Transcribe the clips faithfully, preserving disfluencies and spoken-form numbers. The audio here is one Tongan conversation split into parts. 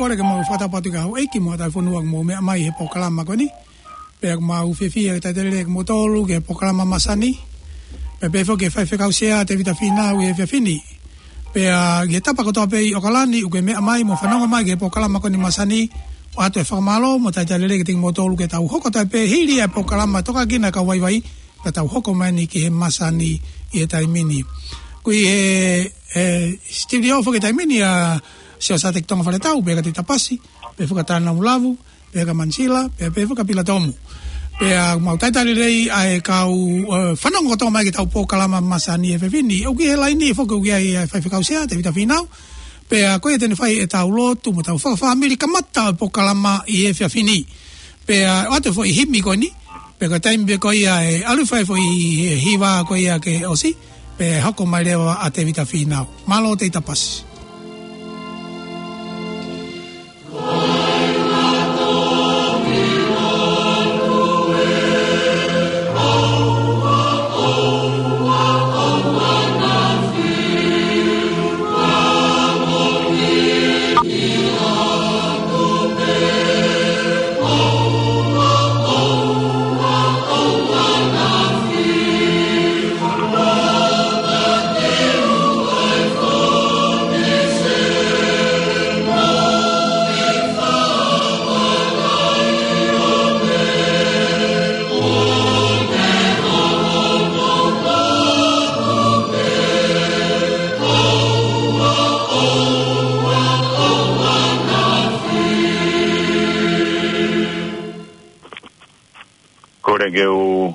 Kole ke mau fakatapu atu ki he houʻeiki mo e tauhi fonua ʻoku mou meʻa mai he polokalama ko eni. Pea ʻoku mau fiefia ke talitali lelei kimoutolu ki he polokalama masani. Pea pehē foki ki he faifekau sea Tevita Fīnau ʻi he efiafi ni. Pea ki he tapa kotoa pē ʻi ʻOkalani ʻoku ke meʻa mai mo fanongo mai ki he polokalama ko eni masani. ʻOatu e fakamālō mo e talitali lelei kiate kimoutolu ke tau hoko atu pē hili ʻa e polokalama tokanga ki he kau vaivai. Pea tau hoko mai eni ki he masani ʻi he taimi ni. ʻOku ʻi he, he studio foki he taimi ni ʻa Sio Sateki Tonga Faletau, pea kia Tita Pasi, pea kia Tana Mulavu, pea kia Manisila, pea, pea kia Pila Tomu. Pea mau talitali lelei ʻa e kau, ē, fanongo kotoa mai ki heʻetau polokalama masani he efiafi ni. ʻOku ʻi he laini foki ʻoku ʻi ai ʻa e faifekau sea, Tevita Fīnau. Pea ko ia te ne fai ʻetau lotu mo ʻetau fakafāmili kamata ʻo e polokalama ʻi he efiafi ni. Pea ʻoatu e foʻi himi ko eni. Pea ko e taimi pē ko ia ʻe ʻalu fai e foʻi hiva ko ia ke ʻosi. Pea hoko mai leva ʻa Tevita Fīnau. Mālō Tita Pasi. Kole ke u,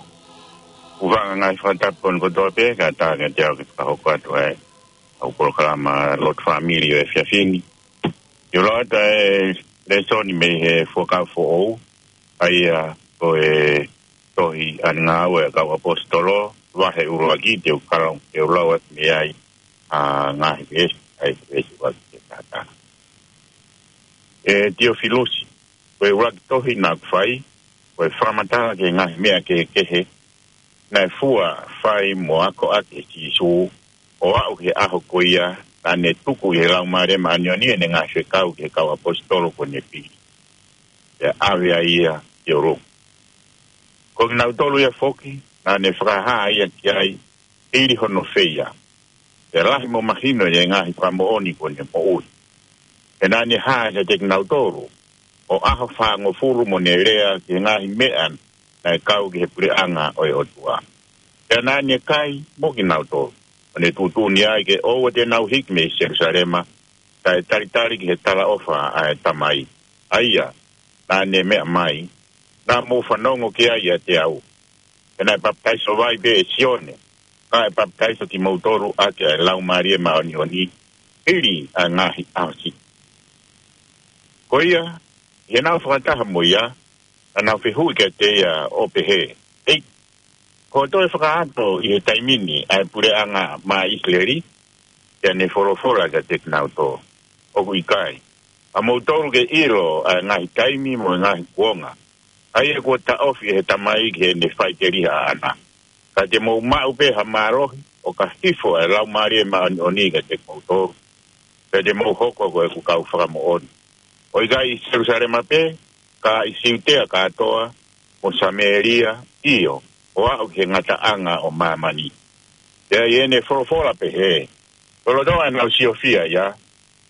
u hūfanga he ngaahi fakatapu kotoa pē, kae ʻatā kiate au ke fakahoko atu ʻa e, ʻa e polokalama lotu fāmili ʻo e efiafi ni. ʻIo, lau atu ʻa e lēsoni mei he Fuakava Foʻou, ʻa ia ko e tohi ʻa e Ngāue ʻa e Kau ʻAposetolo, vahe ʻuluaki, te u kalo, te u lau atu mei ai ʻa e ngaahi veesi, ʻa e veesi ʻuluaki ki he taha taha. ʻE Tiofilusi, ko e ʻuluaki tohi naʻa ku fai, ko e fakamatala ki he ngaahi meʻa kehekehe naʻe fua, fai mo akoʻaki ʻe Sīsū, ʻo aʻu ki he ʻaho ko ia naʻa ne tuku ʻi he Laumālie Māʻoniʻoni ʻene ngaahi fekau ki he kau ʻaposetolo kuo ne pili, pea ʻave ai ia ki ʻolunga. Ko kinautolu ia foki naʻa ne fakahā ia ki ai, hili hono feia. Pea lahi mo mahino ʻi he ngaahi fakamoʻoni kuo ne moʻui. Pea naʻa ne hā kiate kinautolu ʻo ʻaho fāngofulu mo ne lea ki he ngaahi meʻa naʻe kau ki he puleʻanga ʻo e ʻOtua. Pea naʻa ne kai mo kinautolu, ʻo ne tuʻutuʻuni ai ke ʻoua te nau hiki mei Selusalema, kae talitali ki he talaʻofa ʻa e Tamai, ʻa ia naʻa ne meʻa mai, naʻa mou fanongo ki ai ʻiate au. Pea naʻe papitaiso vai pē ʻe Sione, ka ʻe papitaiso kimoutolu ʻaki ʻa e Laumālie Māʻoniʻoni, hili ʻa e ngaahi ʻaho siʻi. Ko ia, ʻi heʻenau fakataha mo ia, naʻa nau fehuʻi kiate ia ʻo pehē, ʻEiki, kuo toe fakaʻato ʻi he taimi ni ʻa e puleʻanga maʻa ʻIsileli? Pea ne folofola kiate kinautolu, ʻOku ʻikai, ʻa moutolu ke ʻilo ʻa e ngaahi taimi mo e ngaahi kuonga, ʻa ia kuo taʻofi ʻe he Tamai ki heʻene faʻiteliha ʻaʻana. Ka te mou maʻu pē ha mālohi, ʻo ka hifo ʻa e Laumālie Māʻoniʻoni kiate kimoutolu, pea te mou hoko ko ʻeku kau fakamoʻoni, ʻo ʻikai ʻi Selusalema pē, ka ʻi Siutea kātoa, mo Samēlia, ʻio, ʻo aʻu ki he ngataʻanga ʻo māmani. Pea ʻi heʻene folofola pehē, lolotonga ʻenau siofia ia,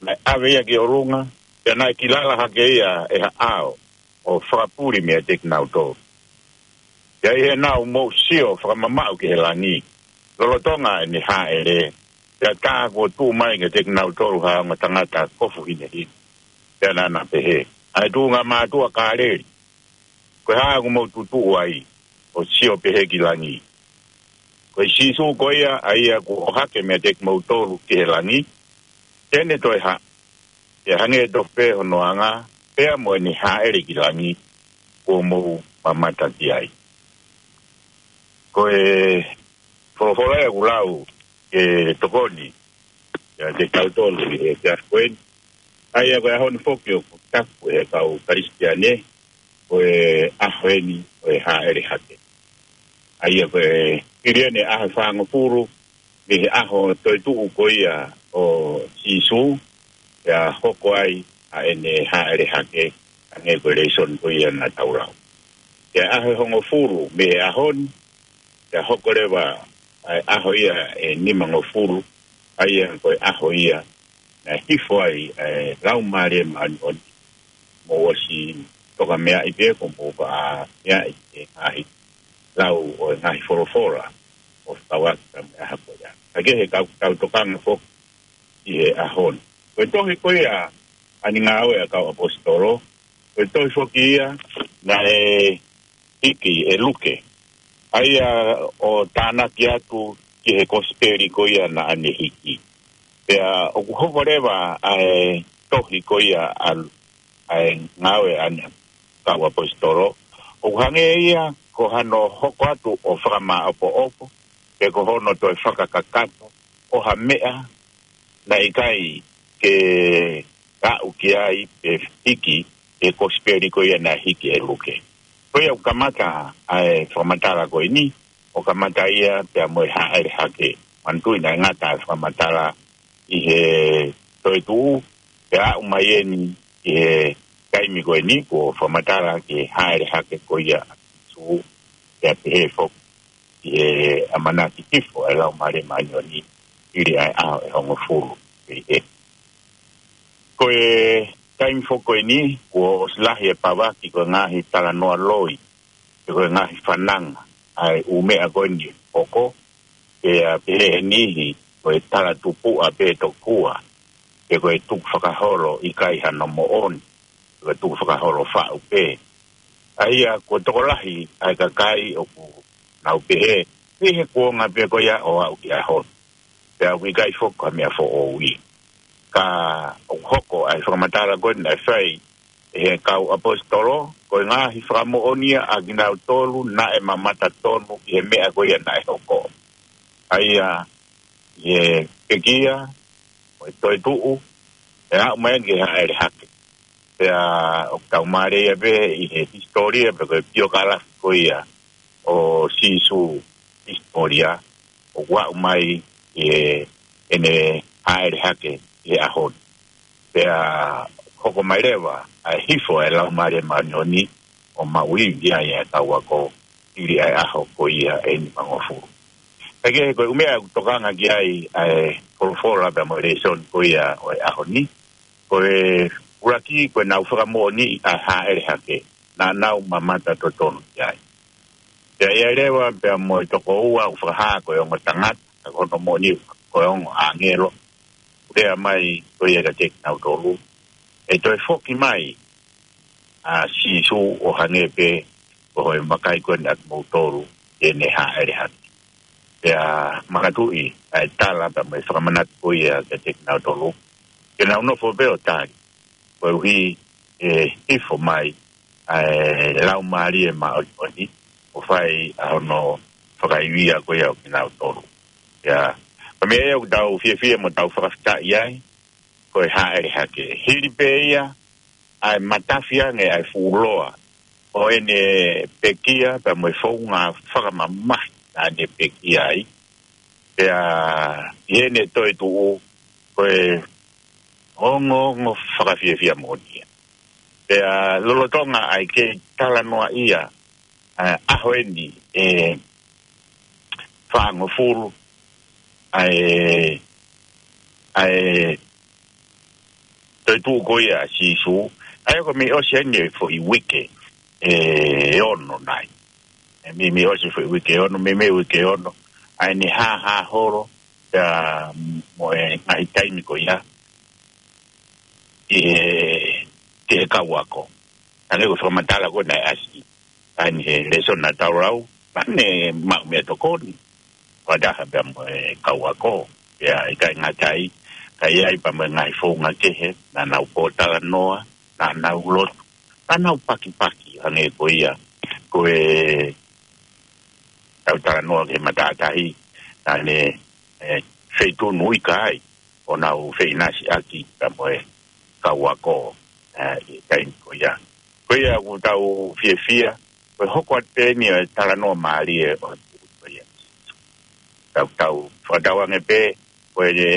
naʻe ʻave ia ki ʻolunga, pea naʻe kilala hake ia ʻe ha ʻao, ʻo fakapuli meiate kinautolu. Pea ʻi heʻenau mou sio fakamamaʻu ki he langi, lolotonga ʻene hāʻele, pea tā kuo tuʻu mai kiate kinautolu ha ongo tangata kofu hinehina. Pea naʻa na pehē, ʻA e tuʻunga mātuʻa Kāleli, ko e hā ʻoku mou tutuʻu ai, ʻo sio pehē ki langi? Ko e Sīsū ko ia, ʻa ia kuo ʻohake meiate kimoutolu ki he langi, te ne toe hā, pea hangē tofu pē hono anga, pea mo ʻene hāʻele ki langi, kuo mou mamata ki ai. Ko e folofola ia ʻoku lau ke tokoni kiate kitautolu ʻi he efiafi ko eni. ʻA ia ko e ʻaho ni foki ʻoku taku ʻe he kau Kalisitiane, ko e ʻaho eni ʻo e hāʻele hake. ʻA ia ko e hili eni ʻaho fāngofulu, mei he ʻaho toetuʻu ko ia ʻo Sīsū, pea hoko ai ʻa ʻene hāʻele hake, hangē ko e lēsoni ko ia naʻa tau lau. Ko e ʻaho ʻe hongofulu mei he ʻaho ni, pea hoko leva ʻa e ʻaho ia ʻe nimangofulu, ʻa ia ko e ʻaho ia naʻe hifo ai ʻa e Laumālie Māʻoniʻoni, mou ʻosi toka meaʻi pē, ko mou faʻa meaʻi e ngaahi lau ʻo e ngaahi folofola ʻo fakauaki ka mea hako ia. Ka ke he kau, kau tokanga foki ʻi he ʻaho ni. Ko e tohi ko ia ʻa e Ngāue ʻa e Kau ʻAposetolo, ko e tohi foki ia naʻe hiki ʻe Luke, ʻa ia ʻo tānaki atu ki he kosipeli ko ia naʻa ne hiki. Pea ʻoku hoko leva ʻa e tohi ko ia ʻa, ʻa e Ngāue ʻa e Kau ʻAposetolo, ʻoku hangē ia ko hano hoko atu ʻo fakamāʻopoʻopo, pe ko hono toe fakakakato ʻo ha meʻa naʻe ʻikai ke aʻu ki ai pe hiki he kosipeli ko ia naʻe hiki ʻe Luke. Ko ia ʻoku kamata ʻa e fakamatala ko eni, ʻo kamata ia pea mo e hāʻele hake. Manatuʻi naʻe ngata ʻa e fakamatala ʻi he toetuʻu, pea aʻu mai eni ʻi he taimi ko eni kuo fakamatala ki he hāʻele hake ko ia ʻa Sīsū, pea pehē foki ʻi he ʻamanaki hifo ʻa e Laumālie Māʻoniʻoni hili ʻa e ʻaho ʻe hongofulu. Pea ʻi he, ko e taimi foki ko eni, kuo ʻosi lahi e pavaki ko e ngaahi talanoa loi, pe ko e ngaahi fananga ʻa e ʻū meʻa ko eni ʻoku hoko, pea pehē ʻe he niʻihi ko e talatupuʻa pē tokua, pe ko e tukufakaholo ʻikai hano moʻoni, pe ko e tukufakaholo faʻu pē. ʻA ia kuo tokolahi ʻa e kakai ʻoku nau pehē, ʻi he kuonga pē ko ia ʻo aʻu ki he ʻaho ni, pea ʻoku ʻikai foki ko ha meʻa foʻou ia. Ka ʻoku hoko ʻa e fakamatala ko eni naʻe fai ʻe he Kau ʻAposetolo, ko e ngaahi fakamoʻoni ia ʻa kinautolu naʻe mamata tonu ʻi he meʻa ko ia naʻe hoko. ʻA ia ʻi he pekia, mo e toetuʻu, ʻe aʻu mai ki he hāʻele hake. Pea ʻoku tau mālieʻia pē ʻi he hisitōlia, pe ko e piokalafi ko ia ʻo Sīsū, hisitōlia, ʻoku aʻu mai ʻi heʻene hāʻele hake ʻi he ʻaho ni. Pea hoko mai leva ʻa e hifo ʻa e Laumālie Māʻoniʻoni ʻo maʻu ivi ai ʻa e kau ako hili ʻa e ʻaho ko ia ʻe nimangofulu. Ka ke he ko e ʻū meʻa ʻoku tokanga ki ai ʻa e folofola pea mo e lēsoni ko ia ʻo e ʻaho ni, ko e ʻuluaki ko ʻenau fakamoʻoniʻi ʻa e hāʻele hake naʻa nau mamata totonu ki ai. Pea ʻi ai leva pea mo e toko ua ʻoku fakahā ko e ongo tangata, ka ko hono moʻoni ko e ongo ʻāngelo, ʻoku lea mai ko ia kiate kinautolu, ʻe toe foki mai ʻa Sīsū ʻo hangē pē ko e vakai ko eni ʻa kimoutolu ʻi heʻene hāʻele hake. Pea manatuʻi ʻa e tala pea mo e fakamanatu ko ia kiate kinautolu, ke nau nofo pē ʻo tali, koeʻuhi ʻe hifo mai ʻa e Laumālie Māʻoniʻoni ʻo fai ʻa hono fakaivia ko ia ʻo kinautolu. Ia, ko e meʻa ia ʻoku tau fiefia mo tau fakafetaʻi ai, ko e hāʻele hake. Hili pē ia ʻa e matafi ange ʻa e fuʻu loa ʻo ʻene pekia pea mo e founga fakamamahi naʻa ne pekia ai. Pea ʻi heʻene toetuʻu, ko e ongoongo fakafiefia moʻoni ia. Pea lolotonga ʻa e kei talanoaʻia ʻa e ʻaho eni ʻe fāngofulu ʻa e, ʻa e toetuʻu ko ia ʻa Sīsū, ʻa ia ko e meimei ʻosi eni e foʻi uike ʻe ono nai. ʻE meimei ʻosi e foʻi uike ʻe ono, meimei uike ʻe ono ʻa ʻene hāhā holo, pea mo e ngaahi taimi ko ia ʻi he, ki he kau ako. Hangē ko e fakamatala ko ē naʻe ʻasi ʻa eni he lēsoni naʻa tau lau, naʻa ne maʻu meʻatokoni fakataha pea mo e kau ako. Pea ʻikai ngata ai, ka ʻi ai pea mo e ngaahi founga kehe, naʻa nau pōtalanoa, naʻa nau lotu, naʻa nau pakipaki, hangē ko ia ko e tau talanoa ki he matātahi, naʻa ne, ʻe, feitunu ika ai ʻo nau feʻinasiʻaki pea mo e kau ako, ʻe, ʻi he taimi ko ia. Ko ia ʻoku tau fiefia, ko e hoko atu pē eni ʻo e talanoa mālie ʻo e puʻu ko ia. Tau, tau fakatauange pē, ko e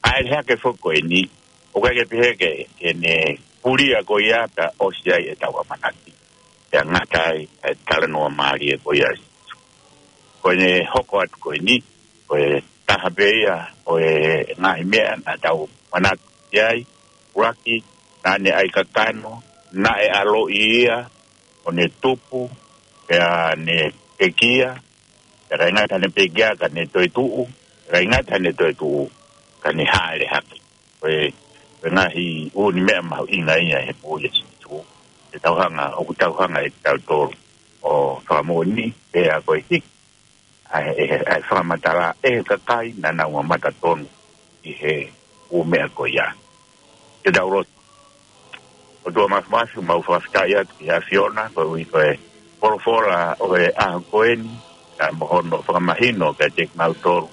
hāʻele hake foki ko eni, ʻoku ʻikai ke pehē ke, ke ne pulia ko ia pea ʻosi ai ʻetau ʻamanaki. Pea ngata ai e talanoa mālie ko ia. Ko ʻene hoko atu ko eni, ko e taha pē ia ʻo e ngaahi meʻa naʻa tau manatu ki ai, ʻuluaki, naʻa ne ʻai kakano, naʻe ʻaloʻi ia, ʻo ne tupu, pea ne pekia, pea ʻikai ngata he ne pekia ka ne toe tuʻu, ʻikai ngata he ne toe tuʻu, ka ne hāʻele hake. Ko e, ko e ngaahi ʻū meʻa mahuʻinga ia he moʻui ʻa Sīsū. Te tau hanga, ʻoku tau hanga ʻe tautolu ʻo fakamoʻoni, pea ko e hiki ʻa e, ʻa e fakamatala ʻe he kakai naʻa nau mamata tonu ʻi he ʻū meʻa ko ia. Te tau lotu. ʻOtua Māfimafi, mau fakafetaʻi atu ki he ʻAfiona, koeʻuhi ko e folofola ʻo e ʻaho ko eni, pea mo hono fakamahino kiate kimautolu.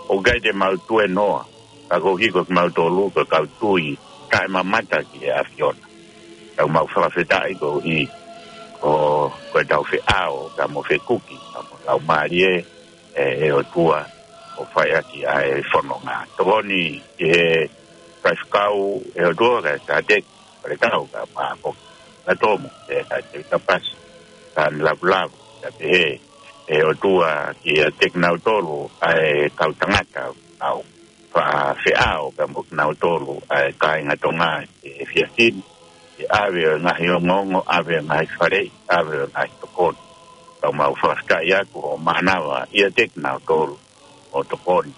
ʻOku ʻikai te mau tuēnoa, ka koeʻuhi ko kimautolu, ko e kau tui, taʻemamata ki he ʻAfiona. Tau mau fakafetaʻi koeʻuhi ko, ko ʻetau feʻao, pea mo fekuki, pea mo e Laumālie, ʻe, ʻe ʻOtua, ʻo fai ʻaki ʻa e fononga. Tokoni ki he faifekau ʻe ʻOtua, kae Sāteki Faletau, kae Maʻapoki Latomu, ʻe kae Tevita Pasi, kae Lavulavu, kae pehē ʻe ʻOtua kiate kinautolu ʻa e kau tangata ʻoku nau faʻa feʻao pea mo kinautolu ʻa e kāinga Tonga he efiafi ni, he ʻave ʻo e ngaahi ongoongo, ʻave ʻo e ngaahi faleʻi, ʻave ʻo e ngaahi tokoni. Tau mau fakafetaʻi atu ʻo mānava ʻiate kinautolu ʻo tokoni,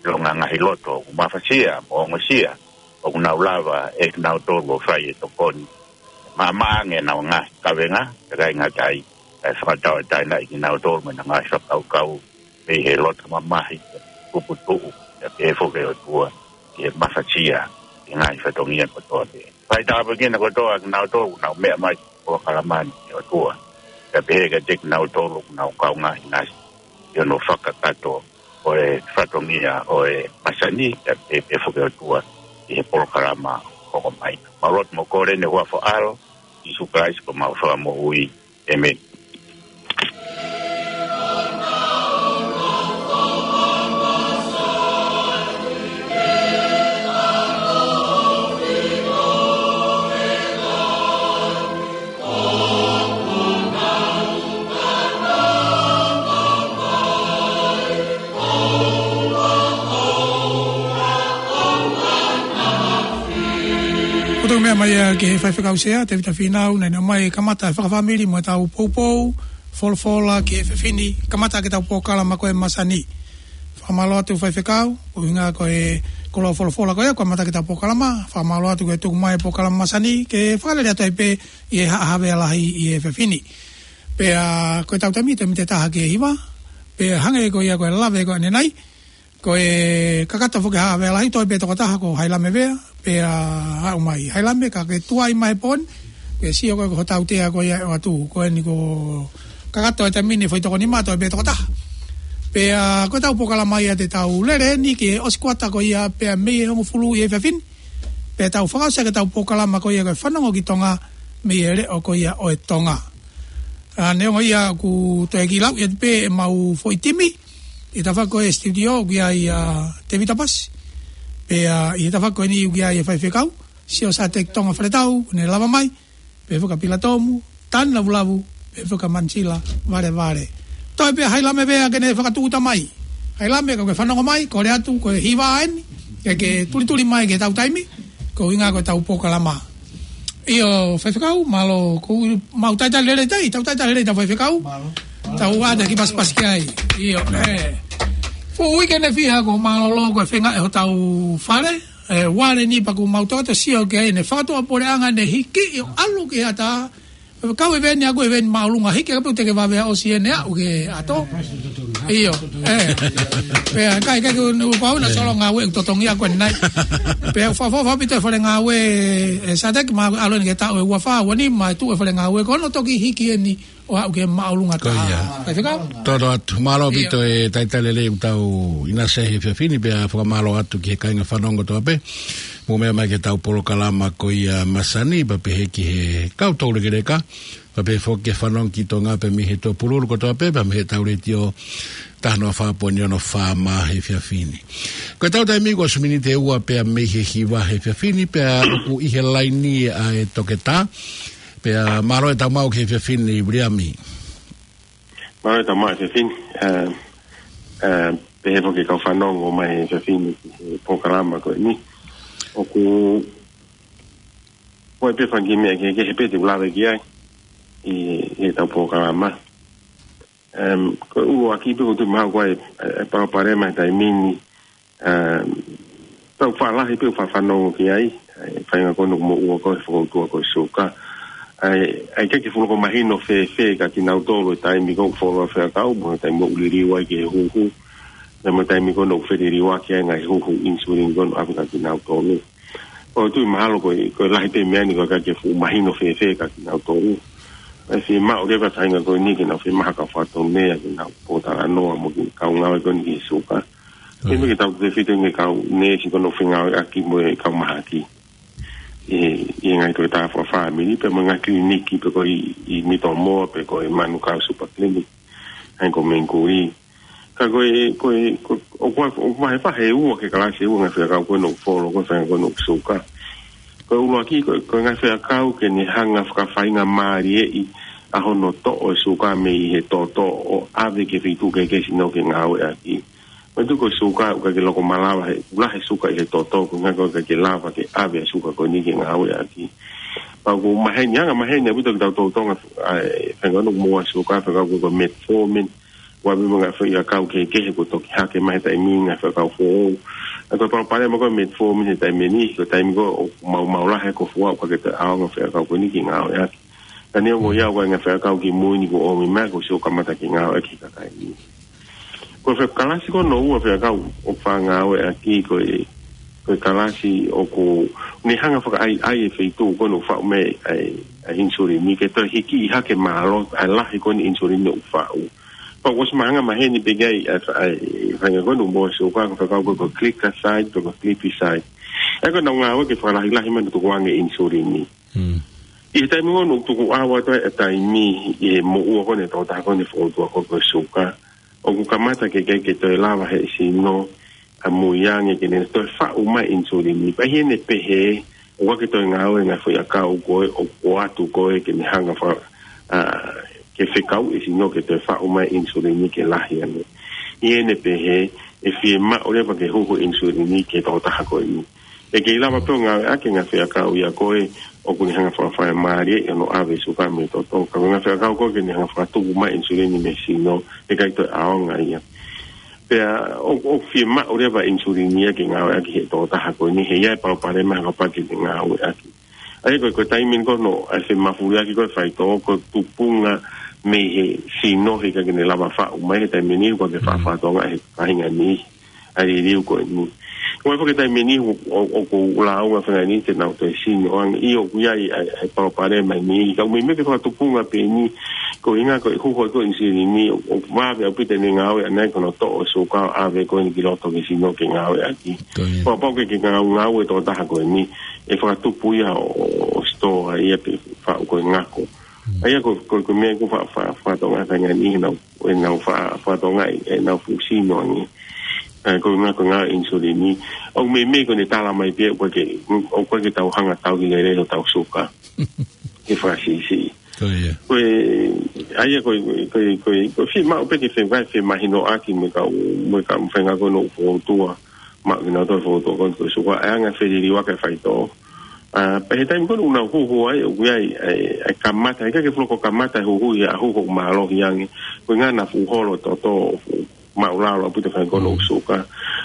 ʻilonga ngaahi loto ʻoku mafasia mo ongosia, ʻoku nau lava ʻe kinautolu ʻo fai e tokoni. Maʻamaʻa ange ʻenau ngaahi kavenga, kae ʻikai ngata ai, kae fakatauʻatāinaʻi kinautolu mo ʻenau ngaahi fakakaukau, mei he loto mamahi, kupu tuʻu, pea pehē foki ʻe ʻOtua, ki he mafasia, ki he ngaahi fatongia kotoa pē. Fai tāpuekina kotoa kinautolu, ʻoku nau meʻa mai ki he polokalama ni ʻe ʻOtua. Pea pehē kiate kinautolu, ʻoku nau kaungā ʻinasi, ʻi hono fakakakato ʻo e fatongia ʻo e masani, pea pehē pē foki ʻe ʻOtua, ki he polokalama hoko mai. Mau lotu mo kole ʻi he huafa ʻo ho ʻAlo, Sīsū Kalaisi ko homau Fakamoʻui. ʻĒmeni. Ko e tau meʻa mai ia ki he faifekau sea, Tevita Fīnau, naʻa ne ʻomai kamata e fakafāmili mo ʻetau poupou folofola ki he efiafi ni, kamata ʻaki ʻetau polokalama ko e masani. Fakamālō atu faifekau, ko e ʻuhinga ko e koloa folofola ko ia, ko e kamata ʻaki ʻetau polokalama, fakamālō atu ko e tuku mai e polokalama masani, ke fakalele atu ai pē ʻi he haʻa Havea Lahi ʻi he efiafi ni. Pea ko ʻetau taimi, taimi ʻe taha ki he hiva, pea hangē ko ia ko e lave ko ʻanenai, ko e kakato foki haʻa Havea Lahi, toe pē tokotaha ko Hailame Vea, pea aʻu mai. Hailame, ka ke tuai mai pē, ke sio ko e ko hotau tea ko ia ʻe ʻoatu, ko eni ko e kakato e taimi ni foʻi toko nima, toe pē tokotaha. Pea ko ʻetau polokalama ia te tau lele ni ki he ʻosi kuata ko ia pea mei he hongofulu ʻi he efiafi ni. Pea tau fakaʻosi ʻaki ʻetau polokalama ko ia ko e Fanongo ki Tonga mei he leʻo ko ia ʻo e Tonga. ʻA, neongo ia ʻoku toe kiʻi lau ia pē ʻemau foʻi timi, ʻi he tafaʻaki ko e studio ʻoku ʻi ai ʻa Tevita Pasi. Pea ʻi he tafaʻaki ko eni ʻoku ʻi ai ʻa e faifekau, Sio Sāteki Tonga Faletau, ne lava mai, pehē foki ʻa Pila Tomu, Tani Lavulavu, pehē foki ʻa Manisila Valevale. Toe pē Hailame Vea ke ne fakatūʻuta mai. Hailame, ka ke fanongo mai, kole atu, ko e hiva eni, ke ke tulituli mai ki heʻetau taimi, ko e ʻuhinga ko ʻetau polokalama. ʻIo, faifekau, mālō, ko u mau talitali lelei tai, tau talitali lelei ʻetau faifekau. Mālō. Tau ʻoatu e kiʻi pasipasi ki ai. ʻIo, ē. Fuʻu uike ʻe fiha kuo mālōlō ko e feinga ʻe hotau fale, ē, uale ni pea kuo mau toʻo atu e sio ki ai ʻene fakatuʻapuleʻanga ʻene hiki ʻo ʻalu ki he ʻatā. Kau e veni ʻaku e veni māʻolunga hiki, ka pau te ke vavea ʻosi ʻene aʻu ki he ʻato. ʻIo, ē. Pea, kai, kai, ko u pau na solo ngāue ʻoku totongi ʻaku ʻanenai. Pea, fa, fa, fa, pito e fale ngāue, ē, Sāteki, ma alo ni ke taʻu ʻe ua fā, ua nima, tuʻu e fale ngāue, ko hono toki hiki eni ʻo aʻu ki he māʻolunga. Ko ia. Faifekau? Tolo atu, mālō ʻIo. pito e talitali lelei ʻoku tau ʻinasi he efiafi ni, pea fakamālō atu ki he kāinga fanongo kotoa pē. Mou meʻa mai ki heʻetau polokalama ko ia masani, pea pehē ki he kau toulekeleka, pea pehē foki ki he Fanongo ki Tonga pē mei he tuʻapululu kotoa pē, pea mei heʻetau letiō taha noa fā poini ono fā mā he efiafi ni. Ko e tau taimi ko e ʻosi miniti ʻe ua pea mei he hiva he efiafi ni, pea ʻoku ʻi he laini ʻa e toketā, pea mālō e tau maʻu ki he efiafi ni, Viliami. Mālō e tau maʻu he efiafi ni, ē, ē, pehē foki e kau fanongo mai he efiafi ni ki he polokalama ko eni. ʻOku, ko e pē fanga kiʻi meʻa kehekehe pē te u lave ki ai ʻi, ʻi he tau polokalama. Em, ko e ʻuluaki pē ʻoku ou tui mahalo ko e, e, e palopalema he taimi ni, em, tau faʻa lahi pē ʻoku faʻa fanongo ki ai, e, faʻahinga ko eni ʻoku moʻua ko e fokoutua ko e suka. ʻAi, ʻai ke ke fuʻu loko mahino fēfē kia kinautolu e taimi ko ē ʻoku fuoloa fekau, mo e taimi ʻoku liliu ai ki he huhu, pea mo e taimi ko eni ʻoku feliliuaki ai e ngaahi huhu insulini ko eni ʻoku ʻave kia kinautolu. ʻOku ou tui mahalo ko e, ko e lahi pē meʻa ni ʻoku ʻikai ke fuʻu mahino fēfē kia kinautolu. ʻE fiemaʻu leva e faʻahinga ko eni ke nau fiemaʻu ha kau fakatonuhia ke nau pōtalanoa mo e kau ngāue ko eni ki he suka. Ko ia. Pea mo e kitautolu tefito e kau neesi ko eni ʻoku fengāueʻaki mo e kau mahaki ʻi he, ʻi he ngaahi toketā fakafāmili, pea mo e ngaahi kiliniki, pe ko e ʻi, ʻi Mitomoa, pe ko e Manukau Super Clinic, ʻa ia ko Mengkuli. Ka ko e, ko e, ko, ʻoku, ʻoku vahevahe ua ki he kalasi ʻe ua e ngaahi fekau ko eni ʻoku fuoloa ko e faʻahinga ko eni ʻoku suka. Ko e ʻuluaki, ko, ko e ngaahi fekau ke ne hanga fakafaingamālieʻi ʻa hono toʻo e suka mei he toto ʻo ʻave ki he feituʻu kehekehe ʻa e sino ke ngāueʻaki. Mou tui ko e suka ʻoku ʻikai ke loko malava he, ʻoku lahi e suka ʻi he toto, ko e ʻuhinga ʻoku ʻikai ke lava ke ʻave e suka ko eni ke ngāueʻaki. Pea ʻoku maheni, anga maheni ʻaupito kitautolu Tonga, ʻa e faʻahinga ko eni ʻoku moʻua e suka, fekau ko e metformin, ʻoku ʻave mo e ngaahi fekau kehekehe kuo toki hake mai he taimi ni, ngaahi fekau foʻou. ʻA ia ko e palopalema ko e metformin he taimi ni, ko e taimi ko ē ʻoku maumau lahi e kofua, ʻoku ʻikai ke toe ʻaonga e fekau ko eni ke ngāueʻaki. Ka neongo ia, ʻoku ʻi ai e ngaahi fekau kimui ni kuo ʻomi mai, kuo ʻosi ʻo kamata ke ngāueʻaki he kakai ni. Ko e kalasi ko hono ua e fekau ʻoku faʻa ngāueʻaki ko e, ko e kalasi ʻoku ne hanga fakaʻaiʻai e feituʻu ko eni ʻoku faʻu mai ai e, e insulini ke toe hikiʻi hake mālohi ʻa e lahi ko eni insulini ʻoku faʻu. Pea ʻoku ʻosi mahanga maheni pē ki ai ʻa e, ʻa e faʻahinga ko eni ʻoku moʻua e suka, ko e fekau ko e, ko e gliclazide, ko e glipizide. ʻA ia ko ʻenau ngāue ke fakalahilahi mai hono tukuange e insulini. Mm. ʻI he taimi ko eni ʻoku tukuʻau atu ai e taimi ʻi he moʻua ko eni e tokotaha ko eni e fokoutua ko e, ko e suka, ʻoku kamata ke, ke, ke toe lava ʻe he sino ʻo muiange ke ne toe faʻu mai e insulini. Pea ʻi heʻene pehē, ʻoku ʻikai ke toe ngāue e ngaahi foʻiʻakau ko ē ʻoku ʻoatu ko ē ke ne hanga fa-, ʻa, ke fekauʻi e sino ke toe faʻu mai e insulini ke lahi ange. ʻI heʻene pehē, ʻe fiemaʻu leva ke huhu e insulini ki he tokotaha ko eni. ʻE kei lava pē ʻo ngāueʻaki e ngaahi fekau ia ko ē ʻoku ne hanga fakafaingamālieʻi hono ʻave e suka mei he toto. Ka ko e ngaahi fekau ko ē ke ne hanga fakatupu mai e insulini mei he sino, ʻe ʻikai toe ʻaonga ia. Pea ʻoku, ʻoku fiemaʻu leva e insulini ia ke ngāueʻaki ʻe he tokotaha ko eni, he ʻe ʻi ai e palopalema he kapau ʻe ʻikai ke ngāueʻaki. ʻA ia ko e, ko e taimi ni ko hono, ʻa e femafuliʻaki ko ē e faitoʻo, ko e tupunga mei he sino he ʻikai ke ne lava faʻu mai he taimi ni, ʻoku ʻikai ke faʻa, mm, fakatokangaʻi ʻe he kāinga ni ʻa e liliu ko eni. Ko e foki taimi ni ʻo, ʻo, ʻoku lāunga fenga ni te nau toe sino ange. ʻIo, ʻoku ʻi ai ʻa e, ʻa e palopalema ni. Ka ʻoku meimei ke fakatupunga pē eni, ko e ʻuhinga ko e huhu ko ē e insulini, ʻoku, ʻoku vave ʻaupito ʻene ngāue ʻaʻana ia ko hono toʻo e suka ʻo ʻave ko eni ki loto ki he sino ke ngāueʻaki. Ko ia. Pea kapau ʻoku ʻikai ke ngāue, ngāue e tokotaha ko eni, ʻe fakatupu ia ʻo, ʻo, ʻo sitoa ia pe faʻu ko e ngako. Mm. ʻA ia ko, ko, ko e meʻa ʻoku fa-, fa-, fakatokangaʻi e kāinga ni heʻenau, heʻenau fa-, fakatokangaʻi ʻenau fuʻu sino ange. ʻA ia ko e ʻuhinga ko e ngāue e insulini. ʻOku meimei ko ʻene tala mai pē ʻoku ʻikai ke, ʻoku ʻikai ke tau hanga ʻo tauhi lelei hotau suka. Ke fakasiʻisiʻi. Ko ia. Ko e, ʻa ia ko e, ko e, ko e, ko e fiemaʻu pē ke fe-, femahinoʻaki mo e kau, mo e kau faʻahinga ko eni ʻoku fokoutua. Maʻu kinautolu e fokoutua ko eni ko e suka, ʻa e anga e feliliuaki e faitoʻo. ʻA, pea he taimi ko eni ʻoku nau huhu ai, ʻoku ʻi ai e, e, e kamata, ʻikai ke fuʻu loko kamata e huhu ia, ʻa e huhu ʻoku mālohi ange, ko e ʻuhinga naʻa fuʻu holo e toto, fuʻu māʻulalo ʻaupito e faʻahinga ko eni ʻoku suka.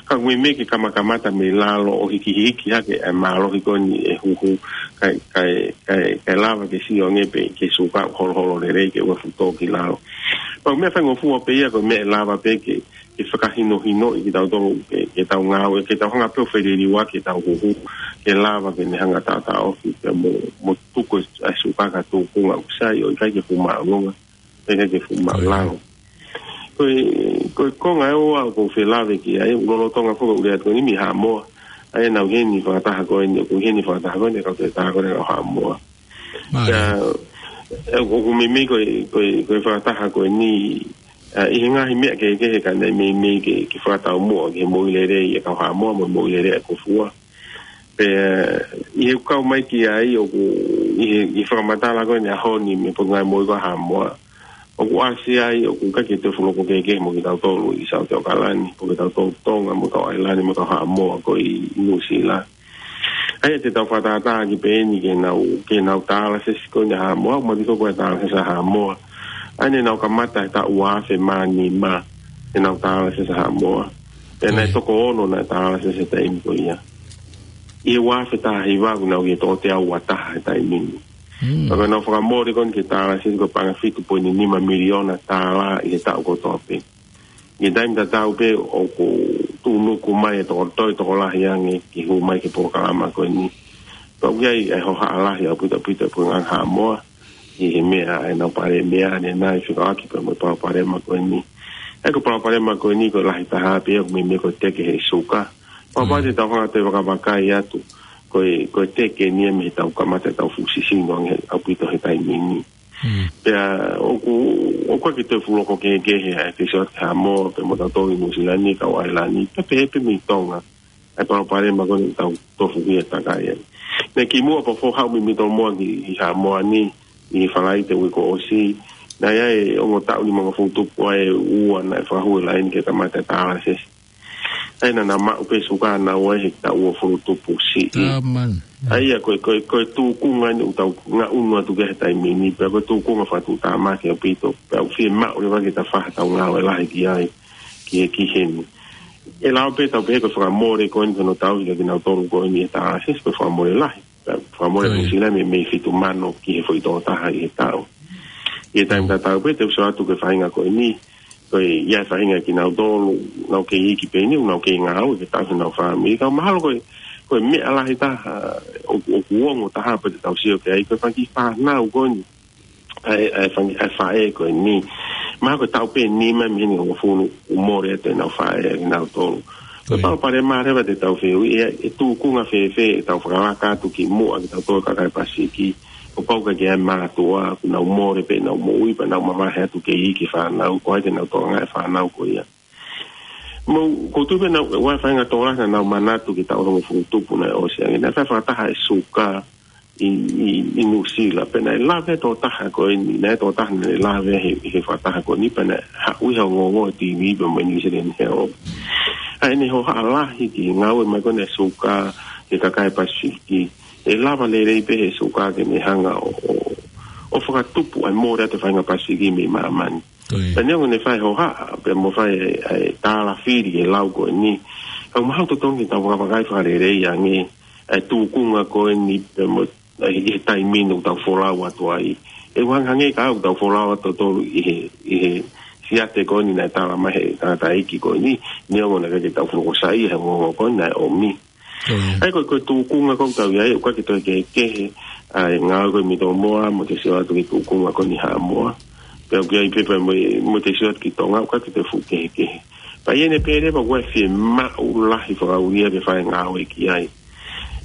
Ka ʻoku meimei ke kamakamata mei lalo ʻo hikihiki hake e mālohi ko eni e huhu, kae, kae, kae, kae lava ke sio ange pē ki he suka ʻoku holoholo lelei ke ʻoua ʻe fuʻu tō ki lalo. Pea ko e meʻa faingofua pē ia, ko e meʻa ʻe lava pē ke ke fakahinohinoʻi kitautolu ke, ke tau ngāue, ke tau hanga pē ʻo feliliuaki ʻetau huhu, ke lava ke ne hanga ʻo taʻotaʻofi, pea mo, mo tuku e suka ki ha tuʻunga ʻoku sai, ʻo ʻikai ke fuʻu māʻolunga, ʻikai ke fuʻu māʻulalo. Ko e, ko e konga ʻe ua ʻoku ou fie lave ki ai, ʻoku lolotonga foki e lea atu ko eni mei Haʻamoa, ʻa ia naʻa ku ʻi heni he fakataha ko eni, ʻoku ʻi heni he fakataha ko eni, kau te taha ko eni ʻo Haʻamoa. Mālie. Ka, ʻe, ʻoku meimei ko e, ko e, ko e fakataha ko eni, ʻA, ʻi he ngaahi meʻa kehekehe ka naʻe meimei ke, ke fakataumuʻa ki he moʻui lelei ʻa e kau Haʻamoa mo e moʻui lelei ʻa e kofua. Pea, ʻi he kau mai ki ai ʻoku, ʻi he, ʻi he fakamatala ko eni ʻaho ni mei he Potungāue Moʻui ʻa Haʻamoa. ʻOku ʻasi ai, ʻoku ʻikai ke toe fuʻu loko kehekehe mo kitautolu ʻi Saute ʻAokalani, mo kitautolu Tonga, mo e kau ʻAilani, mo e kau Haʻamoa ko ē ʻi Nuʻusila. ʻA ia te tau fakatātā ki pē eni ke nau, ke nau tālasesi ko eni ʻa Haʻamoa, ʻoku mālie ko e tālasesi ʻa Haʻamoa. ʻA ia naʻa nau kamata he taʻu ua afe mā nima, ke nau tālasesi ʻa Haʻamoa. Pea naʻe toko ono naʻe tālasesi he taimi ko ia. ʻI he ua afe taha hiva kuo nau ʻi he toko teau ua taha he taimi ni. Pea ko ʻenau fakamole ko eni ke tālasesi ko e paʻanga fitu poini nima miliona tālā ʻi he taʻu kotoa pē. ʻI he taimi tatau pē ʻoku tuʻunuku mai e toko toe tokolahi ange ke hū mai ki he polokalama ko eni. Pea ʻoku ʻi ai e hohaʻa lahi ʻaupito ʻaupito ʻa e Potungāue Haʻamoa ʻi he meʻa ʻa ʻenau palēmia ʻanenai fekauʻaki pea mo e palopalema ko eni. ʻA ia ko e palopalema ko eni ko e lahi taha pē ʻoku meimei ko e teke he suka. Pea ʻoku pau te tau hanga ʻo toe vakavakai atu ko e, ko e teke eni ia mei heʻetau kamata ʻetau fuʻu sisino ange ʻaupito he taimi ni. Pea ʻoku, ʻoku ʻikai ke toe fuʻu loko kehekehe ʻa e fesioti ʻa Haʻamoa pea mo tautolu ʻi Nuʻusila ni, kau ʻAilani, pea pehē pē mei Tonga. ʻA e palopalema ko eni ʻoku tau tofu ki ai ʻo takai ai. Naʻe kimuʻa pea foha ʻo mimi tō moa ki, ʻi Haʻamoa ni, ʻi Falaite uike kuo ʻosi. Naʻe ʻi ai e ongo taʻu nimangofulu tupu ʻa e ua naʻe fakahū e laine ke kamata e tālasesi. ʻA ia naʻa nau maʻu pē suka naua he taʻu uofulu tupu siʻi. ʻA ia ko e, ko e, ko e tūkunga eni ʻoku tau ngaʻunu atu ki ai he taimi ni, pea ko e tūkunga fakatuʻutāmaki ʻaupito, pea ʻoku fiemaʻu leva ke ta fai haʻatau ngāue lahi ki ai, ki he, ki heni. ʻE lava pē tau pehē ko e fakamole ko eni ko ʻenau tauhi kia kinautolu ko eni he tālasesi ko e fakamole lahi. Pea fakamole Nuʻusila meimei fitu mano ki he foʻi toko taha ʻi he taʻu. ʻI he taimi tatau pē te u sio atu ki he faʻahinga ko eni, ko e ʻi ai e faʻahinga kinautolu, nau kei iiki pē eni, nau kei ngāue ke tauhi ʻenau fāmili. Ka mahalo ko e, ko e meʻa lahi taha, ʻoku, ʻoku ongo taha pē te tau sio ki ai, ko e fanga kiʻi fānau ko eni. ʻA e, ʻa e fanga, ʻa e faʻē ko eni. Mahalo ko e taʻu pē nima mei heni ʻo hongofulu ʻoku mole atu ʻenau faʻē ʻa kinautolu. Ko e palopalema leva te tau fehuʻi, ʻe, ʻe tūkunga fēfē ʻetau fakalaka atu kimuʻa kitautolu kakai Pasifiki. ʻO pau ka ke ʻai mātuʻa, ʻoku nau mole pē ʻenau moʻui, pea nau mavahe atu kei iiki e fānau, ko hai te nau tokangaʻi e fānau ko ia. Mou, ʻoku ou tui pē naʻe ʻi ai e faʻahinga tokolahi naʻa nau manatu ki he taʻu hongofulu tupu naʻe ʻosi ange, naʻe fai fakataha e suka ʻi, ʻi, ʻi Nuʻusila, pea naʻe lave e tokotaha ko eni, naʻe tokotaha naʻe lave he, he fakataha ko eni, pea naʻe haʻu ia ʻo ongoongo he T V pea mo e New Zealand Herald. ʻA ʻene hohaʻa lahi ki he ngāue mai ko eni e suka ki he kakai Pasifiki, ʻe lava lelei pē he suka ke ne hanga ʻo, ʻo, ʻo fakatupu ʻa e mole atu e faʻahinga Pasifiki mei māmani. Pea neongo naʻe fai e hohaʻa, pea mo fai e, e tālafili e lau ko eni. Ka ʻoku mahalo totonu ke tau vakavakai fakalelei ange, e tūkunga ko eni, pea mo, e, he taimi ni ʻoku tau folau atu ai. ʻE hangehangē ka ʻoku tau folau atu tautolu ʻi he, ʻi he siate ko eni naʻe tala mai he tangataʻeiki ko eni, neongo naʻe ʻikai ke tau fuʻu loko saiʻia he ongoongo ko eni naʻe ʻomi. ʻA ia ko e, ko e tūkunga ʻoku tau ʻi ai, ʻoku ʻikai ke toe kehekehe ʻa e ngāue ko ē mei Tomoa, mo e sio atu ki he tūkunga ko eni ʻa Haʻamoa. Pea ʻoku ʻi ai pē pea mo e, mo e sio atu ki Tonga, ʻoku ʻikai ke toe fuʻu kehekehe. Pea ʻi heʻene pehē leva ʻoku ʻi ai e fiemaʻu lahi fakaʻulia ke fai e ngāue ki ai.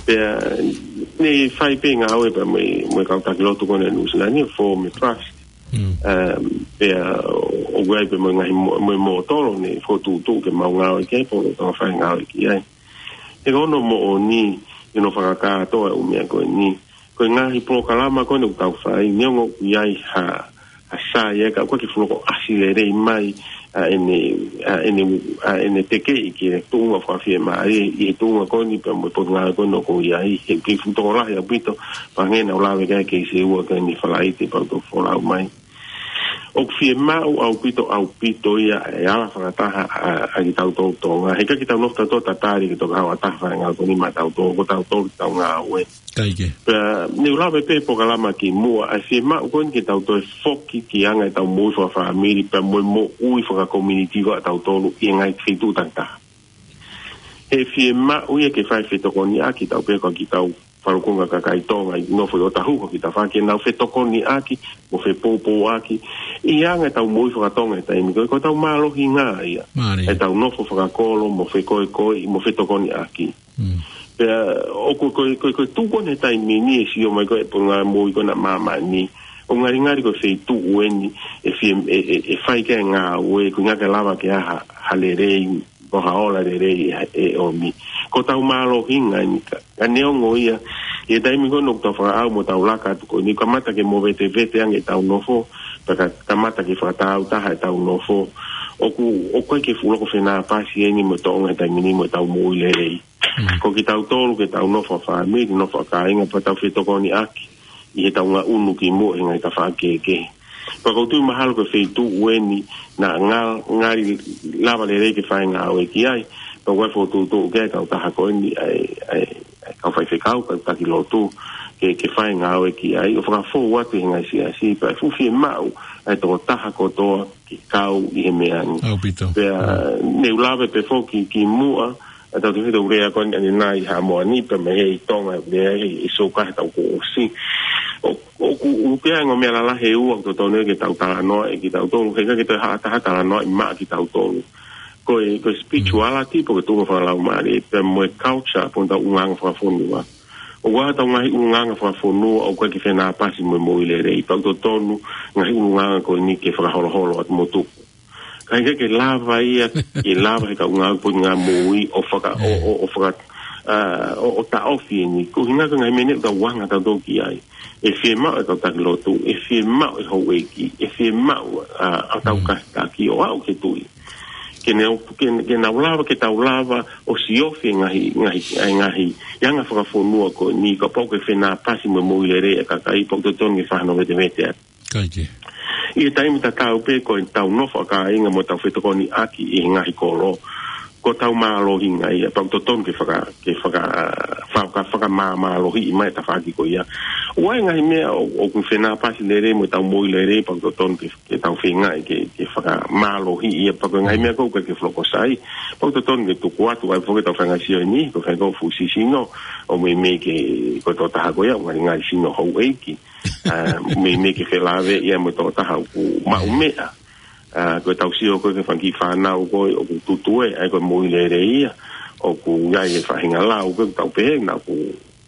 Pea naʻe fai pē e ngāue pea mo e, mo e kau taki lotu ko eni ʻa Nuʻusila ni, form e trust. Um, pea ʻoku ʻi ai pē mo e ngaahi mo-, mo e mōtolo naʻe fokotuʻutuʻu ke mau ngāue ki ai, pea ʻoku tau fai e ngāue ki ai. He ko hono moʻoni, ʻi hono fakakātoa e ʻū meʻa ko eni. Ko e ngaahi polokalama ko eni ʻoku tau fai, neongo ʻoku ʻi ai ha, ha sai ia, ka ʻoku ʻikai ke fuʻu loko ʻasi lelei mai ʻa ʻene, ʻa ʻene, ʻa ʻene tekeʻi ki he tuʻunga fakafiemālie, ʻi he tuʻunga ko eni pea mo e potungāue ko eni ʻoku ʻi ai, he ʻoku kei fuʻu tokolahi ʻaupito, pea hangē naʻa ku lave ki ai he case ua ko eni Falaite pea u toki folau mai. ʻOku fiemaʻu ʻaupito, ʻaupito ia e ala fakataha ʻa, ʻa kitautolu Tonga. He ʻikai ke tau nofo tautolu ʻo tatali ke toki haʻu ha taha ʻo fai e ngāue ko eni maʻatautolu, ko tautolu ke tau ngāue. Pea, ne u lave pē he polokalama kimuʻa, ʻa e fiemaʻu ko eni ke tau toe foki ki he anga ʻetau moʻui fakafāmili, pea mo e moʻui fakakomiunitī ko ē ʻatautolu ʻi he ngaahi feituʻu takitaha. He fiemaʻu ia ke fai fetokoniʻaki, tau pehē ko kitautolu falukunga kakai Tonga ʻi he nofo ʻi ʻOtahuhu, kita fai ke nau fetokoniʻaki, mo fepoupouaki, ʻi he anga ʻetau moʻui fakatonga he taimi ko ē, ko ʻetau mālohinga ia. ʻEtau nofo fakakolo, mo fekoekoeʻi, mo fetokoniʻaki. Pea, ʻoku ko, ko, ko e tuʻu ko eni he taimi ni ʻe sio mai ko ē e potungāue moʻui ko ena ʻa māmani, ʻOku ngalingali ko e feituʻu eni ʻe fie, ʻe, ʻe, ʻe fai ki ai e ngāue, ko e ʻuhinga ke lava ke ʻi ai ha, ha lelei, ko ha ola lelei ʻe, ʻe ʻomi. Ko ʻetau mālohinga eni ka, ka neongo ia, ʻi he taimi ko eni ʻoku tau fakaʻau mo tau laka atu ko eni, kamata ke movetevete ange ʻetau nofo, pea ka, kamata ke fakatāutaha ʻetau nofo. ʻOku, ʻoku ʻikai ke fuʻu loko fenāpasi eni mo e tōʻonga he taimi ni mo ʻetau moʻui lelei. Ko kitautolu ke tau nofo fāmili, nofo kāinga, pea tau fetokoniʻaki ʻi heʻetau ngaʻunu ki muʻa he ngaahi tafaʻaki kehekehe. Pea ʻoku ou tui mahalo ko e feituʻu eni naʻa ngal-, ngali lava lelei ke fai e ngāue ki ai. Pea ʻoku ʻi ai e fokotuʻutuʻu ki ai e kautaha ko eni ʻa e, ʻa e, ʻa e kau faifekau, kau taki lotu, ke, ke fai e ngāue ki ai. ʻO fakafou atu he ngaahi siasi, pea ʻe fuʻu fiemaʻu ʻa e tokotaha kotoa ke kau ʻi he meʻa ni. ʻAupito. Pea, ne u lave pē foki ki muʻa, ʻa e tau tefito urea ko eni ʻanenai ha moani, pea mei he ʻi Tonga, mei he ʻi Soka he taʻu kuo ʻosi. ʻO, ʻoku, ʻoku pea ngaahi meʻa lalahi ʻe ua ʻoku totonu ke tau talanoa ʻe kitautolu, he ʻikai ke toe haʻu ha taha talanoa ʻi maʻa kitautolu. Ko e, ko e spirituality, pe ko e tuʻunga fakalaumālie, pea mo e culture, pe ko ʻetau ʻulungaanga fakafonua. ʻOku ʻi ai ʻetau ngaahi ʻulungaanga fakafonua, ʻoku ʻikai ke fenāpasi mo e moʻui lelei, pea ʻoku totonu, ngaahi ʻulungaanga ko eni ke fakaholoholo atu mo tuku. Ka ʻikai ke lava ia, ke lava he kau ngāue pe ko e ngaahi moʻui ʻo faka-, ʻo, ʻo, ʻo faka-, ʻa, ʻo, ʻo taʻofi eni. Ko e ʻuhinga ko e ngaahi meʻa ni ʻoku tau anga tautolu ki ai. ʻE fiemaʻu e kau taki lotu, ʻe fiemaʻu e houʻeiki, ʻe fiemaʻu, ʻa, ʻa tau kātaki ʻo aʻu ki he tuʻi. Ke ne, ke, ke nau lava, ke tau lava ʻo siofi e ngaahi, ngaahi, ʻa e ngaahi anga fakafonua ko eni, kapau ʻoku fenāpasi mo e moʻui lelei ʻa e kakai, pea ʻoku totonu ke fai hano vetevete atu. ʻIkai ke. ʻI he taimi tatau pē ko ʻetau nofo kāinga mo ʻetau fetokoniʻaki ʻi he ngaahi kolo. Ko ʻetau mālohinga ia, pea ʻoku totonu ke faka-, ke faka-, faka-, fakamāmālohiʻi mai e tafaʻaki ko ia. ʻOku ʻi ai e ngaahi meʻa ʻo, ʻoku fenāpasi lelei mo ʻetau moʻui lelei, pea ʻoku totonu ke, ke tau feinga ke, ke fakamālohiʻi ia, pea ko e ngaahi meʻa ko ē ʻoku ʻikai ke fuʻu loko sai, pea ʻoku totonu ke tuku atu, ʻa ia foki ʻetau faʻahinga sio eni, ko e faʻahinga ko e fuʻu sisino, ʻo meimei ke, ko e tokotaha ko ia, ʻoku ngalingali sino houʻeiki. ʻA, meimei ke felāveʻi ia mo e tokotaha ʻoku maʻu meʻa. ʻA, ko ʻetau sio ko ē ki he fanga kiʻi fānau ko ē ʻoku tutue, ʻa ia ko e moʻui lelei ia, ʻoku ʻi ai e faʻahinga lau ko ē ʻoku tau pehē, naʻa ku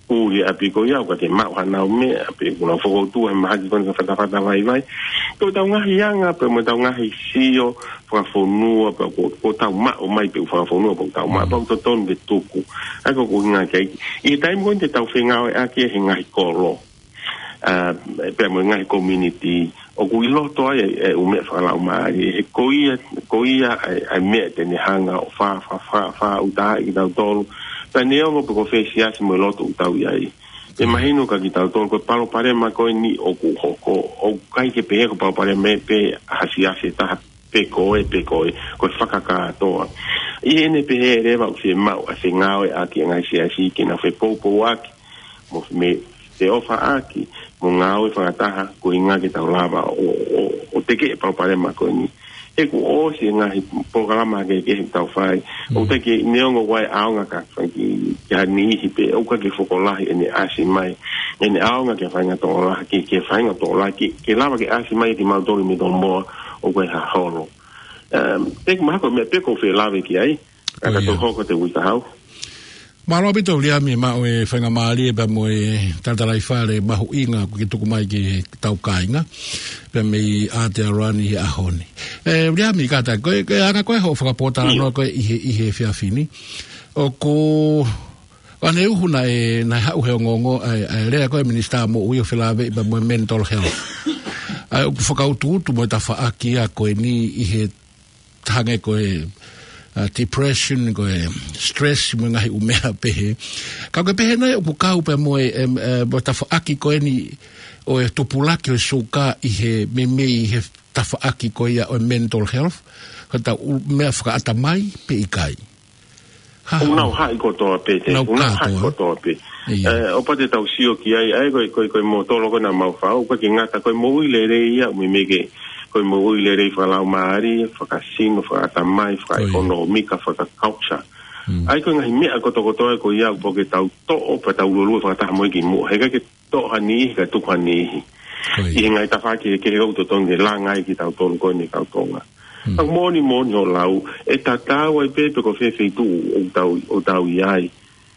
ʻuli ʻapi ko ia, ʻoku ʻikai ke maʻu hanau meʻa, pe ʻoku nau fokotuʻu he mahaki ko eni fakafatafata vaivai. Ko ʻetau ngaahi anga, pea mo ʻetau ngaahi sio fakafonua, pea ko, ko ʻetau maʻu mai pē ʻū fakafonua, pea ʻoku tau maʻu, pea ʻoku totonu ke tuku. ʻA ia ko e ʻuhinga ki ai, ʻi he taimi ko eni te tau fengāueʻaki he ngaahi kolo. ʻA, pea mo e ngaahi community, ʻoku ʻi loto ai e, e ʻū meʻa fakalaumālie, he ko ia, ko ia ʻa e, ʻa e meʻa te ne hanga ʻo fa-, fa-, fa-, faʻu taha ʻi kitautolu. Pea neongo pe ko fē siasi mo e lotu ʻoku tau ʻi ai. ʻE mahino kia kitautolu, ko e palopalema ko eni ʻoku hoko, ʻoku ʻikai ke pehē ko e palopalema ia pē ʻa ha siasi ʻe taha pe ko ē, pe ko ē, ko e fakakātoa. ʻI heʻene pehē leva ʻoku fiemaʻu ʻa e fengāueʻaki ʻa e ngaahi siasi ke nau fepoupouaki, mo me te ofaʻaki, mo ngāue fakataha, ko e ʻuhinga ke tau lava ʻo, ʻo, ʻo tekeʻi e palopalema ko eni. He kuo ʻosi e ngaahi polokalama kehekehe ʻoku tau fai. ʻOku ʻikai ke neongo ʻoku ʻi ai e ʻaonga ka fai ki, ki ha niʻihi pē, ʻoku ʻikai ke fokolahi ʻene ʻasi mai. ʻEne ʻaonga ki he faʻahinga tokolahi, ki, ki he faʻahinga tokolahi, ke, ke lava ke ʻasi mai kimautolu ʻi Mitolomōa ʻoku ʻi ai ha holo. Um, ʻeku mahalo ko e meʻa pē ʻoku ou fie lave ki ai, ka ʻoku tau hoko atu he uike kahaʻu. Mālō ʻaupito Viliami, maʻu e faingamālie pea mo e talatalaifale mahuʻinga kuo ke tuku mai ki heʻetau kāinga, pea mei ʻAotearoa ni he ʻaho ni. ʻE, Viliami, kātaki, ko e, ko e anga ko ē hoʻo fakapōtalanoa ko ē ʻi he, ʻi he efiafi ni. ʻOku, ʻa ʻene uhu naʻe, naʻe haʻu he ongoongo, ʻa e, ʻa e lea ko ē Minisitā Moʻui ʻo felāveʻi pea mo e mental health. ʻA ia ʻoku fakautuutu mo e tafaʻaki ia ko eni ʻi he hangē ko e, uh, depression, ko e stress, mo e ngaahi ʻū meʻa pehē. Ka ko e pehē nai ʻoku kau pea mo e, em, eh, mo e tafaʻaki ko eni ʻo e tupulaki ʻo e suka ʻi he meimei ʻi he tafaʻaki ko ia ʻo e mental health, ko ʻetau ʻū meʻa fakaʻatamai pe ʻikai. Ha, ʻoku nau haʻi kotoa pē, te, nau ʻoku nau haʻi kotoa pē. ʻIo. Eh, ʻo pau te tau sio ki ai, ʻa ia ko e, ko e, ko e motolo ko ē naʻa mau fai, ʻoku ʻikai ke ngata, ko e moʻui lelei ia, meimei ke, ko e moʻui lelei fakalaumālie, fakasino, fakaʻatamai, fakaʻekonōmika, fakaculture. ʻA ia ko e ngaahi meʻa kotokotoa ko ia, ʻoku pau ke tau toʻo, pea tau lulue fakataha mo ia ki muʻa. He ʻikai ke toʻo ha niʻihi, kae tuku ha niʻihi. ʻI he ngaahi tafaʻaki kehekehe ʻoku totonu ke langa ai kitautolu ko eni kau Tonga. Ka moʻoni, moʻoni hoʻo lau, ʻe tatau ai pē pe ko fē feituʻu ʻoku tau, ʻoku tau ʻi ai.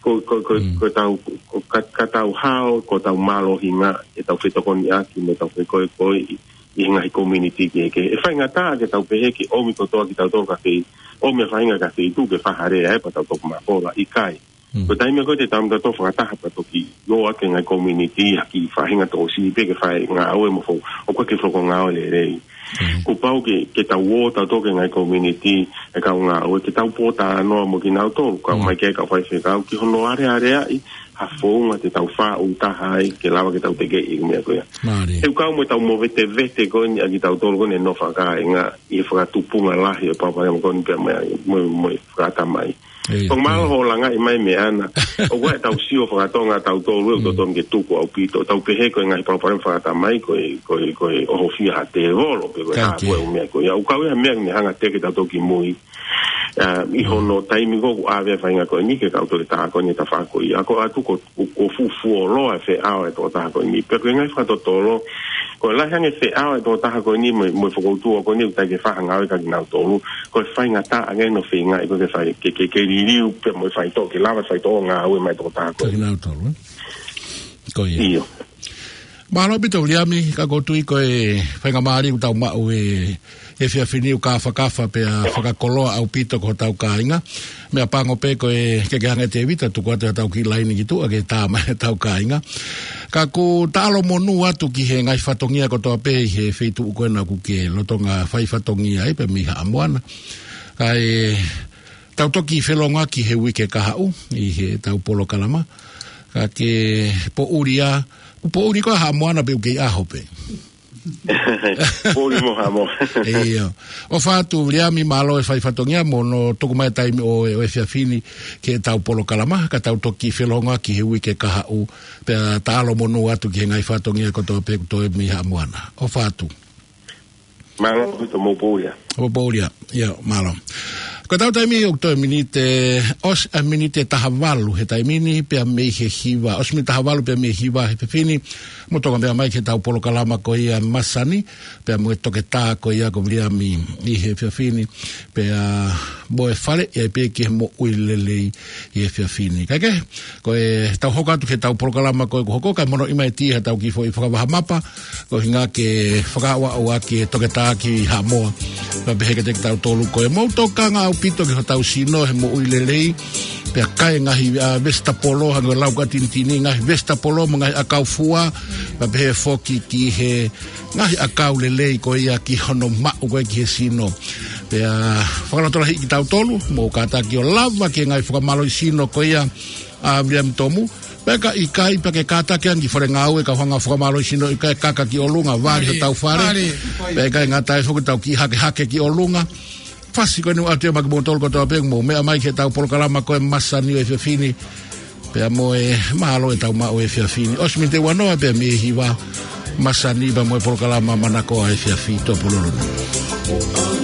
ko, ko, ko, Mm. ko tau, ko, ka, ka tau hao, ko tau mālohinga, ʻetau fetokoniʻaki, mo tau fekoekoeʻi, ʻi he ngaahi community kehekehe. ʻE faingataʻa ke tau pehē ke ʻomi kotoa kitautolu ki ha fei, ʻomi ʻa e faʻahinga ki ha feituʻu ke fai ha lea ai pea tau toki mafola, ʻikai. Mm. Ko e taimi ko ē te tau mata tō fakataha pea toki ō atu ki he ngaahi community, ha kiʻi faʻahinga tokosiʻi pē ke fai ngāue mo fo, ʻoku ʻikai ke fai ha ngāue lelei. Mm. Kuo pau ke, ke tau ō tautolu ki he ngaahi community, ʻe kau ngāue, ke tau pōtalanoa mo kinautolu, kau Mm. mai ki he kau faifekau, ki hono alealeaʻi ha founga te tau faʻu taha ai, ke lava ke tau tekeʻi e meʻa ko ia. Mālie. He ʻoku kau mo ʻetau movetevete ko eni ʻa kitautolu ko eni ʻo e nofo fakakāinga ʻi he fakatupunga lahi ʻo e palopalema ko eni pea mo e, mo e, mo e fakatamai. ʻIo. Ko e mālō hoʻo langaʻi mai e meʻa na. ʻOku ʻi ai ʻetau sio fakatonga ʻatautolu ʻoku Mm. totonu ke tuku ʻaupito. Tau pehē ko e ngaahi palopalema fakatamai ko e, ko e, ko e ʻohofia ha tēvolo pe ko e Ka hā ke. ko e ʻū meʻa ko ia. ʻOku kau ia ha meʻa ke ne hanga ʻo teke tautolu ki mui. ʻA, ʻi Mm. hono taimi ko ē ʻoku ʻave ai e faʻahinga ko eni ke kau toketā ko eni ʻo tafaʻaki. ʻA ko atu ko, ko, ko fufuoloa e feʻao e tokotaha ko eni. Pea ko e ngaahi fakatotolo, ko e lahi ange e feʻao e tokotaha ko eni mo, mo e fokoutua ko eni ʻoku ʻikai ke fai ha ngāue kia kinautolu. Ko e faingataʻa ange hono feingaʻi ko ē ke fai, ke, ke, ke liliu pē mo e faitoʻo, ke lava e faitoʻo ngāue mai e tokotaha ko eni. Kia kinautolu, ē? Ko ia. ʻIo. Mālō ʻaupito Viliami, ka ʻoku ou tui ko e faingamālie ʻoku tau maʻu he efiafi ni ʻoku kafakafa pea fakakoloa ʻaupito ki hotau kāinga. Meʻapango pē ko e ke ke hanga ʻe Tēvita ʻo tuku atu haʻatau kiʻi laine ki tuʻa ke tā mai hotau kāinga. Ka ʻoku ou taʻalo monū atu ki he ngaahi fatongia kotoa pē ʻi he feituʻu ko ena ʻoku ke lolotonga fai fatongia ai pē mei Haʻa Moana. Kae tau toki felōngoaki he uike kahaʻu ʻi heʻetau polokalama. Ka ke poʻuli ā, ʻoku poʻuli koe ʻa Haʻa Moana pē ʻoku kei ʻaho pē. Poʻuli mo Haʻa Moana. ʻIo. ʻOfa atu Viliami, mālō e fai fatongia mo hono tuku mai e taimi ʻo e, ʻo e efiafi ni ki heʻetau polokalama, ka tau toki felōngoaki he uike kahaʻu, pea taʻalo monū atu ki he ngaahi fatongia kotoa pē ʻoku toe mei Haʻa Moana. ʻOfa atu. Mālō ʻaupito, mou poʻuli ā. Mou poʻuli ā. ʻIo, mālō. Ko ʻetau taimi ʻoku toe miniti, ʻosi e miniti ʻe taha valu he taimi ni pea mei he hiva. ʻOsi miniti taha valu pea mei he hiva he efiafi ni. Mou toki meʻa mai ki heʻetau polokalama ko ia masani, pea mo e toketā ko ia ko Viliami ʻi he efiafi ni, pea mo e faleʻi ai pē ki he moʻui lelei ʻi he efiafi ni. Kae kehe, ko ʻetau hoko atu ki heʻetau polokalama ko ē kuo hoko, kae mono i mai ti ha tau kiʻi foʻi fakavahamapa, ko e ʻuhinga ke fakaaʻuaʻu ʻaki e toketā ki Haʻamoa. Pea pehē kiate kitautolu ko e mou tokanga ʻaupito ki hotau sino he moʻui lelei, pea kai e ngaahi, ʻa, vesitapolo, hangē ko e lau ko ē ʻa Tinitini, ngaahi vesitapolo mo e ngaahi ʻakau fua, pea pehē foki ki he ngaahi ʻakau lelei ko ia ki hono maʻu ko ē ki he sino. Pea fakalotolahiʻi kitautolu, mou kātaki ʻo lava ki he ngaahi fakamālohisino ko ia ʻa Viliami Tomu. Pea ka ʻikai, pea ke kātaki ange ki he fale ngāue ka hanga ʻo fakamālohisino, ʻikai, kaka ki ʻolunga, vali hotau fale. Vali. Pea ʻikai ngata ai foki, tau kiʻi hakehake ki ʻolunga. Fasi ko eni ʻoatu ia maʻa kimoutolu kotoa pē ʻoku mou meʻa mai ki heʻetau polokalama ko ē masani ʻo e efiafi ni. Pea mo e mālō ʻetau maʻu e efiafi ni. ʻOsi miniti ʻe uanoa pea mei he hiva, masani pea mo e polokalama Manakoa Efiafi Tupululu ni.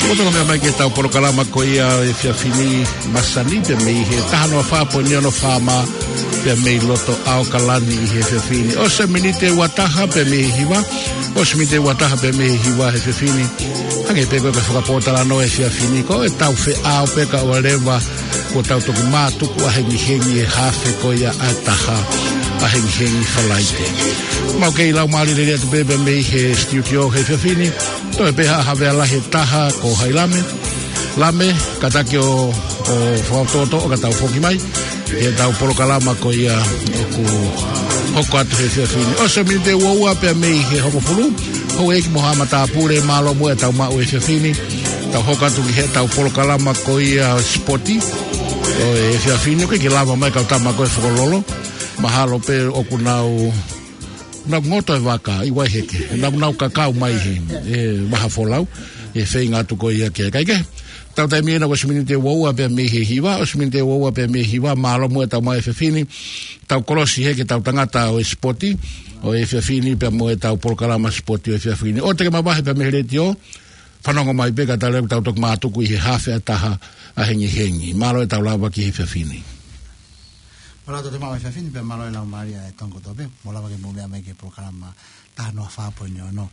Mou tolonga mai ki heʻetau polokalama ko ia ʻo e efiafi ni, masani, pea mei he taha noa fā poini ono FM, pea mei loto ʻAokalani ʻi he efiafi ni. ʻOsi e miniti ʻe ua taha pea mei he hiva. ʻOsi e miniti ʻe ua taha pea mei he hiva he efiafi ni. Hangē pē ko e fakapōtalanoa ʻo e efiafi ni, ko ʻetau feʻao pē kae ʻoua leva kuo tau toki mātuku ʻahengihengi he hafe ko ia ʻa e taha ʻahengihengi Falaite. Mau kei lau mālie lelei atu pē pea mei he studio he efiafi ni. Toe pē ha havea lahi ʻe taha ko hai, Lame. Lame, kātaki ʻo, ʻo fakaʻotoʻoto ʻo ka tau foki mai ki heʻetau polokalama ko ia ʻoku hoko atu he efiafi ni. ʻOsi e miniti ʻe ua ua pea mei he hongofulu. Houʻeiki mo haʻa matāpule, mālō muʻa ʻetau maʻu he efiafi ni. Tau hoko atu ki heʻetau polokalama ko ia sipoti ʻo e efiafi ni. ʻOku ʻikai ke lava mai kau tama ko ē Fokololo. Mahalo pē ʻoku nau, nau ngoto e vaka ʻi Vaiheke. Nau, nau kakau mai he, he vaha folau, he feinga atu ko ia ke kaikehe. Tau taimi ena ko e ʻosi e miniti ʻe ua ua pea mei he hiva, ʻosi e miniti ʻe ua ua pea mei he hiva, mālō muʻa ʻetau maʻu he efiafi ni. Tau kolosi hē ki heʻetau tangata ʻo e sipoti ʻo e efiafi ni pea mo ʻetau polokalama sipoti ʻo e efiafi ni. ʻOua te ke mavahe pea mei he letiō, fanongo mai pē kae ʻoua leva kuo tau toki mātuku ʻi he hafe ʻa e taha ʻahengihengi. Mālō ʻetau lava ki he efiafi ni. Mālō ʻetau maʻu he efiafi ni pea mālō e lau mālie ʻa e tongo tope. Mou lava ke mou meʻa mai ki he polokalama taha noa fā poini ono.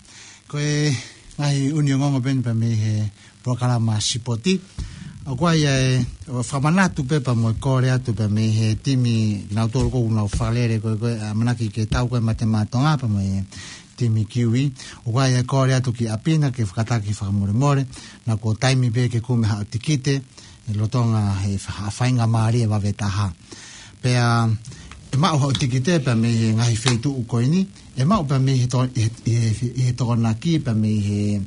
Ko e ngaahi ʻuhinga ongoongo pē eni pea mei he polokalama sipoti. ʻOku ʻi ai e, ʻo fakamanatu pē pea mo e kole atu pea mei he timi, kinautolu ʻoku nau fakalele ko ē, ko e ʻamanaki ke tau ko ē Mate Maʻa Tonga pea mo e timi Kiwi. ʻOku ʻi ai e kole atu ki ʻapi na ke fakataki fakamolemole, naʻa kuo taimi pē ke kumi haʻo tikite, ʻi he lolotonga e fa-, faingamālie vave taha. Pea ʻe maʻu haʻo tikite pea mei he ngaahi feituʻu ko eni, ʻe maʻu pea mei he to-, ʻi he, ʻi he, ʻi he Tokonaki pea mei he,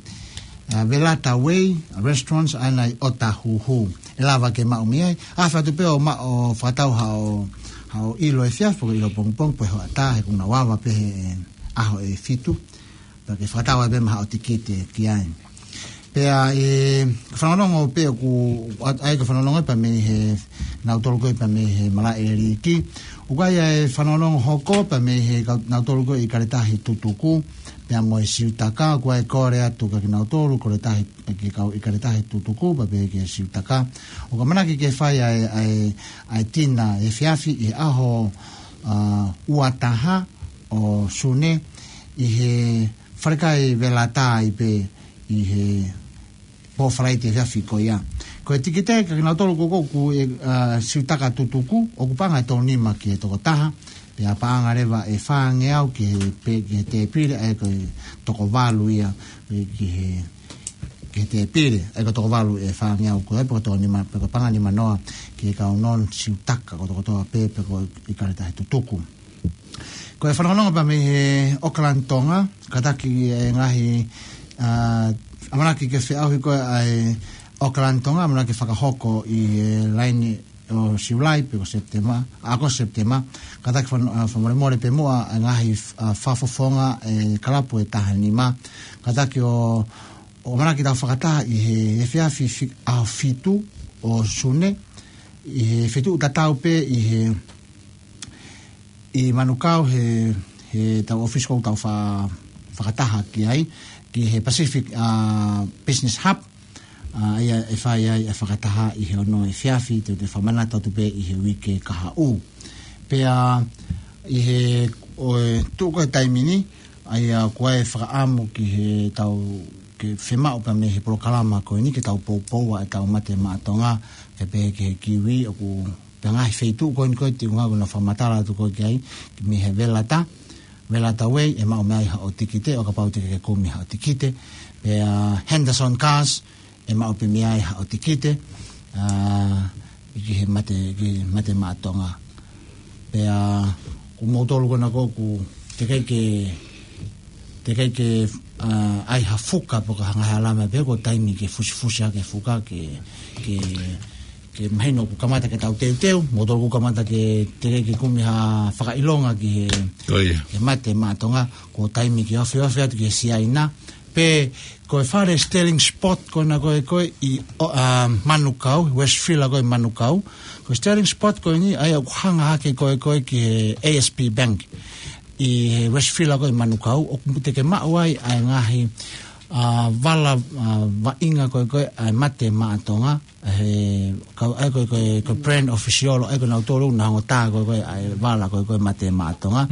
ʻa, Velata Way Restaurants ʻa ena ʻi ʻOtahuhu. ʻE lava ke maʻu mei ai. ʻAfeʻi atu pē ʻo maʻu ʻo fakatau haʻo, haʻo ʻilo efiafi, pe ko e ʻilo pongipongi, pe ko e hoʻatā, he ʻoku nau ava pē he ʻaho ʻe fitu. Pea ke fakatau ai pē mo haʻo tikite ki ai. Pea ʻe fanongonongo pē ʻoku, ʻa, ʻa ia ko e fanongonongo pea mei he, nautolu ko ē pea mei he malaʻe ʻEiki. ʻOku ʻi ai e fanongonongo hoko pea mei he kau, nautolu ko ē ʻIkale Tahi Tutuku pea mo e Siutaka, ʻoku ʻi ai e kole atu kia kinautolu, ʻIkale Tahi, ki he kau ʻIkale Tahi Tutuku pea mei he Siutaka. ʻOku ʻamanaki ke fai ʻa e, ʻa e, ʻa e tina efiafi ʻi he ʻaho, ʻa, ua taha ʻo Sune ʻi he falekai Velata ai pē ʻi he pō Falaite efiafi ko ia. Ko e tikite kia kinautolu ko ē ʻoku ʻi, ʻa, Siutaka Tutuku, ʻoku paʻanga ʻe tolu nima ki he tokotaha, pea paʻanga leva ʻe fāngeau ki he pe-, ki he tēpile, ʻa ia ko e toko valu ia, ʻe ki he, ki he tēpile, ʻa ia ko e toko valu ʻe fāngeau ko ē, pe ko e toko nima, pe ko e paʻanga nima noa ki he kau non-Siutaka kotokotoa pē, pe ko ʻIkale Tahi Tutuku. Ko e fanongonongo pea mei he Auckland Tonga, kātaki e ngaahi, ʻa, ʻamanaki ke feʻauhi ko ē ʻa e Auckland Tonga, ʻamanaki fakahoko ʻi he laine ʻo Siulai pe ko Sepitema, ʻa, ko Sepitema, kātaki fan-, ʻa, fakamolemole pē muʻa e ngaahi, ʻa, fakafofonga e kalapu ʻe taha nima, kātaki ʻo, ʻo ʻamanaki tau fakataha ʻi he efiafi fi-, ʻaho fitu ʻo Sune, ʻi he feituʻu tatau pē ʻi he ʻi Manukau he, heʻetau ʻōfisi ʻoku tau fa-, fakataha ki ai, ki he Pacific, ʻa, Business Hub, ʻa, ʻa ia ʻe fai ai e fakataha ʻi he ono efiafi, te u toe fakamanatu atu pē ʻi he uike kahaʻu. Pea ʻi he, ʻo e tuʻu ko ē taimi ni, ʻa ia ʻoku ʻi ai e fakaʻamu ki heʻetau, ke fiemaʻu pea mei he polokalama ko eni ke tau poupou ʻa ʻetau Mate Maʻa Tonga, ke pehē ki he Kiwi, ʻoku pea ngaahi feituʻu ko eni ko ē te u ngāue ʻo fakamatala atu ko ē ki ai, ki mei he Velata, Velata Way, ʻe maʻu mei ai haʻo tikite, ʻo kapau te ke kumi haʻo tikite, pea Henderson Cars, ʻe maʻu pē mei ai haʻo tikite, ʻa, ki he Mate, ki he Mate Maʻa Tonga. Pea, ko moutolu ko ena ko ē ʻoku teʻeki ke, teʻeki ke, ʻa, ʻai ha fuka pe ko ha ngaahi hala mai pē, ko e taimi ke fusifusi ʻaki e fuka ke, ke, ke mahino kuo kamata ke tau teuteu, moutolu kuo kamata ke teʻeki ke kumi ha fakaʻilonga ki he, ʻo ia, he Mate Maʻa Tonga, ko e taimi ke ofeofe atu ki he Siaina, pe ko e fale Sterling Sport ko ena ko ē ko ē ʻi, ʻo, ʻa, Manukau, Westfield ko ē Manukau. Ko e Sterling Sport ko eni, ʻa ia ʻoku hanga hake ko ē ko ē ki he A S B Bank ʻi he Westfield ko ē Manukau, ʻoku te ke maʻu ai ʻa e ngaahi ʻa e vala, ʻa e vaʻinga ko ē ko ē ʻa e Mate Maʻa Tonga, he kau ai ko ē ko ē ko e brand official ʻa ē ko ē nautolu naʻa nau tā ko ē ko ē ʻa e vala ko ē ko ē Mate Maʻa Tonga.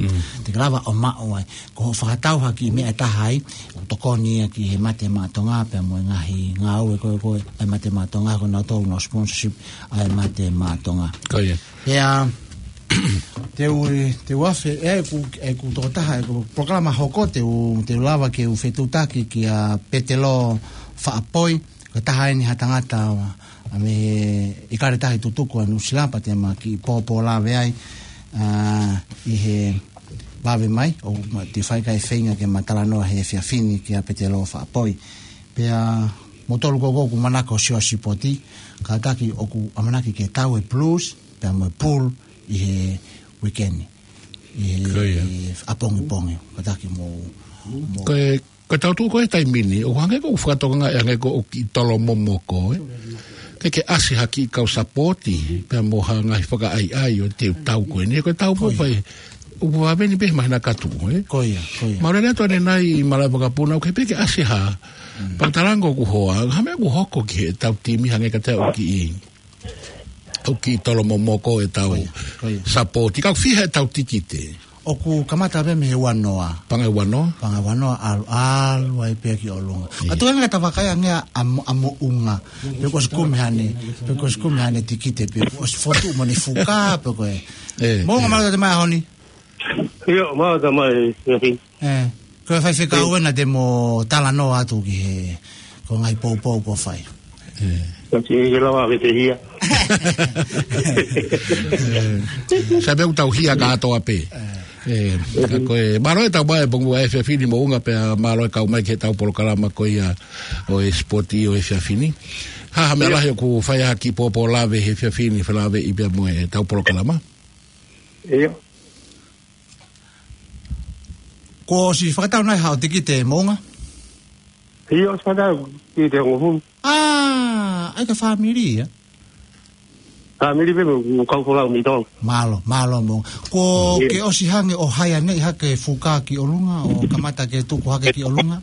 Te ke lava ʻo maʻu ai. Ko hoʻo fakatau ha kiʻi meʻa ʻe taha ai, ʻoku tokoni ia ki he Mate Maʻa Tonga pea mo e ngaahi ngāue ko ē ko ē ʻa e Mate Maʻa Tonga ko ē nautolu naʻa nau sponsorship ʻa e Mate Maʻa Tonga. Ko ia. Pea, te u, te u afe, ʻe, ʻeku, ʻeku tokotaha, ʻeku polokalama hoko, te u, te u lava ke u fetuʻutaki kia Petelo Faʻapoi, ko e taha eni ha tangata, ʻa mei he ʻIkale Tahi Tutuku ʻa Nuʻusila pea te ma kiʻi pōpōlave ai, ʻa, ʻi he vave mai, ʻo ma te fai kai feinga ke ma talanoa he efiafi ni kia Petelo Faʻapoi. Pea, mo tolu ko ē ʻoku manako ʻo sio sipoti, kātaki ʻoku ʻamanaki ke tau e Blues, pea mo e Pool ʻi he weekend. ʻI he, Ko ia. ʻi he ʻapongipongi, kātaki mo, mo Ko e, ko e tau tuʻu ko e taimi ni, ʻoku hangē ko ʻeku fakatokangaʻi hangē ko ʻoku kiʻi tolo momoko, ē. Ke ke ʻasi ha kiʻi kau sapoti, pea mo ha ngaahi fakaʻaiʻai ʻo e teu tau ko eni, ko e tau Ko ia. mo fai, ʻoku vave ni pē mahina katu, ē. Ko ia, ko ia. Mālō lea atu ʻanenai ʻi Malaʻe Vakapuna, ʻoku ke pē ke ʻasi ha, Mm. pea talango ʻoku hoa, ha meʻa ʻoku hoko ki he tau timi hangē ka te ʻoku kiʻi ʻoku kiʻi tolo momoko e tau Ko ia, ko ia. sapoti. Ka ʻoku fiha e tau tikite? ʻOku kamata pē mei he ua noa. Paʻanga ua noa? Paʻanga ua noa, ʻalu, ʻalu ai pē ki ʻolunga. Ia. Ka tuʻu ange ka ta vakai ange ʻa, ʻa mo-, ʻa Moʻunga. Pe kuo ʻosi kumi haʻane, pe kuo ʻosi kumi haʻane tikite, pe kuo ʻosi fotu mo ʻene fuka, pe ko e. ʻE, Moʻunga ʻe. mālō e ʻomai he ʻaho ni. ʻIo, mālō e ʻomai, ʻio, ʻio. ʻE, ko e faifekau ʻE. ena te mo talanoa atu ki he, ko e ngaahi poupou kuo fai. ʻE. Ka te ke lava ke te hia. ʻE. Sai pē ʻoku tau hia kātoa pē. ʻE. ʻE, ka ko e, mālō e tau mai pongu ʻa e efiafi ni Moʻunga pea mālō e kau mai ki he tau polokalama ko ia ʻo e sipoti ʻo e efiafi ni. Ha, ha meʻa ʻIo. lahi ʻoku fai ha kiʻi pōpōlave he efiafi ni felāveʻi pea mo e tau polokalama. ʻIo. Kuo ʻosi fakatau nai haʻo tikite Moʻunga? ʻIo, ʻosi fakatau tikite hongofulu. ʻA, ʻai ka fāmili ia? Fāmili pē mo, mo kau folau mito. Mālō, mālō Moʻunga. Kuo ʻIo. ke ʻosi hangē ʻo haianeʻi hake fuka ki ʻolunga, ʻo kamata ke tuku hake ki ʻolunga?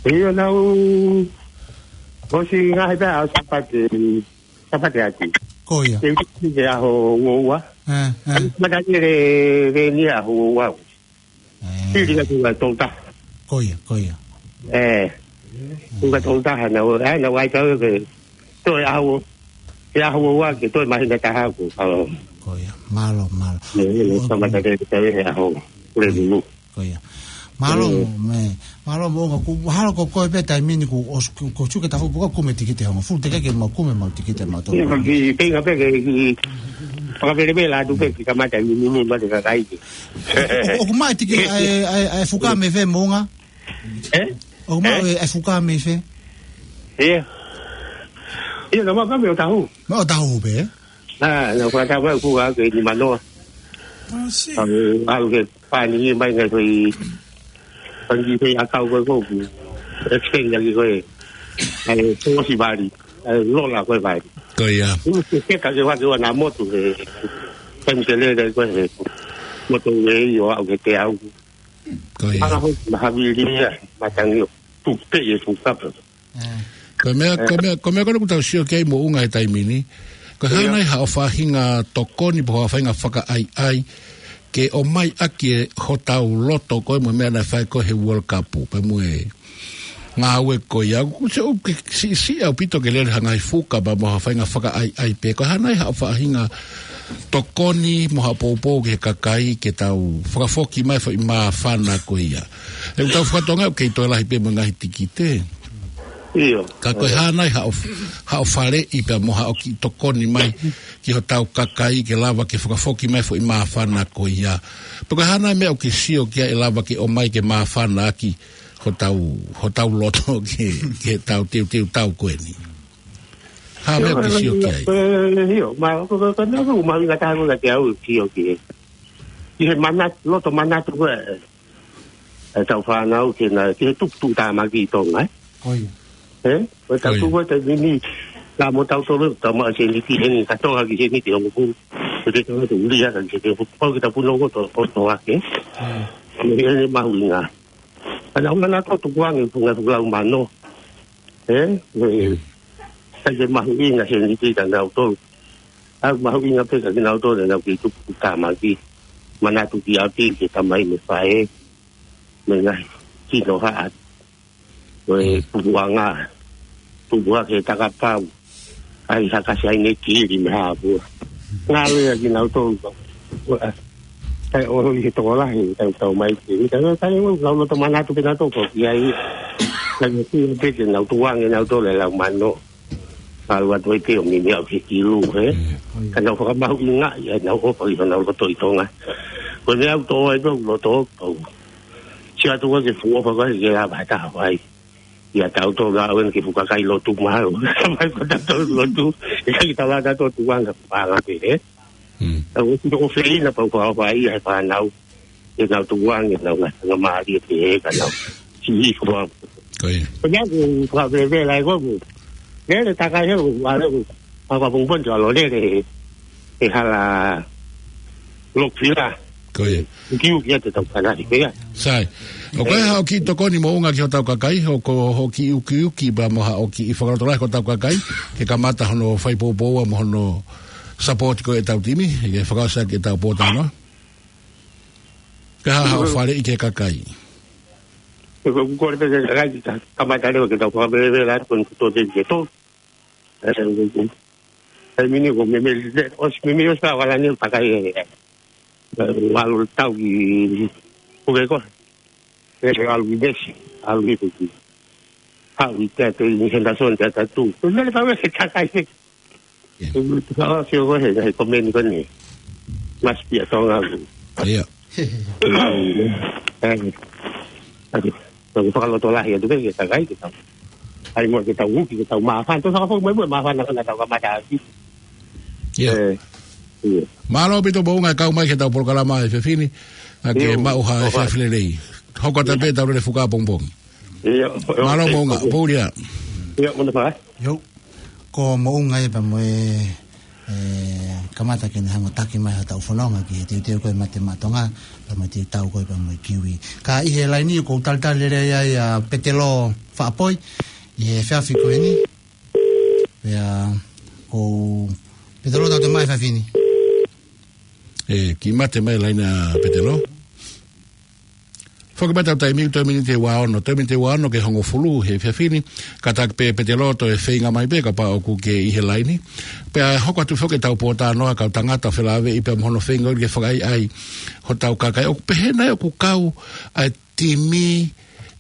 ʻIo, naʻá ku ʻosi ngaahi pē ʻa Sāpate, Sāpate atu. Ko ia. Ke, ke ʻaho ua ua. ʻE, ʻe. Mata ke le, le ni ʻaho ua ua. ʻE. Pili ka tuʻu ka tolu taha. Ko ia, ko ia. ʻE. Tuʻu ka tolu taha naʻá ku, ʻe, naʻá ku ʻai kau ke toe ʻaho, ke ʻaho ua ua ke toe māhina taha ko, ʻa. Ko ia, mālō, mālō. Ne, ne, Ko, kamata ke toe he ʻaho. Ko le lulu. Ko ia. Mālō, ʻE. mo, me, mālō Moʻunga, kuo mahalo ko koe pē taimi ni kuo ʻos-, kuo, kuo tuku e tafaʻaki pea kuo kumi e tikite hongofulu, teʻeki ke mau kumi ʻemau tikite mautolu. Ia, ka ki, ke inga pē ke, ki, fakapelepela atu pē, ki kamata ni, ni, ni, mate kakai ke. ʻO, ʻoku maʻu e tikite, ʻa e, ʻa e, ʻa e fuka mei fē Moʻunga? ʻE? ʻOku maʻu ʻE? e, ʻa e fuka mei fē? ʻIo. ʻIo, naʻá ma ka mei ʻOtahuhu. Mei ʻOtahuhu pē? ʻA, naʻá ku fakatau mai ʻoku ʻalu ke nima noa. ʻAlu, ʻalu ke pani mai ngai fai, pani fai ʻakau ko ē ko ē. Extend ʻaki ko ē. ʻA e, pōsi vali. ʻA e, lola ko ē vali. Ko ia. ʻOku ke keka ke vake ua na motu he, pani ke lele ko ē he. Motu ʻe ʻio ʻalu ke te au. Ko ia. ʻAlu ho, na havili ia, matangi ʻo. Tuku pē e fuka pē. ʻE. Ko e meʻa, ko e meʻa, ko e meʻa ko ē ʻoku tau sio ki ai Moʻunga he taimi ni. Ko e hā ʻIo. nai haʻo faʻahinga tokoni pe haʻo faʻahinga fakaʻaiʻai ke ʻomai ʻaki e hotau loto ko ē mo e meʻa naʻe fai ko ē he World Cup, pea mo e ngāue ko ia. ʻOku se ʻoku ke siʻisiʻi ʻaupito ke lele ha ngaahi fuka pea mo ha faʻahinga fakaʻaiʻai pē. Ko e hā nai haʻo faʻahinga tokoni mo haʻo poupou ki he kakai ke tau fakafoki mai e foʻi māfana ko ia. ʻOku tau fakatonga ʻoku kei toe lahi pē mo e ngaahi tikite. ʻIo. Ka ko e hā nai haʻo, haʻo faleʻi pea mo haʻo kiʻi tokoni mai ki hotau kakai ke lava ke fakafoki mai e foʻi māfana ko ia. Pe ko e hā nai meʻa ʻoku ke sio ki ai ʻe lava ke ʻomai ke māfana ʻaki hotau, hotau loto ki, ki heʻetau teuteu tau ko eni. Hā meʻa ʻoku ke sio ki ai? ʻIo, ma, ko, ko, ko, meʻa ʻoku mahuʻinga taha ko ē kiate au ʻeku sio ki ai. Ki he manatu, loto manatu ko ē ʻetau fānau ke na, ki he tuputupuʻu tāmaki ʻi Tonga, ē? Ko ia. Ē? Ko e tau Ko ia. tuku ʻa e taimi ni, ka mo tautolu, tau maʻu e sēniti ʻe heni, ka toʻo hake e sēniti ʻe hongofulu. Ko e te tau te uli hake, ke te pau ke tau punou ko ē ʻo, ʻo toʻo hake. Mm. Ko e heni mahuʻinga. Ka nau manatu ʻo tukuange e funga fuʻu lau mano. Ē? Ē, sai ke mahuʻinga he niti ka nau tolu. ʻOku mahuʻinga pē ka ki nau tolu, nau kei tupu tamaki. Manatu ki ʻapi, ki he tamai mo e faʻē. Mo e ngaahi kinohaʻa. Ko e pupuʻanga. Pupuʻa ke takapau. ʻAi haka sai ne kili me hapua. Ngalo ia ki nau tolu. Ua. Sai ʻo holi he tokolahi, tau tau mai ki. Tau tau lau loto manatu pē nau tolu ko ki ai. Sai ne kili pē ke nau tuange nau tolu e lau mano. Kalu atu ai pē ʻo mimi au he kilu, ē. Ka nau fakamahuʻingaʻi, ʻa nau ʻofa ʻi honau loto ʻi Tonga. Ko ne au tō ai pē ʻoku loto ʻoku. Sia tu ke fuʻu ʻofa ko ē ke lava taha vai. Ia tau tō ngā uen ke fuka kai lotu mahalo. Mai ko tau tō lotu, e kai tau lata tō tuanga panga pē, ē. Au oti ko feina pau pau pau ia he whānau. E nau tuanga, e nau ngata ngā mālie pē he ka nau. Si i kua. Ko ia. Ko ia ku whakaveve lai ko ku. Lele takai he ku, wale ku. Papa pungpon tu alo lele he. He hala Lokvila. Ko ia. Ukiuki atu tau kanari, ko ia. Sai. ʻOku ʻi ai haʻo kiʻi tokoni moʻunga ki hotau kakai, ʻoku ʻi ai haʻo kiʻi ukiuki pea mo haʻo kiʻi fakalotolahi ki hotau kakai, ke kamata hono fai poupou mo hono support ko ē ʻetau timi, ke fakaʻosi ʻaki ʻetau pōtalanoa. Ka haʻo faleʻi ki he kakai. Ko e kore pē ke kakai, ka kamata leva ke tau fakavelevele atu ko e kuto te ke tō. Ē, ē, ē. Taimi ni ko e meimei, ʻosi meimei ʻosi ka wala ni pakai e, e, ʻalu tau ki, ko ke ko. E, ʻalu ki Vesi, ʻalu ki Vesi. Haʻu i te atu ʻi Henderson te atu. Ko mele pau e kakai e. Ia. Ko ka o sio ko he, he komeni ko ni. Must be a Tonga. Ia. Ē, ē, ʻoku fakalotolahi atu pē ke takai ke tau. ʻAi mo ke tau uki, ke tau māfana, tau fakafou mai mo māfana ka na tau kamata ʻaki. Ia. Ē, ia. Mālō ʻaupito moʻunga e kau mai ki heʻetau polokalama he efiafi ni, ʻa ke maʻu ha efiafi lelei. Hoko atu pē ʻetau lele fuka pongipongi. Ia. Mālō moʻunga, pō lia. Ia, mona fai. Yo. Ko moʻunga ia pea mo e, e, kamata ke ne hanga ʻo taki mai haʻatau fononga ki he teuteu ko ē Mate Maʻa Tonga, pea mo e teuteu ko ē pea mo e kiwi. Ka ʻi he laini ʻoku ou talitali lelei ai ʻa Petelo Faʻapoi, ʻi he efiafi ko eni. Pea ko Petelo tau te mai efiafi ni. ʻE, kiʻi mate mai laini ʻa Petelo. Foki mai ʻetau taimi, toe miniti ʻe ua ono, toe miniti ʻe ua ono ki he hongofulu he efiafi ni, kātaki pē Petelo toe feinga mai pē kapau ʻoku ke ʻi he laini. Pea hoko atu foki ʻetau pōtalanoa kau tangata felāveʻi pea mo hono feinga ke fakaʻaiʻai hotau kakai. ʻOku pehē nai ʻoku kau ʻa e timi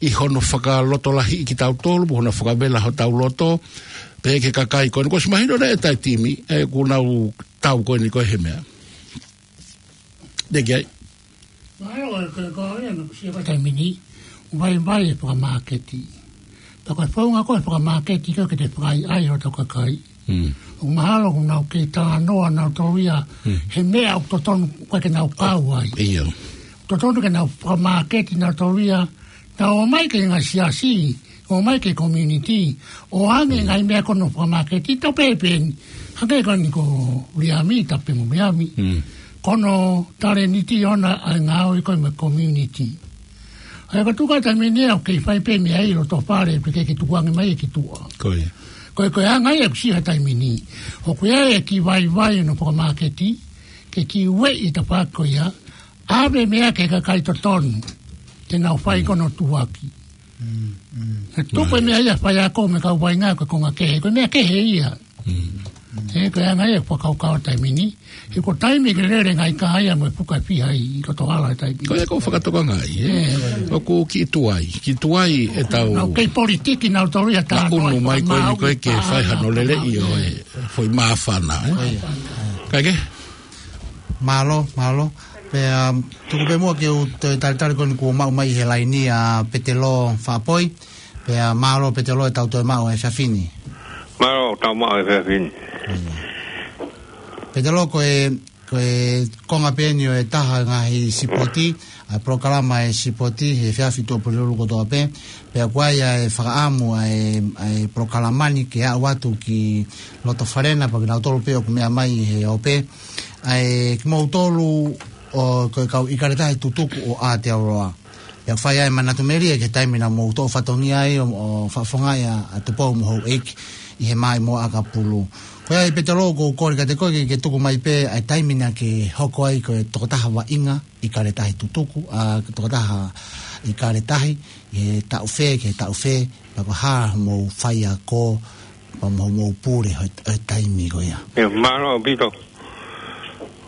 ʻi hono fakalotolahiʻi kitautolu, mo hono fakavela hotau loto, pehē ki he kakai ko eni. Kuo ʻosi mahino nai ʻe taʻe timi, ʻe ʻoku nau tau ko eni ko e he meʻa. Te ke ai. Mahalo ko e, ko e, ko e, ko e, ko e, ko e, ko e, ko e, ko e, ko e, ko e, ko e, ko e, ko e, ko e fakamāketi. Pea ko e founga ko e fakamāketi ko e ke te fakaʻaiʻai hotau kakai. Mm. ʻOku mahalo ʻoku nau kei talanoa nautolu ia he meʻa ʻoku totonu ko e ke nau kau ai. Ia. Totonu ke nau fakamāketi nautolu ia, nau ō mai ki he ngaahi siasi, ō mai ki he community, ʻo ʻoange ngaahi meʻa ko hono fakamāketi, tau pehē pē eni. Hangē ko eni ko Liami, tau pehē mo Liami. Mm. Ko hono talēniti ʻona ʻa e ngāue ko ē mo e community. ʻA ia ko e tuʻu ko ē taimi ni ʻoku kei fai pē meʻa ʻi loto fale, pea ʻikai ke tukuange mai ia ki tuʻa. Ko ia. Ko e, ko e anga ia ʻoku ʻi ai he taimi ni. ʻOku ʻi ai e kiʻi vaivai hono fakamāketi, ke kiʻi ueʻi e tafaʻaki ko ia, ʻave meʻa ki he kakai totonu, te nau fai ko hono tuʻuaki. Mm, mm. He tuku e meʻa ia faiako mo e kau vaʻinga ko e konga kehe, ko e meʻa kehe ia. Mm. He ko e anga ia e fakakaukau taimi ni. He ko e taimi ke lele ngaahi kahaia mo e fuka fiha ʻi loto hala he taimi ni. Ko ia ʻoku ou fakatokangaʻi, ē? ʻOku kiʻi tuai, kiʻi tuai ʻetau. Nau kei politiki nautolu ia tā. Maʻunu mai ko eni ko e ke fai hano lele ʻi ʻo e foʻi māfana, ē? Ko ia. Kae kehe? Mālō, mālō. Pea, um, tuku pē muʻa ke u toe talitali ko eni kuo maʻu mai he laini ʻa Petelo Faʻapoi. Pea, mālō Petelo ʻetau toe maʻu he efiafi ni. Mālō, tau maʻu he efiafi ni. Petelo ko e, ko e konga pē eni ʻo e taha ngaahi sipoti, ʻa e polokalama e sipoti, he efiafi Tuʻapulelulu kotoa pē. Pea ʻoku ʻi ai e fakaʻamu ʻa e, ʻa e polokalama ni ke aʻu atu ki loto fale na pea kinautolu pē ʻoku meʻa mai he ope. ʻA e kimoutolu ʻoku kau ʻIkale Tahi Tutuku ʻo Aotearoa. Pea fai ai manatu melie ki he taimi naʻa mou toʻo fatongia ai ʻo, ʻo fakafofongaʻi ʻa, ʻa Tupou mo Houʻeiki ʻi he Maʻimoa ʻAkapulu. Ko ia ʻe Petelō, ʻoku ou kole kiate koe ke, ke tuku mai pē ʻa e taimi naʻa ke hoko ai ko e tokotaha vaʻinga ʻi Kaletahi Tutuku, ʻa, tokotaha ʻi Kaletahi, ʻi he taʻu fē ki he taʻu fē, pea ko e hā hoʻomou faiako, pea mo hoʻomou pule he, he taimi ko ia. ʻIo, mālō ʻaupito.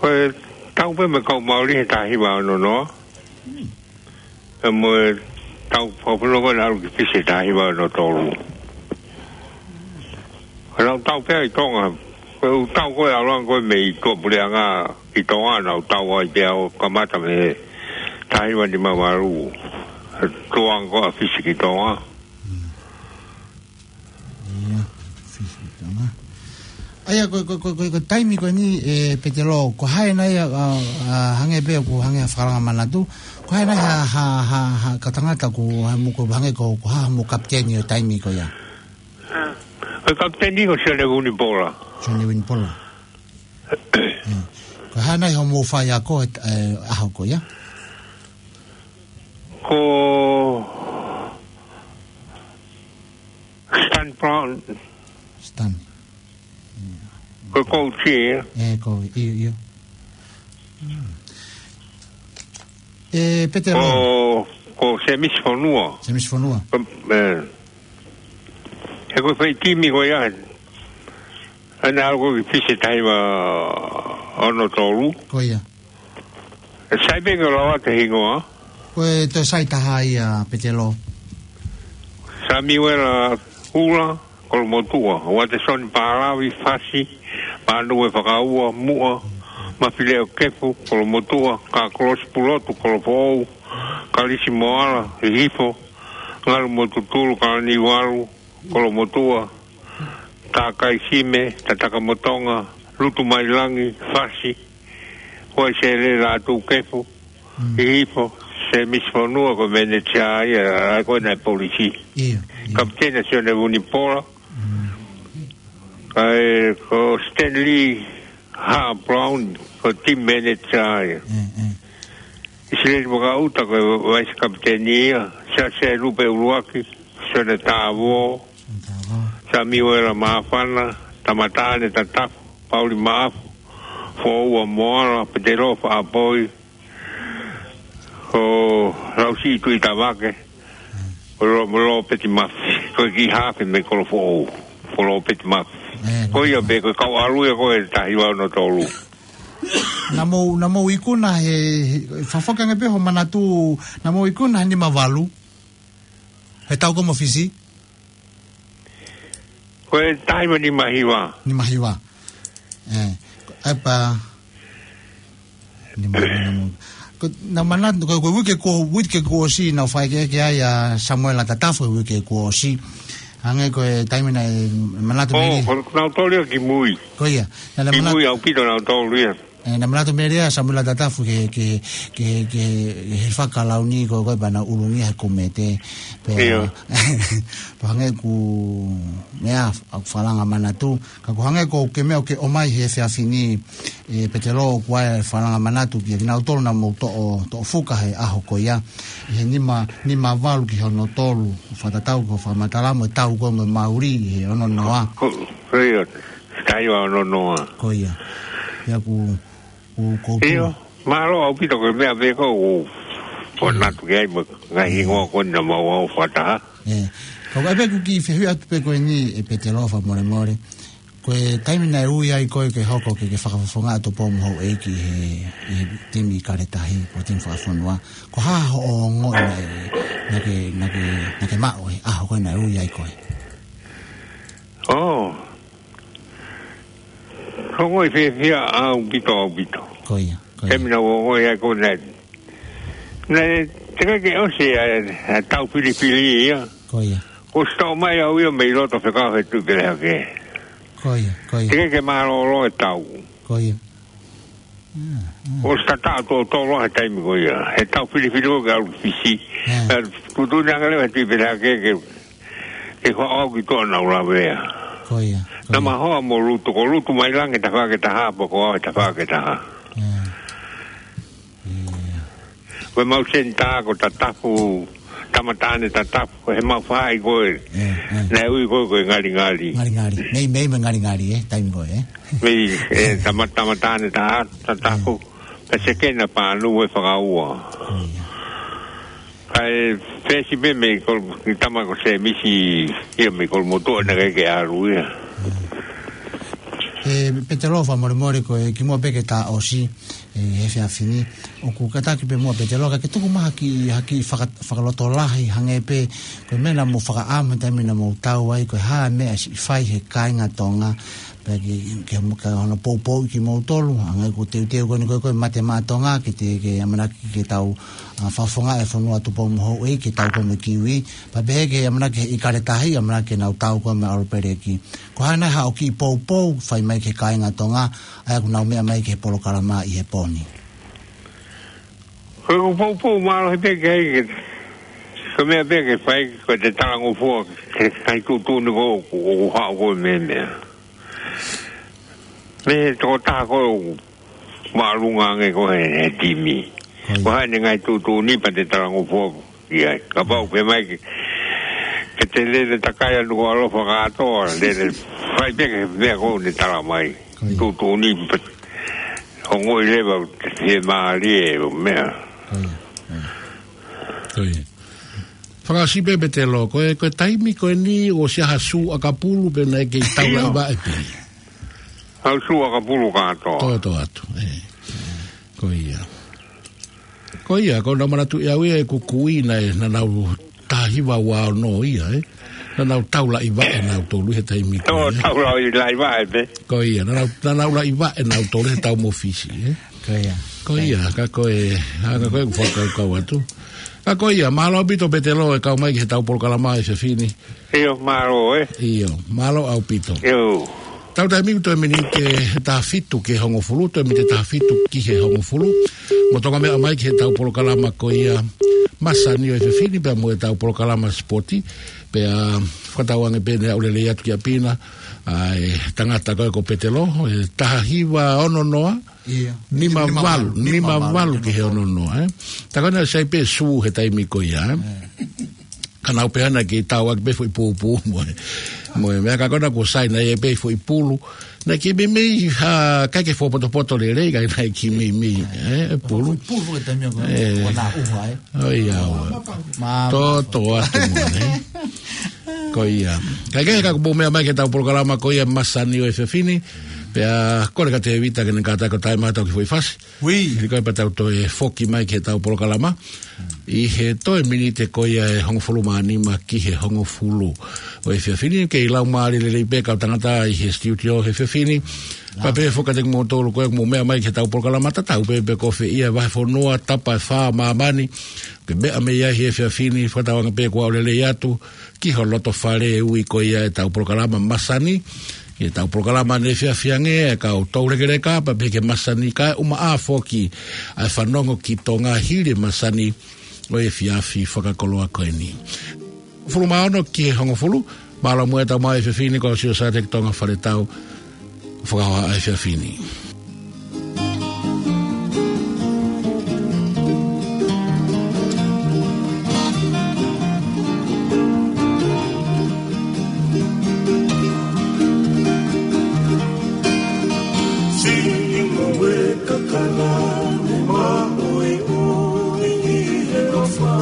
Ko e tau pē mo e kau Mauli he taha hiva ono noa. Pea mo e tau fakafonua ko ē naʻe ʻalu ki Fisi he taha hiva ono tolu. Ko e lau tau pē ʻi Tonga. Ko e ʻū tau ko ē ʻalu ange ko ē mei tuʻapuleʻanga ki Tonga, naʻa ku tau ai pē au, kamata mei he taha hiva nima valu. Tuʻu ange ko ē ʻa Fisi ki Tonga. ʻIo, Fisi ki Tonga. ʻA ia, ko, ko, ko, ko, ko e taimi ko eni, ʻe Petelō, ko e hā nai ʻa, ʻa, ʻa, hangē pē ʻoku hangē ha fakalanga manatu, ko e hā nai ha, ha, ha, ha, ka tangata ko, ha mo ko, hangē ko, ko e hā mo e kapiteni ʻo e taimi ko ia? Ko e kapiteni ko Sione Vunipola. Sione Vunipola. Mm. Ko e hā nai hoʻomou faiako he, ʻe, ʻaho ko ia? Ko Stan Brown. Stan. Ko e coach ia. ʻE, ko, ʻio, ʻio. Mm. ʻE, Petelō. Ko, ko Semisi Fonua. Semisi Fonua. Ko, ʻe. He ko e fai timi ko ia. ʻA ia naʻe ʻalu ko ē ki Fisi he taha hiva ono tolu. Ko ia. ʻE sai pē ke u lau atu e hingoa. Ko e toe sai taha ia, Petelō. Samiuela Ula, Kolomotuʻa. Uatesoni Palavi, Fasi, Manue Fakaua, Muʻa, Mafileo Kefu, Kolomotuʻa, Kakolosi Pulotu, Kolofoʻou, Kalisi Moala, Hihifo, Ngalu mo Tutulu, Kalani Valu, Kolomotuʻa, Takai Sime, Tataka mo Tonga, Lutu Mailangi, Fasi, Hoaisele Lātūkefu, Mm. Hihifo, Semisi Fonua ko e manager ia, ʻa ia ko ē naʻe polisi. ʻIo, ʻio. Kapiteni Sione Vunipola. Mm. ʻA ia ko Stanley Ha Brown, ko e team manager ia. ʻE, ʻe. ʻIsileli Vakaʻuta ko e vice kapiteni ia, Siaosi Lupe ʻUluaki, Sione Tāvō, Sione Tāvō. Samiuela Māfana, Tamataʻane Tatafu, Pauli Maʻafu, Foua Moala, Petelō Faʻapoi, ko Lausiʻi Tuʻitavake, ko Lo-, Lopeti Mafi, ko e kiʻi hafe mei Kolofoʻou, ko Lopeti Mafi. ʻE, ko ia pē, ko e kau ʻalu ia ko ē he taha hiva ono tolu. Naʻa mou, naʻa mou ikuna he, he, fakafoki ange pē hoʻo manatu, naʻa mou ikuna he nima valu. He tau ko ē mo Fisi? Ko e taha hiva nima hiva. Nima hiva. ʻE, ko e pa. Nima hiva mo. Ko, naʻa manatu, ko, ko e uike kuo, uike kuo ʻosi, naʻa ku fai ke, ke ai ʻa Samuela Tatafu he uike kuo ʻosi. Hangē ko e taimi naʻe manatu ʻo, mei. Ko, naʻa ku toli ʻo ki mui. Ko ia. Naʻa, naʻa manatu. Ki mui ʻaupito naʻa ku toli ia. ʻE, naʻa manatu melie ʻa Samuela Tatafu ke, ke, ke, ke, he fakalauni ko, ko e pea naʻa ʻulungia he komete. Pea, ʻio. Pea hangē ʻoku, meʻa, ʻa e fakalanga manatu. Ka ko e hangē ko e meʻa ʻoku ke ʻomai he efiafi ni, ʻe Petelō, ʻoku ʻi ai e fakalanga manatu kiate kinautolu naʻa mou toʻo, toʻo fuka he ʻaho ko ia. ʻI he nima, nima valu ki he ono tolu, fakatatau ki hoʻo fakamatala mo e tau ko ē mo Mauli, he ono noa. Ko, ko ia. Taha hiva ono noa. Ko ia. Ia ku, ku, ku, ku. ʻIo, mālō ʻaupito ko e meʻa pē ko ē ʻoku ou manatu ki ai mo e ngaahi hingoa ko ē naʻa mau ʻau fakataha. ʻE. Ka ʻoku ʻi ai pē ʻeku kiʻi fehuʻi atu pē ko eni ʻe Petelō fakamolemole. Ko e taimi naʻe ui ai koe ke hoko ke, ke fakafofonga ʻa Tupou mo Houʻeiki he, he timi Kaletahi, ko e timi fakafonua. Ko e hā hoʻo ongoʻi naʻe, naʻa ke, naʻa ke, naʻa ke maʻu he ʻaho ko ē naʻe ui ai koe? ʻŌ. Ko e ongoʻi fiefia ʻaupito, ʻaupito. Ko ia, ko ia. Taimi naʻa ku ongoʻi ai ko ē naʻe, naʻe teʻeki ke ʻosi ʻa e, ʻa e tau filifili ia. Ko ia. Kuo ʻosi toʻo mai au ia mei loto fekau he Tuʻi Pelehake. Ko ia, ko ia. Teʻeki ke mālōlō e tau. Ko ia. Mm, mm. Kuo ʻosi tataʻo tōtōloa he taimi ko ia. He tau filifili ko ē ke ʻalu ki Fisi. Mm. Ē, tuʻutuʻuni ange leva he Tuʻi Pelehake ke, ke, ke faʻo au ki tuʻa naʻa ku lavea. Ko ia, ko ia. Naʻa ma hoa mo Lutu, ko Lutu Mailangi tafaʻaki ʻe taha, pea ko au he tafaʻaki ʻe taha. Mm. Ia. Ko e mau senitā ko Tatafu, Tama Taʻane Tatafu, ko e mau faʻahi ko ē. Ē, ē. Naʻe ui ko ē ko e Ngalingali. Ngalingali. Meimei mo Ngalingali, ē, taimi ko ē, ē. Mei, ē, Tama, Tama Taʻane Ta-, Tatafu. Ē. Pea Sekena Panu ē fakaua. Ia. Kae fesi pē mei ko, ki tama ko Semisi, ia mei ko motu ana ke ke aru ia. Ē, Petelo, fakamolemole ko e kimuʻa pē ke tā ʻosi, ē, he efiafi ni. ʻOku kātaki pē muʻa Petelo, ka ke tuku mai ha kiʻi, ha kiʻi faka-, fakalotolahi hangē pē, ko e meʻa naʻa mou fakaʻamu he taimi naʻa mou tau ai, ko e hā e meʻa siʻi fai he kāinga Tonga, pea ke, ke mo-, ka hono poupou kimoutolu, hangē ko e teuteu ko eni ko e, ko e mate maʻa Tonga, ke te, ke ʻamanaki ke tau, ā, fakafofongaʻi e fonua Tupou mo Houʻeiki, ke tau ko mo kiwi, pea pehē ke ʻamanaki he ʻIkale Tahi, ʻamanaki ke nau tau ko mo ʻAlo Peleki. Ko e hā nai haʻo kiʻi poupou, fai mai ki he kāinga Tonga, ʻa ia ʻoku nau meʻa mai ki he polokalama ʻi he pō ni. Ko e poupou mālohi pē ke ai ke, ko e meʻa pē ke fai, ko e te talangofua, ke kai tuʻutuʻuni ko ē, ʻoku, ʻoku haʻu ko e meʻa meʻa. Mei he tokotaha ko ē ʻoku māʻolunga ange ko ē he, he timi. Ko ia. Ko e hā ʻene ngaahi tuʻutuʻuni pea te talangofua ki ai. Kapau pē mai ke, ke te lele takai ʻa e nuku ʻalofa kātoa, lele fai pē ke meʻa ko ē ne tala mai. Ko ia. Tuʻutuʻuni pē. Ongoʻi leva, te fiemālie ʻo meʻa. Ko ia. Ko ia. Fakaʻosi pē Petelo, ko e, ko e taimi ko eni ʻosi ʻa ha sū ʻakapulu pē naʻe kei taulaʻi vaʻe pē. ʻA e sū ʻakapulu kātoa. Tō, tō atu, ē. Ko ia. Ko ia, ko ʻeku manatuʻi au ia ʻeku kui naʻe, naʻa nau taha hiva ua ono ia, ē. Naʻa nau taulaʻi vaʻe nautolu he taimi ko ē. Tō, taulaʻi, laʻi vaʻe pē. Ko ia, naʻa nau, naʻa nau laʻi vaʻe nautolu he taʻu mo Fisi, ē. Ko ia. Ko ia, ka ko e, ā, ka ko e ʻeku fakakaukau atu. Ka ko ia, mālō ʻaupito Petelo e kau mai ki he tau polokalama he efiafi ni. ʻIo, mālō, ē. ʻIo, mālō ʻaupito. ʻIo. Tau taimi toe miniti ʻe taha fitu ki he hongofulu, toe miniti ʻe taha fitu ki he hongofulu. Mo Tonga meʻa mai ki he tau polokalama ko ia masani ʻo e efiafi ni pea mo e tau polokalama sipoti. Pea fakatauange pē ne aʻu lelei atu kia Pina, ʻa e tangata ko ē ko Petelo, ʻe taha hiva ono noa, ʻIo. Nima valu, nima valu ki he ono noa, ē. Tā ko ena sai pē sū he taimi ko ia, ē. Ē. Ka nau pehē naʻe kei tau ʻaki pē foʻi pūpū mo e, mo e meʻa ka ko ena kuo sai naʻe ʻi ai pē foʻi pulu. Naʻe kei meimei, ā, ʻikai ke fakapotopoto lelei, ka naʻe kei meimei, ē, pulu. Pulu he taimi ko ē, ē. Ko ena ʻuha, ē. ʻOiauē. Mā, tō, mā, tō atu mo ē. Ko ia. Kae kehe ka kuo mou meʻa mai ki he tau polokalama ko ia masani ʻo e efiafi ni. Pea kole kia Tēvita ke ne kātaki ʻo taimi atu ki he foʻi fasi. Ui. Hili ko ia pea tau toe foki mai ki he tau polokalama. ʻI he toe miniti ko ia ʻe hongofulu mā nima ki he hongofulu ʻo e efiafi ni, kei laumālie lelei pē kau tangata ʻi he studio he efiafi ni. Pea pehē foki kiate kimoutolu ko ē ʻoku mou meʻa mai ki he tau polokalama tatau pē pe ko fē ia vahefonua, tapa ʻe fā ʻo māmani, ke meʻa mai ai he efiafi ni, fakatauange pē kuo aʻu lelei atu ki ho loto fale ʻi he ui ko ia e tau polokalama masani. ʻI he tau polokalama ne efiafi ange ʻa e kau toulekeleka pea pehē ki he masani kae ʻumaʻā foki ʻa e fanongo ki Tonga hili e masani ʻo e efiafi fakakoloa ko eni. Hongofulu mā ono ki he hongofulu, mālō muʻa e tau mai he efiafi ni, ko Siosiua Sāteki Tonga Faletau, fakahohaʻa e efiafi ni. Siʻi ngāue kakano ne maʻuiʻui ʻi he ʻofa.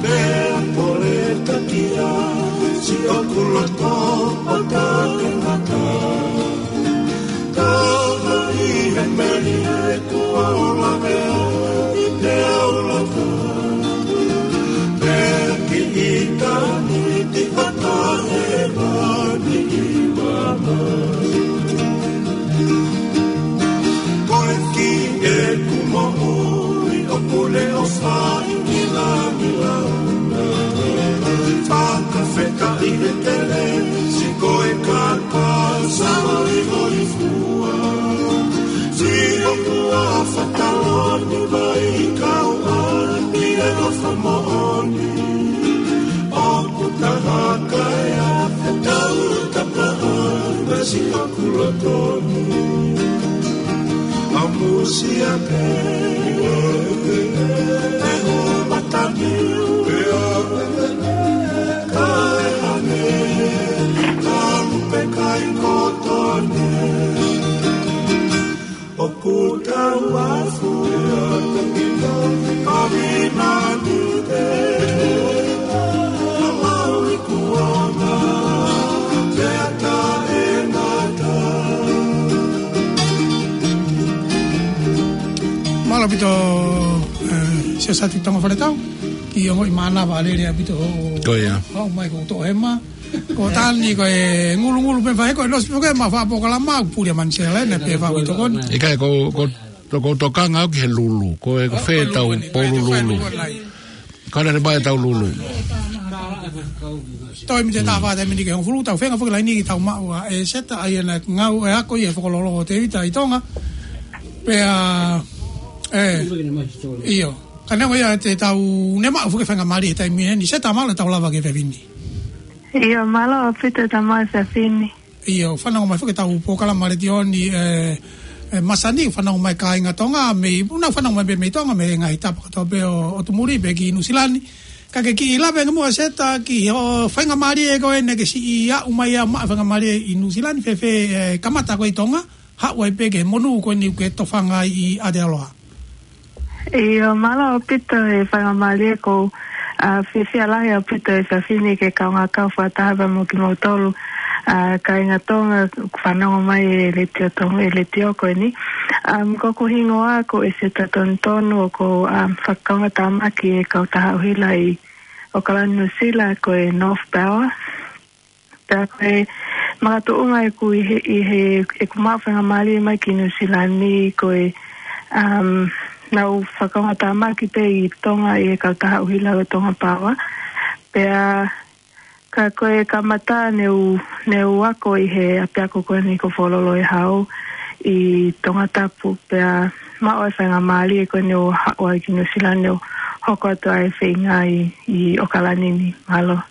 Pea pole takia siʻoku loto ʻo taʻengata. Ka ʻi he melie kuo u lavea ʻi te au laka. Pea ki ʻitāniti ʻo taʻe mani ʻi mama. Ko e kiʻi ʻeku moʻui ʻoku ne ʻofa ʻi ngilangila. Fakafetaʻi e kelesi ko e kaka sāloiloifua. Siʻoku ʻafa taloni mai kau ʻaki e ʻofa moʻoni. ʻOku taha kae ʻa e tau tapaʻa na siʻoku loto ni. Kusia pē, e ua matani, ka e hane, ka lupe kai kotone. ʻOku tau afu, ka vina ni te, a lau i kuanga, te ata e ngata. Mālō ʻaupito, eh, Siaosi Tonga Faletau, ki he ongoʻi mānava lelei ʻaupito. Ko ia. Haʻu mai ko Toʻohema. Ko Tani ko e ngulungulu pē fai ko e losi pē ko e ma fa pōkalama, puli a Manisela, ne pē fa ui tokoni. ʻIkai ko, ko, ko tokanga au ki he lulu, ko e ko fē tau pōlululu. Ka ne le mai tau lulu. Toe mite tā fā taimi ni ke hongofulu, tau fenga foki laini ki tau maʻu ʻa e Seta, ʻa ia naʻe ngāue ʻo ako ʻi he Fokololo ʻo Tēvita ʻi Tonga. Pea, ē, ʻio. Ka neongo ia te tau ne maʻu foki faingamālie he taimi heni, Seta, mālō e tau lava ki he efiafi ni. ʻIo, mālō ʻaupito e tau maʻu e efiafi ni. ʻIo, fanongo mai foki e tau pōkalama letiō ni, ē, ē, masani, fanongo mai kāinga Tonga, mei, ʻoku nau fanongo mai pē mei Tonga, mei he ngaahi tapa kotoa pē ʻo, ʻo Tumuri, pē ki Nuʻusila ni. Ka ke kiʻi lave ange muʻa Seta, ki hoʻo faingamālie ko ē naʻa ke siʻi aʻu mai ai ʻo maʻu faingamālie ʻi Nuʻusila ni, fēfē, ē, kamata ko ē ʻi Tonga, haʻu ai pē ki he monū ko eni ʻoku ke tofanga ai ʻi Aotearoa. ʻIo, mālō ʻaupito e faingamālie ko, ā, fiefia lahi ʻaupito he efiafi ni ke kaungā kau fakataha pea mo kimoutolu, ā, kāinga Tonga, fanongo mai e letiō Tonga, e letiō ko eni. Um, ko hoku hingoa ko ʻEseta Tonutonu, ʻoku ou, um, fakakaungātāmaki he kautaha ʻuhila ʻi ʻAokalani Nuʻusila ko e North Power. Pea ko e makatuʻunga ʻeku ʻi he, ʻi he, ʻeku maʻu faingamālie mai ki Nuʻusila ni ko e, um, naʻá ku fakakaungātāmaki pē ʻi Tonga ʻi he kautaha ʻuhila ko e Tonga Power. Pea ka ko e kamata ne u, ne u ako ʻi he ʻapiako ko eni ko Fokololo ʻe Hau ʻi Tongatapu. Pea maʻu ai e faingamālie ko eni ʻo haʻu ai ki Nuʻusila ni ʻo hoko atu ai e feinga ʻi, ʻi ʻAokalani ni. Mālō.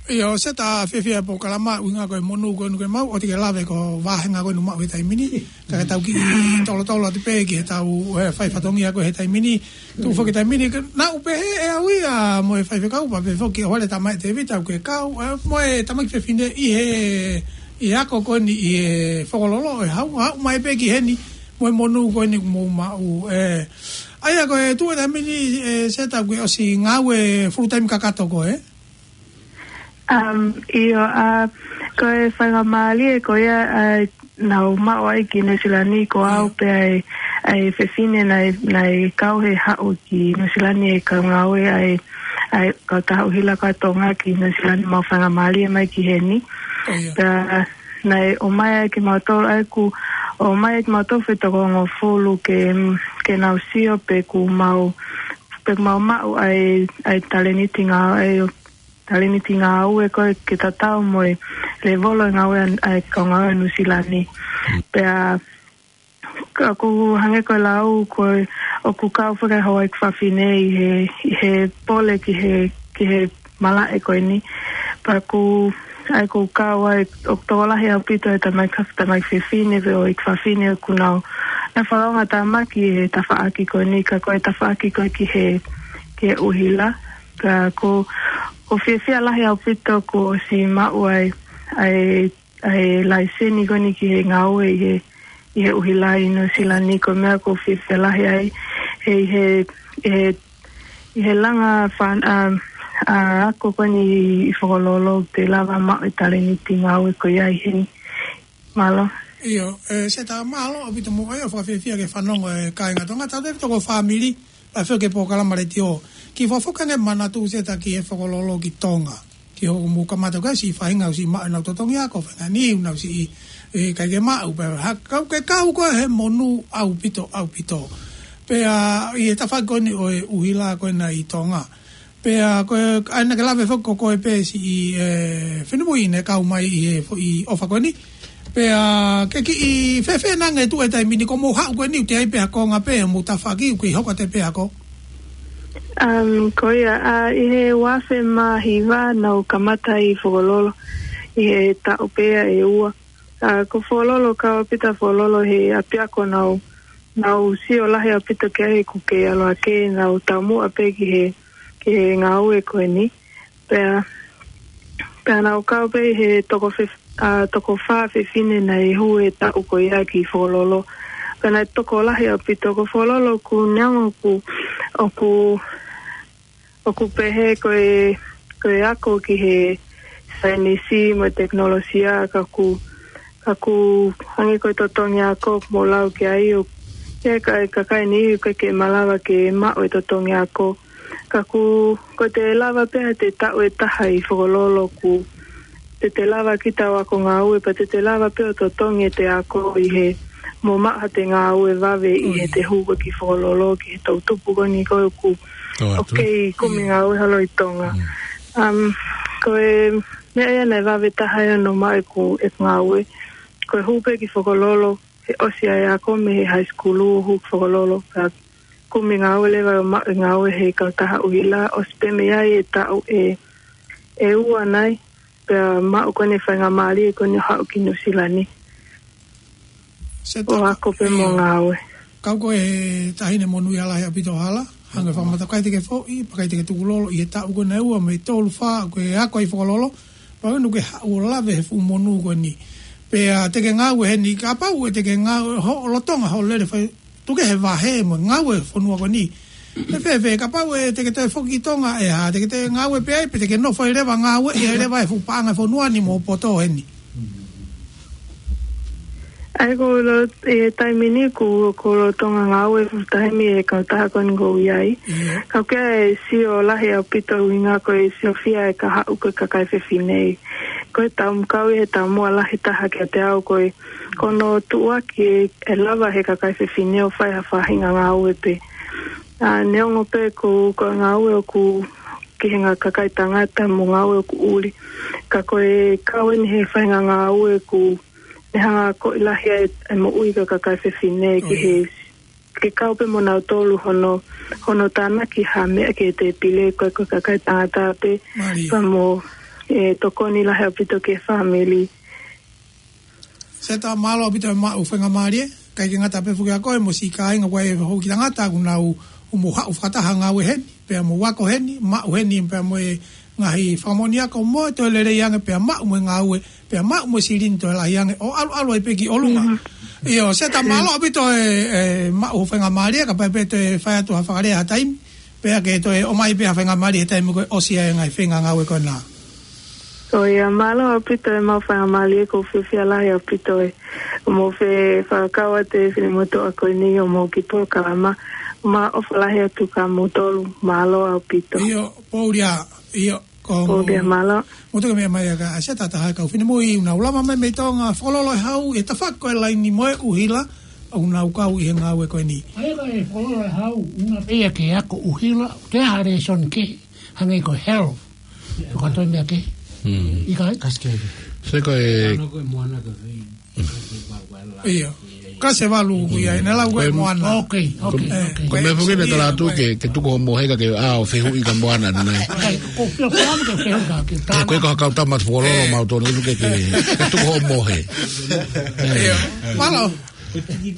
ʻIo, Seta, fiefia e pōkalama, ʻuhinga ko e monū ko eni ʻoku ke maʻu, ʻoua te ke lave ko e vāhenga ko eni ʻoku maʻu he taimi ni. Ka ke tau kiʻi tolotolo atu pē ki he tau, ē, fai fatongia ko ē he taimi ni. Tuʻu foki he taimi ni, ka naʻá ku pehē ʻe au ia mo e faifekau pea pehē foki ʻa Huale Tamaʻi Tēvita ʻoku ke kau, ē, mo e tamaiki fefine ʻi he, ʻi he ako ko eni ʻi he Fokololo ʻe Hau, haʻu mai pē ki heni, mo e monū ko eni ʻoku mou maʻu, ē. ʻA ia ko e tuʻu he taimi ni, ē, Seta, ʻoku ke ʻosi ngāue full time kakato koe, ē? Um, ʻio, ā, ko e faingamālie ko ia, ā, naʻá ku maʻu ai ki Nuʻusila ni ko au pē ʻa e, ʻa e fefine naʻe, naʻe kau he haʻu ki Nuʻusila ni ʻe kau ngāue ʻa e, ʻa e kautaha ʻuhila ko ē ʻa Tonga ki Nuʻusila ni, maʻu faingamālie mai ki heni. Pea naʻe ʻomai ai kimautolu, ʻa ē ʻoku ʻomai ai kimautolu ʻe toko hongofulu ke, ke nau sio pe ʻoku mau, pe ʻoku mau maʻu ʻa e, ʻa e talēniti ngā, ʻa e talēniti ngāue ko ē ke tatau mo e lēvolo e ngāue ʻa e, ʻa e kau ngāue Nuʻusila ni. Pea ka ʻoku hangē ko e lau ko ē ʻoku kau fakahoa ʻeku fafine ʻi he, ʻi he pole ki he, ki he malaʻe ko eni. Pea ʻoku, ʻa ē ʻoku kau ai, ʻoku tokolahi ʻaupito e tamaiki, tamaiki fefine pea mo ʻeku fafine ʻoku nau, nau fakakaungātāmaki he tafaʻaki ko eni, ka ko e tafaʻaki ko ē ki he, ki he ʻuhila. Ka ʻoku, ʻoku fiefia lahi ʻaupito kuo ʻosi maʻu ai, ʻa e, ʻa e laiseni ko eni ki he ngāue ʻi he, ʻi he ʻuhila ʻi Nuʻusila ni, ko e meʻa ʻoku ou fiefia lahi ai, he, he, he, ʻi he langa fan-, ā, ā, ako ko eni ʻi Fokololo te u lava maʻu e talēniti ngāue ko ia ʻi heni. Mālō. ʻIo, ē, Seta, mālō ʻaupito mo e ʻai ʻo fakafiefia ke fanongo e kāinga Tonga, tautefito ko e fāmili, pea foki ki he pōkalama letiō. Kiʻi fakafoki ange e manatu Seta ki he Fokololo ki Tonga. Ki hoʻomou kamata ko ē siʻi faʻahinga ʻoku siʻi maʻu ʻenau totongi ako, faʻahinga ni ʻoku nau siʻi, ē, ʻikai ke maʻu, pea ha, kau ke kau ko ē he monū ʻaupito, ʻaupito. Pea ʻi he tafaʻaki ko eni ʻo e ʻuhila ko ena ʻi Tonga. Pea ko e, ʻa ia naʻá ke lave foki ko koe pē siʻi, ē, finemui naʻe kau mai ʻi he foʻi ʻofa ko eni. Pea ke kiʻi fēfē nai e tuʻu he taimi ni, kuo mou haʻu ko eni ʻoku teʻeki ai pē ʻa e konga pē ʻo hoʻomou tafaʻaki, ʻoku kei hoko atu pē ʻa e ako? Um, ko ia, ā, ʻi he ua afe mā hiva naʻá ku kamata ʻi Fokololo, ʻi he taʻu pē ia ʻe ua. Ā, ko Fokololo, kau ʻaupito Fokololo he ʻapiako naʻá ku nau sio lahi ʻaupito ki ai he ʻoku kei ʻalu hake, nau taumuʻa pē ki he, ki he ngāue ko eni. Pea, pea nau kau pē he toko fe-, ʻa, toko fā fefine naʻe hū he taʻu ko ia ki Fokololo. Pea naʻe tokolahi ʻaupito. Ko Fokololo ʻoku neongo ʻoku, ʻoku, ʻoku pehē ko e, ko e ako ki he saienisi mo e tekinolosia, ka ʻoku, ka ʻoku hangē ko e totongi ako mo lau ki ai ʻo, ke ka, kakai ni ʻoku ʻikai ke malava ke maʻu e totongi ako. Ka ʻoku, ko ʻete lava pē ʻete taʻu ʻe taha ʻi Fokololo ʻoku te te lava kita ʻo ako ngāue, pea te te lava pē ʻo totongi ʻete ako ʻi he mo maʻu haʻate ngāue vave ʻi he te hū ko ē ki Fokololo, ki he toʻutupu ko eni ko ē ʻoku, ʻoku kei kumi ngāue holo ʻi Tonga. Um, ko e meʻa ia naʻe vave taha ia ʻo maʻu ʻeku, ʻeku ngāue. Ko e hū pē ki Fokololo, he ʻosi ʻa e ako mei he high school ʻo hū ki Fokololo, pea kumi ngāue leva ʻo maʻu e ngāue he kautaha ʻuhila, ʻosi pē mei ai e taʻu ʻe, ʻe ua nai, pea maʻu ko eni e faingamālie ko eni ʻo haʻu ki Nuʻusila ni. ʻO ako pē mo ngāue. Kau ko e taʻahine monūʻia lahi ʻaupito hala, hangē ko e fakamatala ʻikai te ke foʻi, pea ʻikai te ke tukulolo, ʻi he taʻu ko ena ʻe ua mo e tolu fā, ko e ako ʻi Fokololo, pea ʻoku ke haʻu ʻo lave he fuʻu monū ko eni. Pea te ke ngāue heni, kapau ʻe te ke ngāue, hoʻo lolotonga hoʻo lele fai, tuku kehe vahe mo e ngāue fonua ko eni. ʻE fēfē, kapau ʻe te ke toe foki ki Tonga ʻe hā, te ke toe ngāue pē ai, pe te ke nofo ai leva ngāue, ʻi ai leva e fuʻu paʻanga fonua ni mo poto heni. ʻAi ko lo, ʻi he taimi ni ʻoku, ʻoku lolotonga ngāue full time ʻi he kautaha ko eni ʻoku ou ʻi ai. Ka ʻoku ʻikai ke sio lahi ʻaupito ʻuhinga ko e siofia e kahaʻu ko e kakai fefine. Ko e taumuʻa ʻi he taumuʻa lahi taha kiate au ko e, ko hono tuʻuaki ʻe, ʻe lava he kakai fefine ʻo fai ha faʻahinga ngāue pē. ʻA, neongo pē ko, ko e ngāue ʻoku ki he ngaahi kakai tangata mo e ngāue ʻoku ʻuli. Ka ko e kau eni he faʻahinga ngāue ʻoku ne hanga ʻo akoʻi lahi ai e moʻui ʻa e kakai fefine ki he, ke kau pē mo nautolu hono, hono tānaki ha meʻa ki he tēpile ko e, ko e kakai tangata pē, pea mo e tokoni lahi ʻaupito ki he fāmili. Seta, mālō ʻaupito e maʻu faingamālie, ʻikai ke ngata pē foki ʻa koe mo siʻi kāinga ko ē ʻoku houʻeiki tangata ʻoku nau, ʻoku mou haʻu fakataha ngāue heni, pea mou ako heni, maʻu heni, pea mo e ngaahi fakamoʻoni ako mo e toe lelei ange pea maʻu mo e ngāue, pea maʻu mo e silini toe lahi ange, ʻo ʻalu ʻalu ai pē ki ʻolunga. ʻIo, Seta, mālō ʻaupito e, e maʻu faingamālie, kapau pē toe fai atu ha fakalea ha taimi, pea ke toe ʻomai pē ha faingamālie he taimi ko ē ʻosi ai e ngaahi feinga ngāue ko ena. Ko ia, mālō ʻaupito e maʻu faingamālie, ʻoku ou fiefia lahi ʻaupito e, ʻo mou fai fakakau atu e finemotuʻa ko eni ʻo mou kiʻi polokalama, ʻoku mau ʻofa lahi atu kia moutolu, mālō ʻaupito. ʻIo, Paulia, ʻio, ko Paulia, mālō. Moutolu meʻa mai ʻa ka, ʻa Seta, taha e kau finemui, ʻoku nau lava mai mei Tonga, Fokololo ʻe Hau, ʻi he tafaʻaki ko e laini mo e ʻuhila, ʻoku nau kau ʻi he ngāue ko eni. ʻA ia ko e Fokololo ʻe Hau, ʻuhinga pē ia ke ako ʻuhila, ke ha lēsoni kehe, hangē ko e health. Ko e toe meʻa kehe. ʻIkai? Kasi kehe. Se ko e ʻIo. Kasi ʻe valu ʻoku ʻi ai, naʻe lau ko e moana. Ok, ok, ok. Ko e meʻa foki naʻe tala atu ke, ke tuku hoʻo mohe ka ke ʻā ʻo fehuʻi ki he moana ʻanenai. Ko e fia fua ke fehuʻi ka ke tala. Ko e kau tama Fokololo mautolu ke, ke, ke tuku hoʻo mohe. ʻIo. Mālō.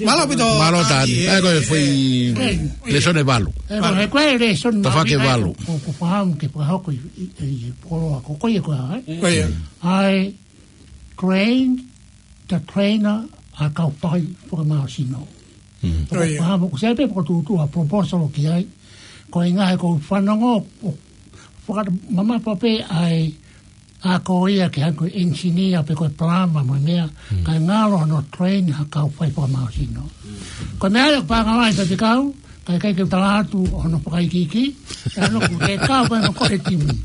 Mālō ʻaupito. Mālō Tani. ʻAi ko e foʻi lēsoni ʻe valu. ʻE, ko e, ko e lēsoni tafaʻaki ʻe valu. Ko, ko fahamu ke fakahoko ʻi, ʻi, ʻi Fokololo ko ko ia ko ē, ʻai. Ko ia. ʻAi, train the trainer, ʻa e kau fai fakamālohisino. Ko ia. Fahamu, ko e sai pē ko e tuʻutuʻu ʻa e proposal ki ai. Ko e ngaahi ko e fanongo, ʻo fakamamafa pē ʻa e ʻa ko ia ke hangē ko e engineer pe ko e plumber mo e meʻa, kae ngalo hono train ha kau fai fakamālohisino. Ko e meʻa ia ʻoku pangalaʻi pē te kau, kae ʻikai ke u tala atu hono fakaikiiki, ʻa hono ʻoku te kau pē mo ko e timi.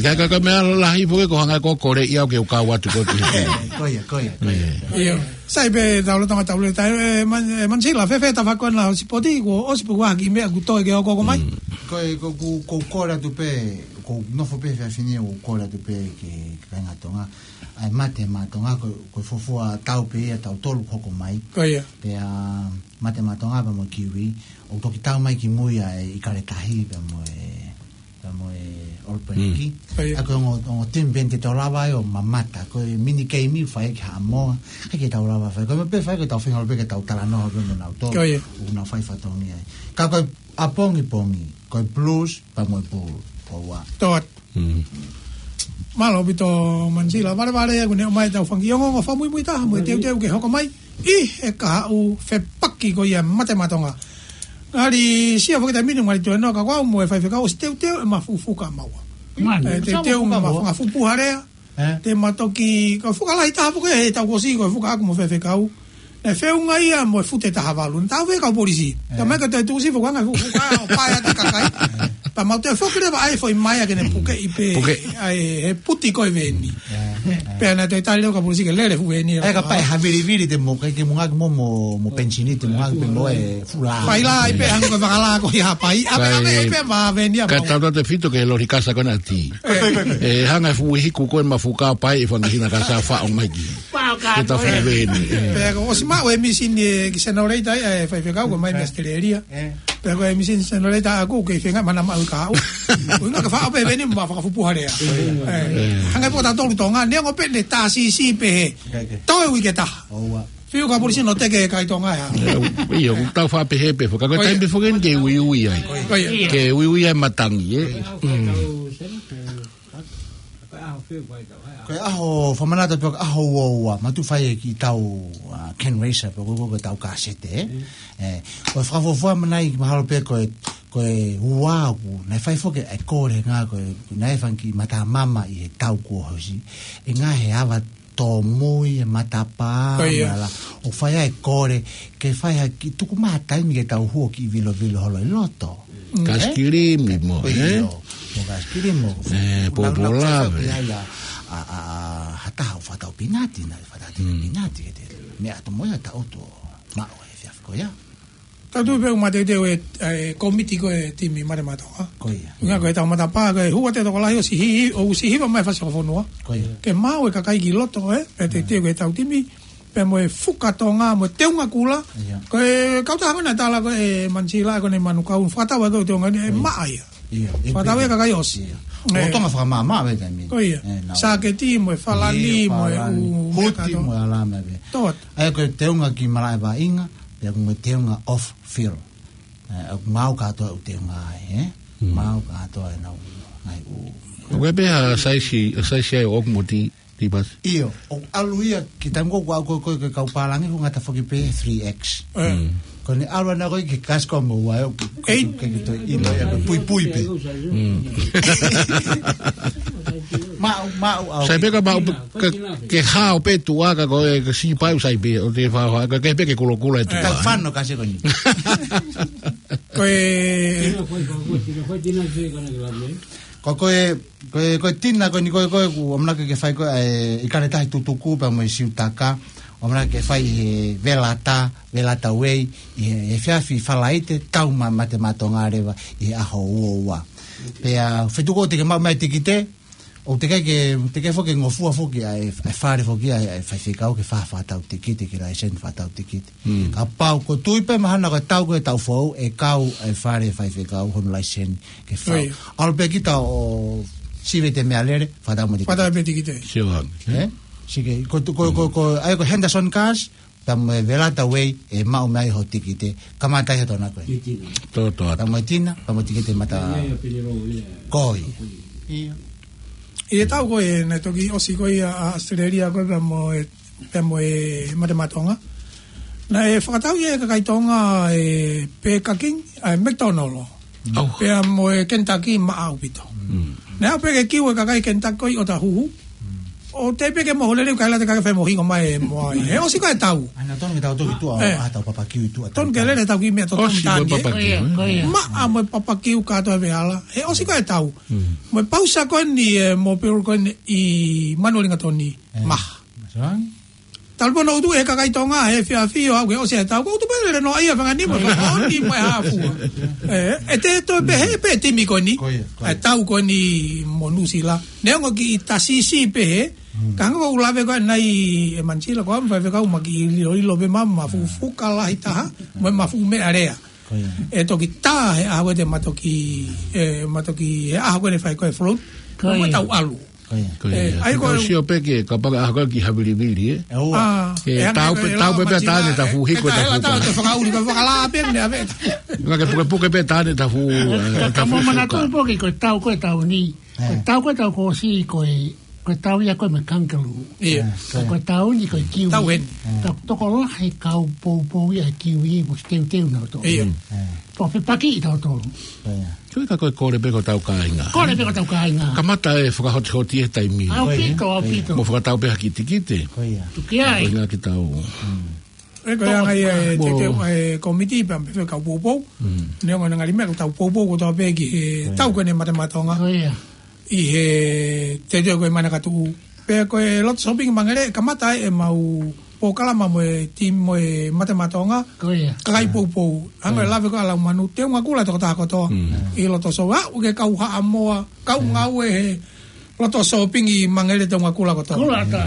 Kae, kae, kae meʻa lahi foki ko e hanga ko e kole ia ʻo ke u kau atu ko e timi. Ko ia, ko ia, ko ia. ʻIo. Sai pē tau lolotonga tau lele tai, e, Man-, e, Manisila, fēfē tafaʻaki ko ena ʻo e sipoti, kuo ʻosi pē ʻa e kiʻi meʻa ʻoku toe ke ʻoku ʻomai? Ko e, ko, ko, ko e kole atu pē, ko e nofo pē he efiafi ni ʻo kole atu pē ki he kāinga Tonga. ʻAi Mate Maʻa Tonga, ko, ko e fuofua tau pē ia ʻa tautolu ʻoku hoko mai. Ko ia. Pea Mate Maʻa Tonga pea mo e kiwi, ʻoku toki tau mai ki mui ʻa e ʻIkale Tahi pea mo e, pea mo e All Black. Mm. ʻA ia ko e ongo, ongo timi pē eni te tau lava ai ʻo mamata. Ko e mini game ʻoku fai ki Haʻamoa. ʻIkai ke tau lava fai. Ko e meʻa pē fai ko ʻetau feinga pē ke tau talanoa pē mo nautolu. ʻO ia. ʻOku nau fai fatongia ai. Ka ko e ʻapongipongi, ko e Blues, pea mo e Bull. Ko ua. Tō atu. Mm. Mālō ʻaupito Manisila. Valevale ʻoku ne ʻomai ʻetau fanga kiʻi ongoongo fakamuimui taha mo e teuteu ke hoko mai ʻi he kahaʻu fepaki ko ia Mate Maʻa Tonga. Ngali sio foki taimi ni ngali toe noa ka ko au mo e faifekau ʻosi teuteu ʻema fuʻu fuka maua. Mani. ʻE, te Sama teu fuka ma maua. Fanga fuʻu puha lea. Eh? Te ma toki, ko e fuka lahi taha foki ʻe tau kosi, ko e fuka ʻaku mo faifekau. ʻE feʻunga ia mo e fute taha valu. Naʻa tau fē kau polisi. Eh. Ka mai ka toe tuʻusi fuka ngaahi fuka ʻo pae atu kakai. Pea mau toe foki leva ai foʻi maea ke ne puke ʻi pē. Puke. ʻAi, he puti ko e veni. Eh, eh. Pea naʻe toe tali leva kau polisi ke lele fuʻu veni. Eh, ka pae ha vilivili te mo, ke, ke mo ngaki mo, mo, mo pensini te mo ngaki pē mo e fula. Pai la, ʻi pē hangē ko e fakalā ko ia pai. ʻApe, ʻape, ʻape ma veni ʻa ka mau. Tau te fito ke lori kasa ko na ti. Eh. ʻE hanga ʻe fuʻu hiku ko e mafuka pae ʻi fanga hina kasa faʻo mai ki. Ke ta fai veni. Pea ko ʻosi maʻu e misini ʻe ki Senoleta ʻi, ʻe faifekau ko mai mei ʻAositelēlia. Eh. Pea ko e misini Senoleta ʻaku ke fenga mana maʻu ka au. Ko inga ka faʻo pē veni ma fakafupuha lea. Eh. Hanga pō ta tolu Tonga, neongo pē ne tā sisi pē he. Toe uike taha. ʻOua. Fiu ka polisi no te ke kai Tonga ʻe ha. Eh, ʻio, ʻoku tau faʻa pehē pē, ka ko e taimi pē foki eni ke uiui ai. Ko ia. Ke uiui ai matangi, ē. Mm. Ko e ʻaho fakamanatu pē ko e ʻaho ua ua, ma tu fai e kiʻi tau, ah, Ken Racer pē ko, ko, ko e tau kasete, ē. Eh, ko e fakafuafua manai mahalo pē ko e, ko e ua ʻoku, naʻe fai foki e kole ngā ko e, naʻe fanga kiʻi mata mama ʻi he tau kuo hosi. ʻE ngā he ava tōmui e matapā, ʻo ia. Mala, ʻo fai ai kole, ke fai ha kiʻi tuku mai ha taimi ke tau huo kiʻi vilovilo holo ʻi loto. Mm. Kasikilimi mo, eh? ʻIo, mo kasikilimi mo. Eh, ʻOku nau, nau pōpōlave. Fai ai a, a, a, ha taha ʻoku fakatau pinati, naʻe fakatau pinati ke te. Meʻa atu mo ia ta oto, maʻu e fiafiko ia. Tau tuʻu pē ʻo mateuteu e, e komiti ko e timi Mate Maʻa Tonga. Ko ia. Ngā ko e tau matapā, ko e hua te tokolahi ʻosi hiva, ʻosi hiva mai fasi ko fonua. Ko ia. Ke maʻu e kakai ki loto, ē, pea teuteu ke tau timi, pea mo e fuka Tonga, mo e teunga kula. Ia. Ko e kau taha ko ena tala ko e Manisila, ko ena Manukau, fakatau ko e teunga ni, ʻe maʻa ia. Ia. Fakatau e kakai ʻosi. Ia. Eh. ʻO Tonga fakamāmā, ʻe taimi. Ko ia. Eh, nau. Sāketi, mo e falani, ia, mo e falani. Huti, mo e ala mai pē. Tō atu. ʻA ia ko e teunga ki malaʻe vaʻinga, pea ko e teunga off field. Eh, ʻoku maʻu kātoa ʻū teunga ai, eh? Mm. Maʻu kātoa e nau, ai ʻū. ʻOku ʻi ai pē ha saisi, saisi ai ʻoku mo ti, ti pasi. ʻIo, ʻoku ʻalu ia, ki taimi ko ē ʻoku ʻalu ko ē, ko ē, ko e kau pālangi, ʻoku ngata foki pē three X. Eh. Mm. Ko ʻene ʻalu ʻana ko ē ki he kasiko mo ua, ʻoku, ʻei, ke, ke toe ʻilo, ʻe, ko e puipui pē. Mm. Maʻu, maʻu, au. Sai pē ka maʻu, ka, ke hao pē tuʻa ka ko e, ka si pai sai pē, ʻo te fa, fa, ka ke pē ke kulokula e tuʻa. Ka fano ka se ko ni. Ko e, ko, ko e, ko e tina ko ni ko e, ko e ʻamanaki ke fai ko e, e, ʻi kane tahi tutuku pea mo e siutaka, ʻamanaki ke fai he Velata, Velata Way, ʻi he, he efiafi Falaite, tau ma, Mate Maʻa Tonga leva, ʻi he ʻaho ua ua. Pea, fetuku ʻo te ke maʻu mai tikite, ʻo te ke, ke, te ke foki ngofua foki ʻa e, ʻa e fale foki ʻa e, ʻa e faifekau ke fa, fakatau tikite, ke laiseni fakatau tikite. Mm. Kapau ko e tui pē mahalo ko e tau ko e tau foʻou, ʻe kau e fale faifekau hono laiseni ke fau. ʻIo. ʻAlu pē kita ʻo sivi ʻete meʻalele, fakatau mo e tikite. Fakatau mo e tikite. Sio ange. Eh? Sike, ko, ko, ko, ko, ʻa ia ko Henderson Cars, pea mo e Velata Way, ʻe maʻu mai ho tikite, kamata ia tona ko e. Tō, tō atu. Pea mo e tina, pea mo e tikite mata. Ia, ia, pili rō, ia. Ko ia. Ia. ʻI he tau ko ē, naʻe toki ʻosi ko ia ʻa ʻAositelēlia ko ē pea mo e, pea mo e Mate Maʻa Tonga. Naʻe fakatau ia ʻe he kakai Tonga e Burger King, ʻa e McDonald. ʻAu. Pea mo e Kentucky maʻa ʻaupito. Mm. Naʻe ʻalu pē ke kiu e kakai Kentucky ko ē ʻo ta huhu. ʻO te pē ke mohu lelei kaila te kakai fai mo hingo mai e mo ai. He ʻosi ko e tau. ʻAna tonu ke tau toki tuʻa, eh, ʻa tau papakiu tuʻa. Tonu ke lele tau ki meʻa totonu. ʻOsi ko e tāni, eh? Papakiu, eh? Ko ia, ko ia. Maʻa mo e papakiu kātoa e veʻe hala. He ʻosi ko e tau. Mm. Mo e pausa ko eni, eh, mo Peru ko eni ʻi Manuʻalingatoni. Eh. Maha. Masalangi. Talu pē hono ʻutu ʻe he kakai Tonga, he efiafi ʻo aʻu ke ʻosi e tau. Ko e ʻutu pē lele noa ia fanga nima, fakaoni mo e hā fua. Eh, ʻe te toe pehē pē timi ko eni. Ko ia, ko ia. ʻA e tau ko eni mo Nuʻusila. Neongo kiʻi tā sisi pē he. Mm. Ka hangē ko ʻeku lave ko ē ʻanenai ʻe Manisila ko ʻeku faifekau ma kiʻi ʻiloʻilo pē ma, ma fuʻu fuka lahi taha, mo e ma fuʻu meʻalea. Ko ia. ʻE toki tā he ʻaho ko ē te ma toki, ʻe, ma toki, he ʻaho ko ē ʻe fai ko ē e float. Ko ia. Ko e tau ʻalu. Ko ia. Ko ia. ʻE, ʻa ia ko e tau sio pē ke, kapau ko e ʻaho ko ē ki Havilivili, ē? ʻE, ʻoua. ʻA, ke ʻe hangē tau ko pē, e tau pē pea tā ne tafu hiko e tafu ka. Ē, ʻe tau ʻe fakaʻuli, pea fakalā pē ne ʻave. Ka ke pukepuke pē tā ne tafu, ē, tafu ka mo manatu foka. Pē ke ko e tau ko ē tau ni. Ko e tau ko ē tau ko ē ʻosi ko e, ko e tau ia ko ē mo e kangaroo. Ia. Ka ko e tau ni ko e kiwi. Tau heni. Ka tokolahi kau poupou ia e kiwi mo e teuteu na to. Ia. Pea fepaki ʻi tautolu. Ko ia. Ko e ka ko e kole pē ko e tau kāinga. Kole pē ko e tau kāinga. Kamata e fakahotihoti he taimi. ʻAupito, ʻaupito. Mo fakatau pē ha kiʻi tikite. Ko ia. Tuku ai. Ko e ngaahi tau. ʻE ko e anga ia e teuteu e kōmiti pea mo e kau poupou. Neongo ʻene ngali meʻa ko e tau poupou kotoa pē ki he tau ko eni Mate Maʻa Tonga. Ko ia. ʻI he teuteu ko ē Manakatuʻu. Pea ko e loto sōpingi Mangere, kamata ai ʻemau polokalama mo e timi mo e Mate Maʻa Tonga. Ko ia. Kakai poupou. Hangē ko e lave ko ē ʻa Laumanu, teunga kula tokotaha kotoa. ʻI loto sō, aʻu ki he kau Haʻamoa, kau ngāue he loto sōpingi Mangere teunga kula kotoa. Kula ata.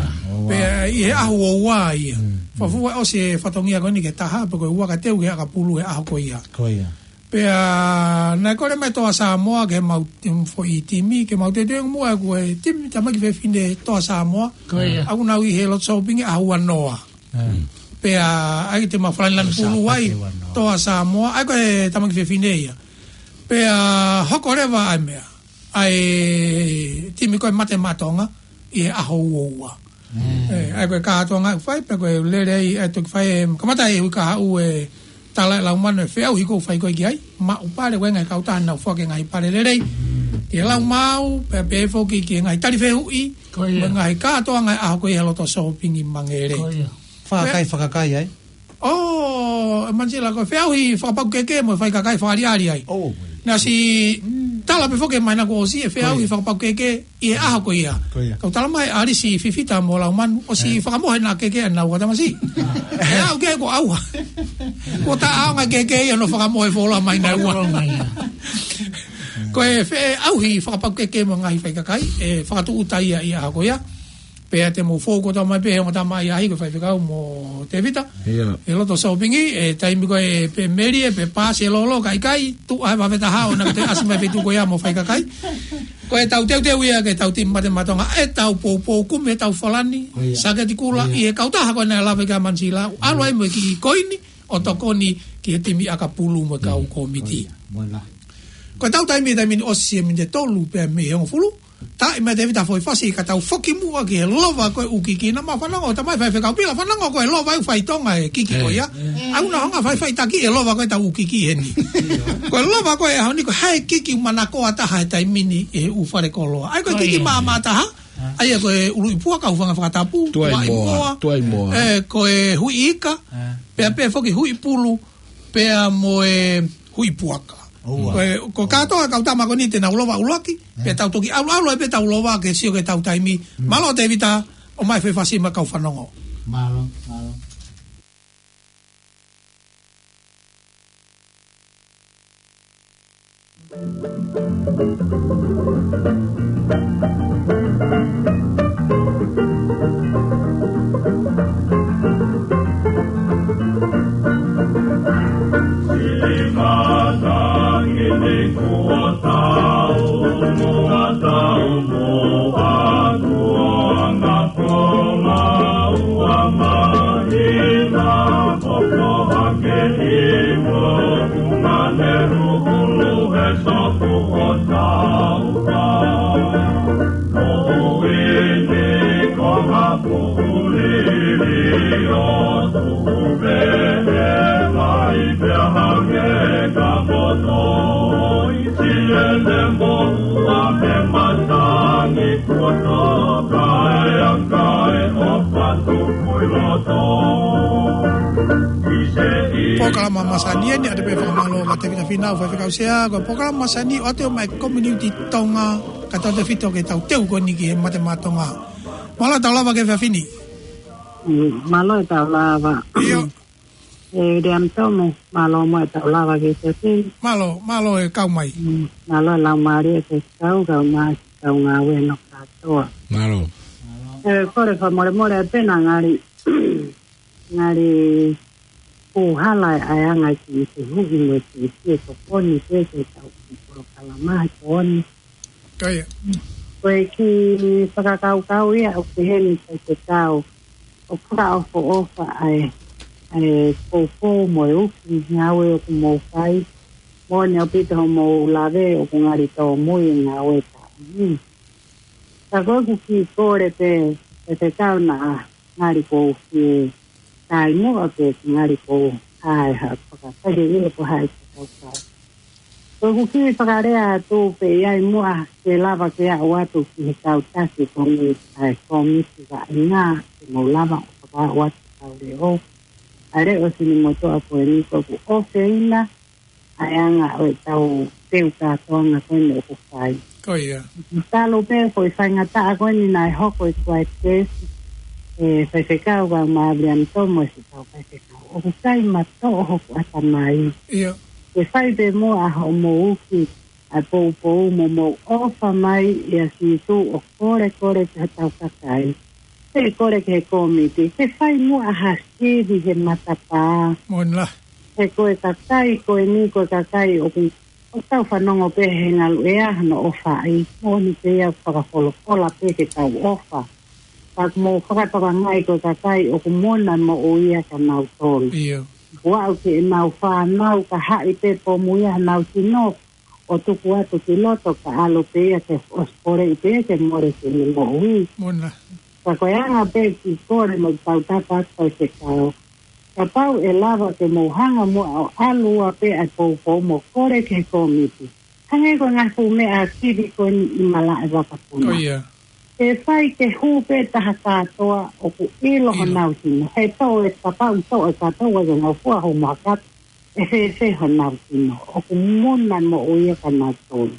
Pea ʻi he ʻaho ua ia. Fafua ʻosi e fatongia ko eni ki he taha, pea ko e ua ka teu ki he ʻakapulu he ʻaho ko ia. Ko ia. Pea naʻe kole mai Toa Samoa ke mau, em, foʻi timi, ke mau teuteu muʻa ko e timi tamaiki fefine Toa Samoa. Ko ia. ʻOku nau ʻi he loto sōpingi ʻaho ua noa. Pea ʻai te mau falani lanu pulu ai, Toa Samoa, ʻa ia ko e tamaiki fefine ia. Pea hoko leva ʻa e meʻa. ʻA e timi ko ē Mate Maʻa Tonga, ʻi he ʻaho ua ua. ʻE, ʻa ia ko e kātoanga ʻoku fai, pea ko e lele ai, ʻe toki fai, ʻe, kamata ʻe Huikahaʻu e tala ʻe Laumanu e feʻauhi ʻoku fai ko ē ki ai, maʻu pale, ko e ngaahi kautaha naʻa nau foaki e ngaahi pale lelei. Ki he laumāu, pea pehē foki ki he ngaahi tali fehuʻi, ko ia. Mo e ngaahi kātoanga ʻa e ʻaho ko ia he loto sōpingi Mangere. Ko ia. Fakakai, fakakai ai. ʻO, ʻe Manisila ko e feʻauhi fakapakukeke mo e faikakai fakaʻaliʻali ai. Naʻe ʻosi tala pē foki ʻi he māhina kuo ʻosi e feʻauhi fakapakukeke ʻi he ʻaho ko ia. Ko ia. Kau tala mai ʻa ʻAlisi Fifita mo Laumanu, ʻosi fakamohe ʻena keke ʻenau ʻatamasi. ʻE au ke ko au ha. Ko ta au ngaahi keke ia ʻo fakamohe fuoloa mai naʻe ua. Ko e feʻauhi fakapakukeke mo e ngaahi faikakai, ʻe fakatūʻuta ia ʻi he ʻaho ko ia. Pea te mou fou kotoa mai pē he ongo tamaʻi ʻaʻahi ko e faifekau mo Tevita. Ia. ʻI loto sōpingi, ʻe taimi ko ē pē melie, pē pasi e lolo, ka ʻikai, tuʻu ʻa e vave taha ʻo na ka te ʻasi mai feituʻu ko ia mo faikakai. Ko e tau teuteu ia ke tau timi Mate Maʻa Tonga, ʻe tau poupou kumi ʻe tau falani, saketi kula, ʻi he kautaha ko ē naʻe lave ki ai ʻa Manisila, ʻalu ai mo e kiʻi koini, ʻo tokoni ki he timi ʻakapulu mo e kau kōmiti. Ko e tau taimi, taimi ni ʻosi e miniti ʻe tolu pē mei he hongofulu. Taʻi mai Tevita foʻi fasi ka tau foki muʻa ki he lova ko ē ʻoku kiki naʻa mau fanongo, tamai faifekau Pila fanongo ko e lova ʻoku fai Tonga e kiki ko ia. ʻOku na hanga faifai taki e lova ko ē tau ʻoku kiki heni. Ko e lova ko ē ʻaho ni ko e hā e kiki manakoa taha he taimi ni ʻi he ʻū fale koloa. ʻA ia ko e kiki maʻamaʻa taha. ʻA ia ko e ʻuluʻi puaka, hūfanga he fakatapu, tuai moa, tuai moa. ʻE, ko e huʻi ika, pea pē foki huʻi pulu, pea mo e huʻi puaka. Ko e, ko e kātoa kau tama ko eni te nau lova ʻuluaki, pea tau toki ʻalu, ʻalu ai pē tau lova ke sio ki he tau taimi. Mālō Tevita, ʻomai foʻi fasi mo e kau fanongo. Mālō, mālō. Polokalama masani eni, ʻa ia pē fakamālō kia Tevita Finau, faifekau sea, ko e polokalama masani ʻoatu mai Community Tonga, kae tautefito ki he tau teu ko eni ki he Mate Maʻa Tonga. Mālō e tau lava ki he efiafi ni. Mm, mālō e tau lava. ʻIo. ʻE, William Tomu, mālō mo e tau lava ki he efiafi ni. Mālō, mālō e kau mai. Mm, mālō e lau mālie e kau, kau mai, kau ngāue no kātoa. Mālō. ʻE, kole fakamolemole pē naʻa ngali, ngali Ko e hala ʻa e anga ki he huʻi mo e ki he tokoni pē ke tau ki polokalama he ko eni. Ko ia. Ko e kiʻi fakakaukau ia ʻoku pehē ni Faifekau. ʻOku fakaʻofoʻofa ʻa e, ʻa e poupou mo e uki ngāue ʻoku mou fai. Moʻoni ʻaupito hoʻomou lave ʻoku ngali tōmui e ngāue taʻu ni. Ka ko ʻeku kiʻi kole pē, Faifekau naʻa ngali ʻoku ou fie tai muʻa pē ngali ʻoku ou ʻai ha fakakaukau ke ʻilo ko hai fakakaukau. Ko ʻeku kiʻi fakalea atu pē ia ʻi muʻa ke lava ke aʻu atu ki he kau taki ko eni ʻa e kōmiti vaʻinga ke mou lava ʻo fakaaʻu atu kau leʻo. ʻA e leʻo Sinimotuʻa ko eni ko ʻeku ʻofeina ʻa e anga ʻo e tau teu kātoanga ko eni ʻoku fai. Ko ia. Talu pē ko e faingataʻa ko eni naʻe hoko e kuaitesi, e Faifekau ka ma William Thomas e tau Faifekau. ʻOku kai matoʻo hoku ʻatamai. Ia. Ke fai pē muʻa hoʻomou uki ʻa e poupou mo mou ʻofa mai ʻia Sīsū ʻo kolekole ki hotau kakai. Ke kole ki he kōmiti, ke fai muʻa ha sivi he matapā. Moʻoni lā. He ko e kakai ko eni ko e kakai ʻoku, ʻoku tau fanongo pē he ngalu ʻea hono ʻofaʻi. Moʻoni pē ia fakafolofola pē ke tau ʻofa. Ka mou fakatokangaʻi ko e kakai ʻoku mona moʻui ia kia nautolu. Ia. Kuo aʻu ki heʻenau fānau ka haʻi pē pomu ia honau sino ʻo tuku atu ki loto ka ʻalu pē ia ke ʻosi poleʻi pē ia ke mole ki heʻene moʻui. Moʻoni lā. Ka ko e anga pē kiʻi kole mo e tautapa atu Faifekau. Kapau ʻe lava ke mou hanga muʻa ʻo ʻalu ua pē ʻa e poupou mo kole ki he kōmiti. Hangē ko e ngaahi fuʻu meʻa sivi ko eni ʻi malaʻe vakapuna. Ko ia. Ke fai ke hū pē taha kātoa ʻoku ʻilo. ʻIlo. Honau sino. He toʻo e kapau toʻo e kātoa ke ngofua ho makatu. ʻE fēfē honau sino. ʻOku mona moʻui ia kia nautolu.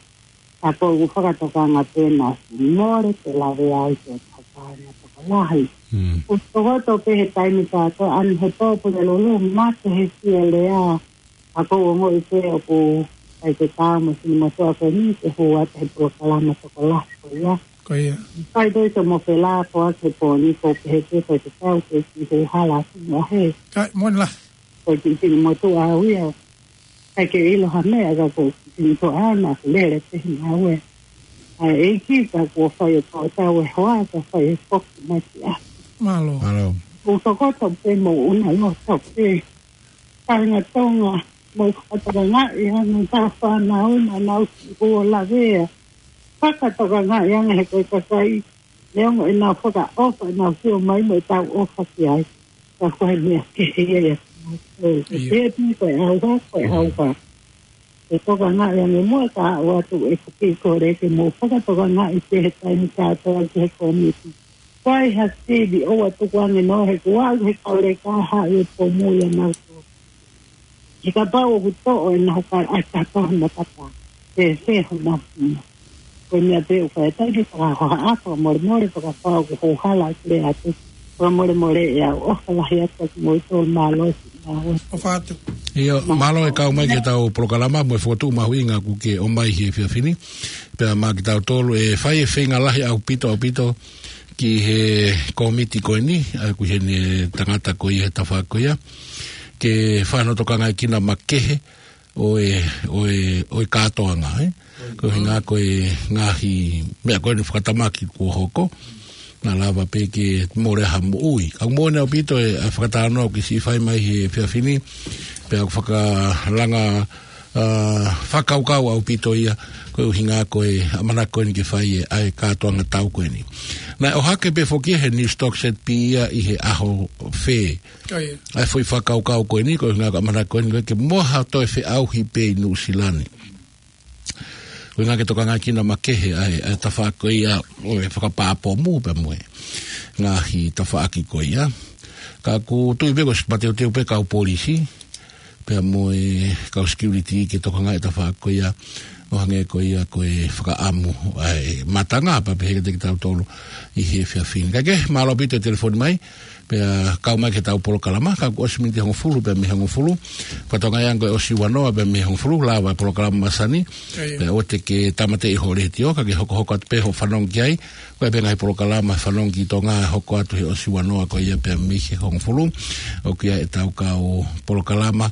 Ka ko ʻeku fakatokanga pē naʻa mole ke lave ai ke kapau naʻe tokolahi. Mm. ʻOku tokoto pē he taimi kātoa ʻa eni he pōpula lolo mate he sielea. Ka ko ʻeku ongoʻi pē ʻoku ʻai ke tā mo Sinimotuʻa ko eni ke hū atu he polokalama tokolahi ko ia. Ko ia. Kai pē ke mo felā ko ake pō ni ko pehē ke fai ke tau ke ki he hala atu mo he. Kai, moʻoni lā. Ko e kiʻi Sinimotuʻa au ia. Kai ke ʻilo ha meʻa ka ko e kiʻi Sinimotuʻa na lele pē hina au e. ʻA e ʻEiki ka kuo fai e tau e hoa ka fai e foki mai ki a. Mālō. Mālō. ʻOku tokoto pē mo una loto pē. Kāinga Tonga, mou fakatokangaʻi ʻa e ngaahi fānau naʻa nau sio ʻo lavea. Fakatokangaʻi ange he ko e kakai, neongo ʻenau fakaʻofa, ʻenau sio mai mo ʻetau ʻofa ki ai. Ka ko e meʻa kehe ia ia. Ia. Ko e pē ko e ʻauha, ko e ʻauha. ʻE tokangaʻi ange muʻa ka aʻu atu ʻeku kiʻi kole ke mou fakatokangaʻi pē he taimi kātoa ki he kōmiti. Ko e hā sivi ʻoua tuku ange noa he kuo aʻu he kau leka haʻi e pomu ia nautolu. He kapau ʻoku toʻo ʻenau kau ai kātoa he matapā. Fēfē honau sino. Ko e meʻa pē ʻoku fai ʻe taimi fakahohaʻa, fakamolemole, fakapapau ʻoku ou hala atu lea atu. Fakamolemole ʻe au, ʻofa lahi atu kiate kimoutolu, mālō e siʻi ngāue. ʻOfa atu. ʻIo, mālō e kau mai ki heʻetau polokalama, mo e fokotuʻu mahuʻinga kuo ke ʻomai he efiafi ni. Pea maʻa kitautolu ʻe fai e feinga lahi ʻaupito, ʻaupito ki he kōmiti ko eni, ʻa ia ko eni e tangata ko ia he tafaʻaki ko ia. Ke fakatokangaʻi kinaua makehe, ʻo e, ʻo e, ʻo e kātoanga, ē? Ko e ʻuhinga ko e ngaahi meʻa ko eni fakatamaki kuo hoko, naʻa lava pē ke mole ha moʻui. Ka moʻoni ʻaupito e, ʻa e fakatalanoa ʻoku ke siʻi fai mai he efiafi ni, pea ʻoku fakalanga, ʻa, fakakaukau ʻaupito ia, ko e ʻuhinga ko e ʻamanaki ko eni ke fai e, ʻa e kātoanga tau ko eni. Naʻe ʻohake pē foki he Newstalk Z P ia ʻi he ʻaho fē. Ko ia. ʻA e foʻi fakakaukau ko eni, ko e ʻuhinga ko e ʻamanaki ko eni, ko e ke moha toe feʻauhi pē ʻi Nuʻusila ni. Ko e ʻuhinga ke tokangaʻi kinaua makehe ʻa e, ʻa e tafaʻaki ko ia ʻo e fakapā pomu pea mo e ngaahi tafaʻaki ko ia. Ka ʻoku ou tui pē ko e siʻi mateuteu pē kau polisi, pea mo e kau security ke tokangaʻi e tafaʻaki ko ia. ʻO hangē ko ia ko e fakaʻamu ʻa e matanga pea pehē kiate kitautolu ʻi he efiafi ni. Kae kehe, mālō ʻaupito e telefoni mai, pea kau mai ki heʻetau polokalama, ka kuo ʻosi miniti hongofulu pea mei he hongofulu. Ko Tonga ʻi he anga ko e ʻosi ua noa pea mei he hongofulu, lava e polokalama masani. Pea ʻoua te ke tāmateʻi ho letiō, ka ke hokohoko atu pē hoʻo fanongo ki ai. Ko e pē ngaahi polokalama Fanongo ki Tonga ʻe hoko atu he ʻosi ua noa ko ia pea mei he hongofulu. ʻOku ʻi ai ʻetau kau polokalama,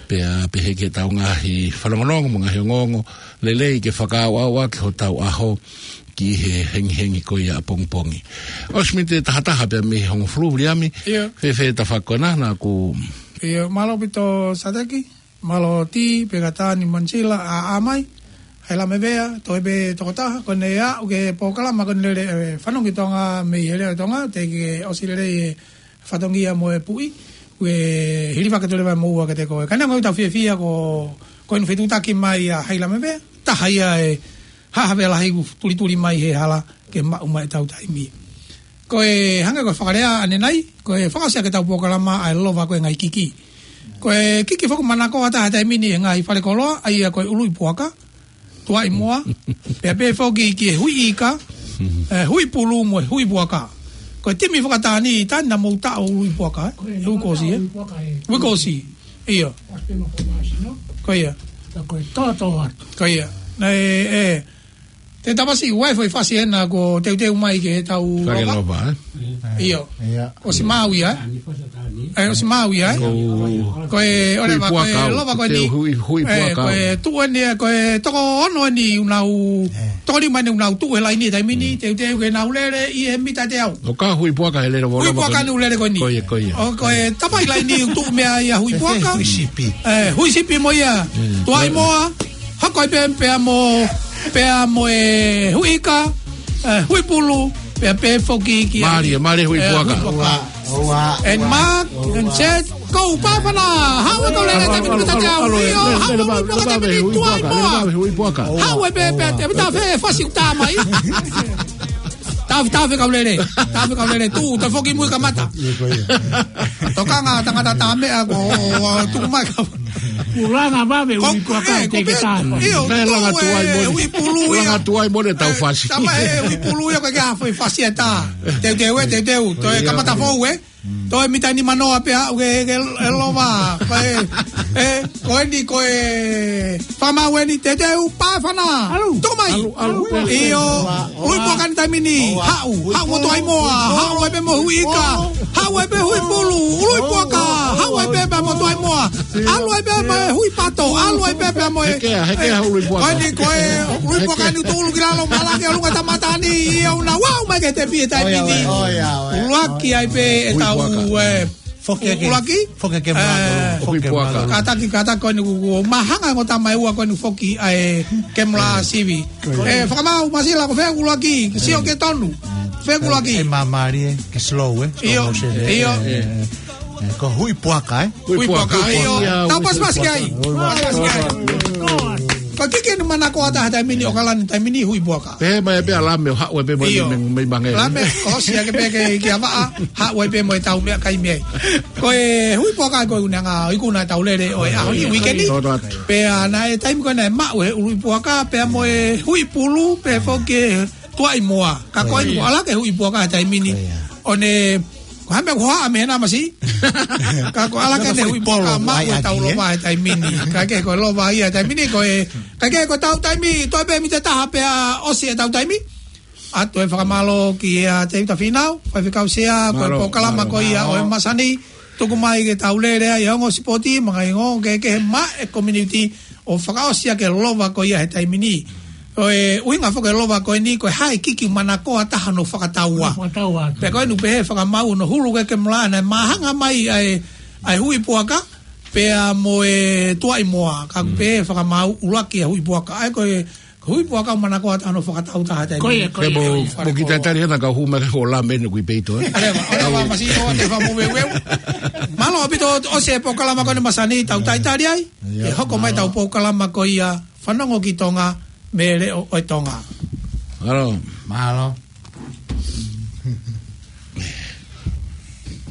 pea pehē ki heʻetau ngaahi fanongonongo mo e ngaahi ongoongo lelei ke fakaʻauʻauʻaki hotau ʻaho ki he hengihengi ko ia ʻapongipongi. ʻOsi miniti ʻe tahataha pea mei he hongofulu, Viliami. ʻIo. Fēfē e tafaʻaki ko ena, naʻa ku. ʻIo, mālō ʻaupito Sateki, mālō Tī, pea ka Tani Manisila, ʻa, ʻa mai. Hai la me vea, toe pē tokotaha, ko ʻene ʻaʻu ki he polokalama ko eni lele, e, Fanongo ki Tonga mei he Leʻo ʻo Tonga, teʻeki ke ʻosi lelei e fatongia mo e puʻi, ʻoku ou hilifaki atu leva mo ua kiate koe. Ka neongo ʻetau fiefia ko, ko eni fetuʻutaki mai ʻa Hai la me vea, taha ia e haʻa vea lahi ʻoku tulituli mai he hala ke maʻu mai ʻetau taimi. Ko e hangē ko e fakalea ʻanenai, ko e fakaʻosi ʻaki ʻetau polokalama ʻa e lova ko e ngaahi kiki. Ko e kiki foki manakoa taha he taimi ni he ngaahi fale koloa, ʻa ia ko e ului puaka, tuaʻi moa, pea pehē foki ki he hui ika, e, hui pulu mo e hui puaka. Ko e timi fakatani, Tani, naʻa mou taʻo ului puaka, e? Ko e hui kosi, e? Hui puaka, e. Hui kosi, ʻio. Ko ia. Ko e toto atu. Ko ia. Naʻe, e, te tamasi ua e foʻi fasi ena kuo teuteu mai ke tau fale lova. Lova, e? ʻIo. ʻIo. ʻOsi maʻu ia, e? E, ʻosi maʻu ia, e? Ko e, ʻoleva, ko e lova ko eni. Hui, hui puaka. Ko e tuʻu eni, ko e toko ono eni ʻoku nau, toko nima eni ʻoku nau tuʻu he laini he taimi ni, teuteu ke nau lele ʻi he mita ʻe teau. ʻO ka hui puaka he lele ʻo lova ko eni. Hui puaka eni ʻoku lele ko eni. Ko ia, ko ia. ʻO ko e tapai laini ʻoku tuʻu meʻa ia hui puaka. Hui sipi. E, hui sipi mo ia. Tuaʻi moa. Hoko ai pē, pea mo, pea mo e hui ika, e, hui pulu, pea pehē foki ki ai. Mālie, mālie hui puaka. Hui puaka. ʻOua, ʻoua. And mark, and set, go, pāfana. Haʻu e kau lele, taimi ni mita ʻe teau. ʻIo, haʻu e hui puaka, taimi ni tuaʻi moa. Haʻu e pē, pea, pea, pea, pea, fasi ʻoku tā mai. Tafe, tafe kau lele. Tafe kau lele. Tuʻu, toe foki mui kamata. Tokanga tangata tā meʻa ko, tuku mai ka. Kuo langa vave hui puaka, e, te ke tā. ʻIo, langa tuai mo e hui pulu ia. Langa tuai mo e tau fasi. Tama e hui pulu ia ko e ke afo e fasi e tā. Teuteu e, teuteu. Toe kamata fou e. Toe mita nima noa pea aʻu ke, ke, e lova. Ko e, e, ko eni, ko e fakamaau eni, teuteu, pāfana. Tuku mai. ʻIo, hui puaka eni taimi ni, haʻu, haʻu mo tuaʻi moa, haʻu ai pē mo hui ika, haʻu ai pē hui pulu, hui puaka, haʻu ai pē pea mo tuaʻi moa. ʻAlu ai pē mo e hui pato, ʻalu ai pē pea mo e. Hekea, hekea ului puaka. Ko eni, ko e ului puaka eni ʻoku tuʻulu ki lalo, malake ʻolunga tamata ni, ʻio, ʻoku nau aʻu mai ki he tepi he taimi ni. ʻUluaki ai pē ʻetau, e, foki ke, ʻuluaki? Foki ke mula, e, foki ke mula. Kātaki, kātaki ko eni kuo, kuo mahanga ko tama e ua ko eni foki ʻa e kemula sivi. E, fakamaau Masila, ko fē ʻuluaki, sio ke tonu. Fē ʻuluaki. E, māmālie, ke slow, e. Slow motion, e. ʻIo. E, e, ko hui puaka, e. Hui puaka, ʻio. Tau pasipasi ki ai. Hui puaka. Pasipasi ki ai. Ko e kiki eni manakoa taha he taimi ni ʻo ʻAokalani he taimi ni hui puaka. Pehē mai pē ʻa Lame ʻo haʻu ai pē mo e, ʻio, mei, mei mange. Lame, ʻosi ake pē ke, ki Avaʻa, haʻu ai pē mo e tau meʻakai mei ai. Ko e hui puaka ko e ʻuhinga ʻoku ʻi ai ʻetau lele ʻo e ʻaho ni, weekend ni. Pea naʻe taimi ko ē naʻe maʻu e ului puaka, pea mo e hui pulu, pea foki e tuaʻi moa. Ka ko eni kuo ʻalu hake e hui puaka he taimi ni. ʻO ne, ko e hā e meʻa kuo haʻu mei hena masi. Ka kuo ʻalu hake e hui puaka, maʻu ʻetau lova he taimi ni. Kae kehe ko e lova ia he taimi ni, ko e, kae kehe ko ʻetau taimi, toe pē mita ʻe taha pea ʻosi ʻetau taimi. ʻA ia toe fakamālō kia Tēvita Fīnau, faifekau sea, ko e polokalama ko ia ʻo e masani. Tuku mai ke tau lele ai ʻa e ongo sipoti, mo e ngaahi ongo kehekehe maʻa e community ʻo fakaʻosi ʻaki e lova ko ia he taimi ni. ʻO e ʻuhinga foki e lova ko eni, ko e hā e kiki manakoa taha hono fakataua. Fakataua. Pea ko eni ʻoku pehē fakamaau hono hulu ko ē e kemula naʻe mahanga mai ʻa e, ʻa e hui puaka, pea mo e tuaʻi moa. Ka ʻoku pehē fakamaau ʻuluaki ʻa e hui puaka. ʻA ia ko e hui puaka manakoa taha hono fakatautaha taimi. Ko ia, ko ia, ko ia. Mo ki tatali hena ka hū mai ko Lame eni ʻoku ʻi peito, e. ʻOleva, ʻoleva, masi ʻoua te fakamoveuveu. Mālō ʻaupito ʻosi e polokalama ko eni masani, tau talitali ai. ʻIo, ke hoko mai ʻetau polokalama ko ia Fanongo ki Tonga mei he Leʻo ʻo Tonga. Mālō. Mālō.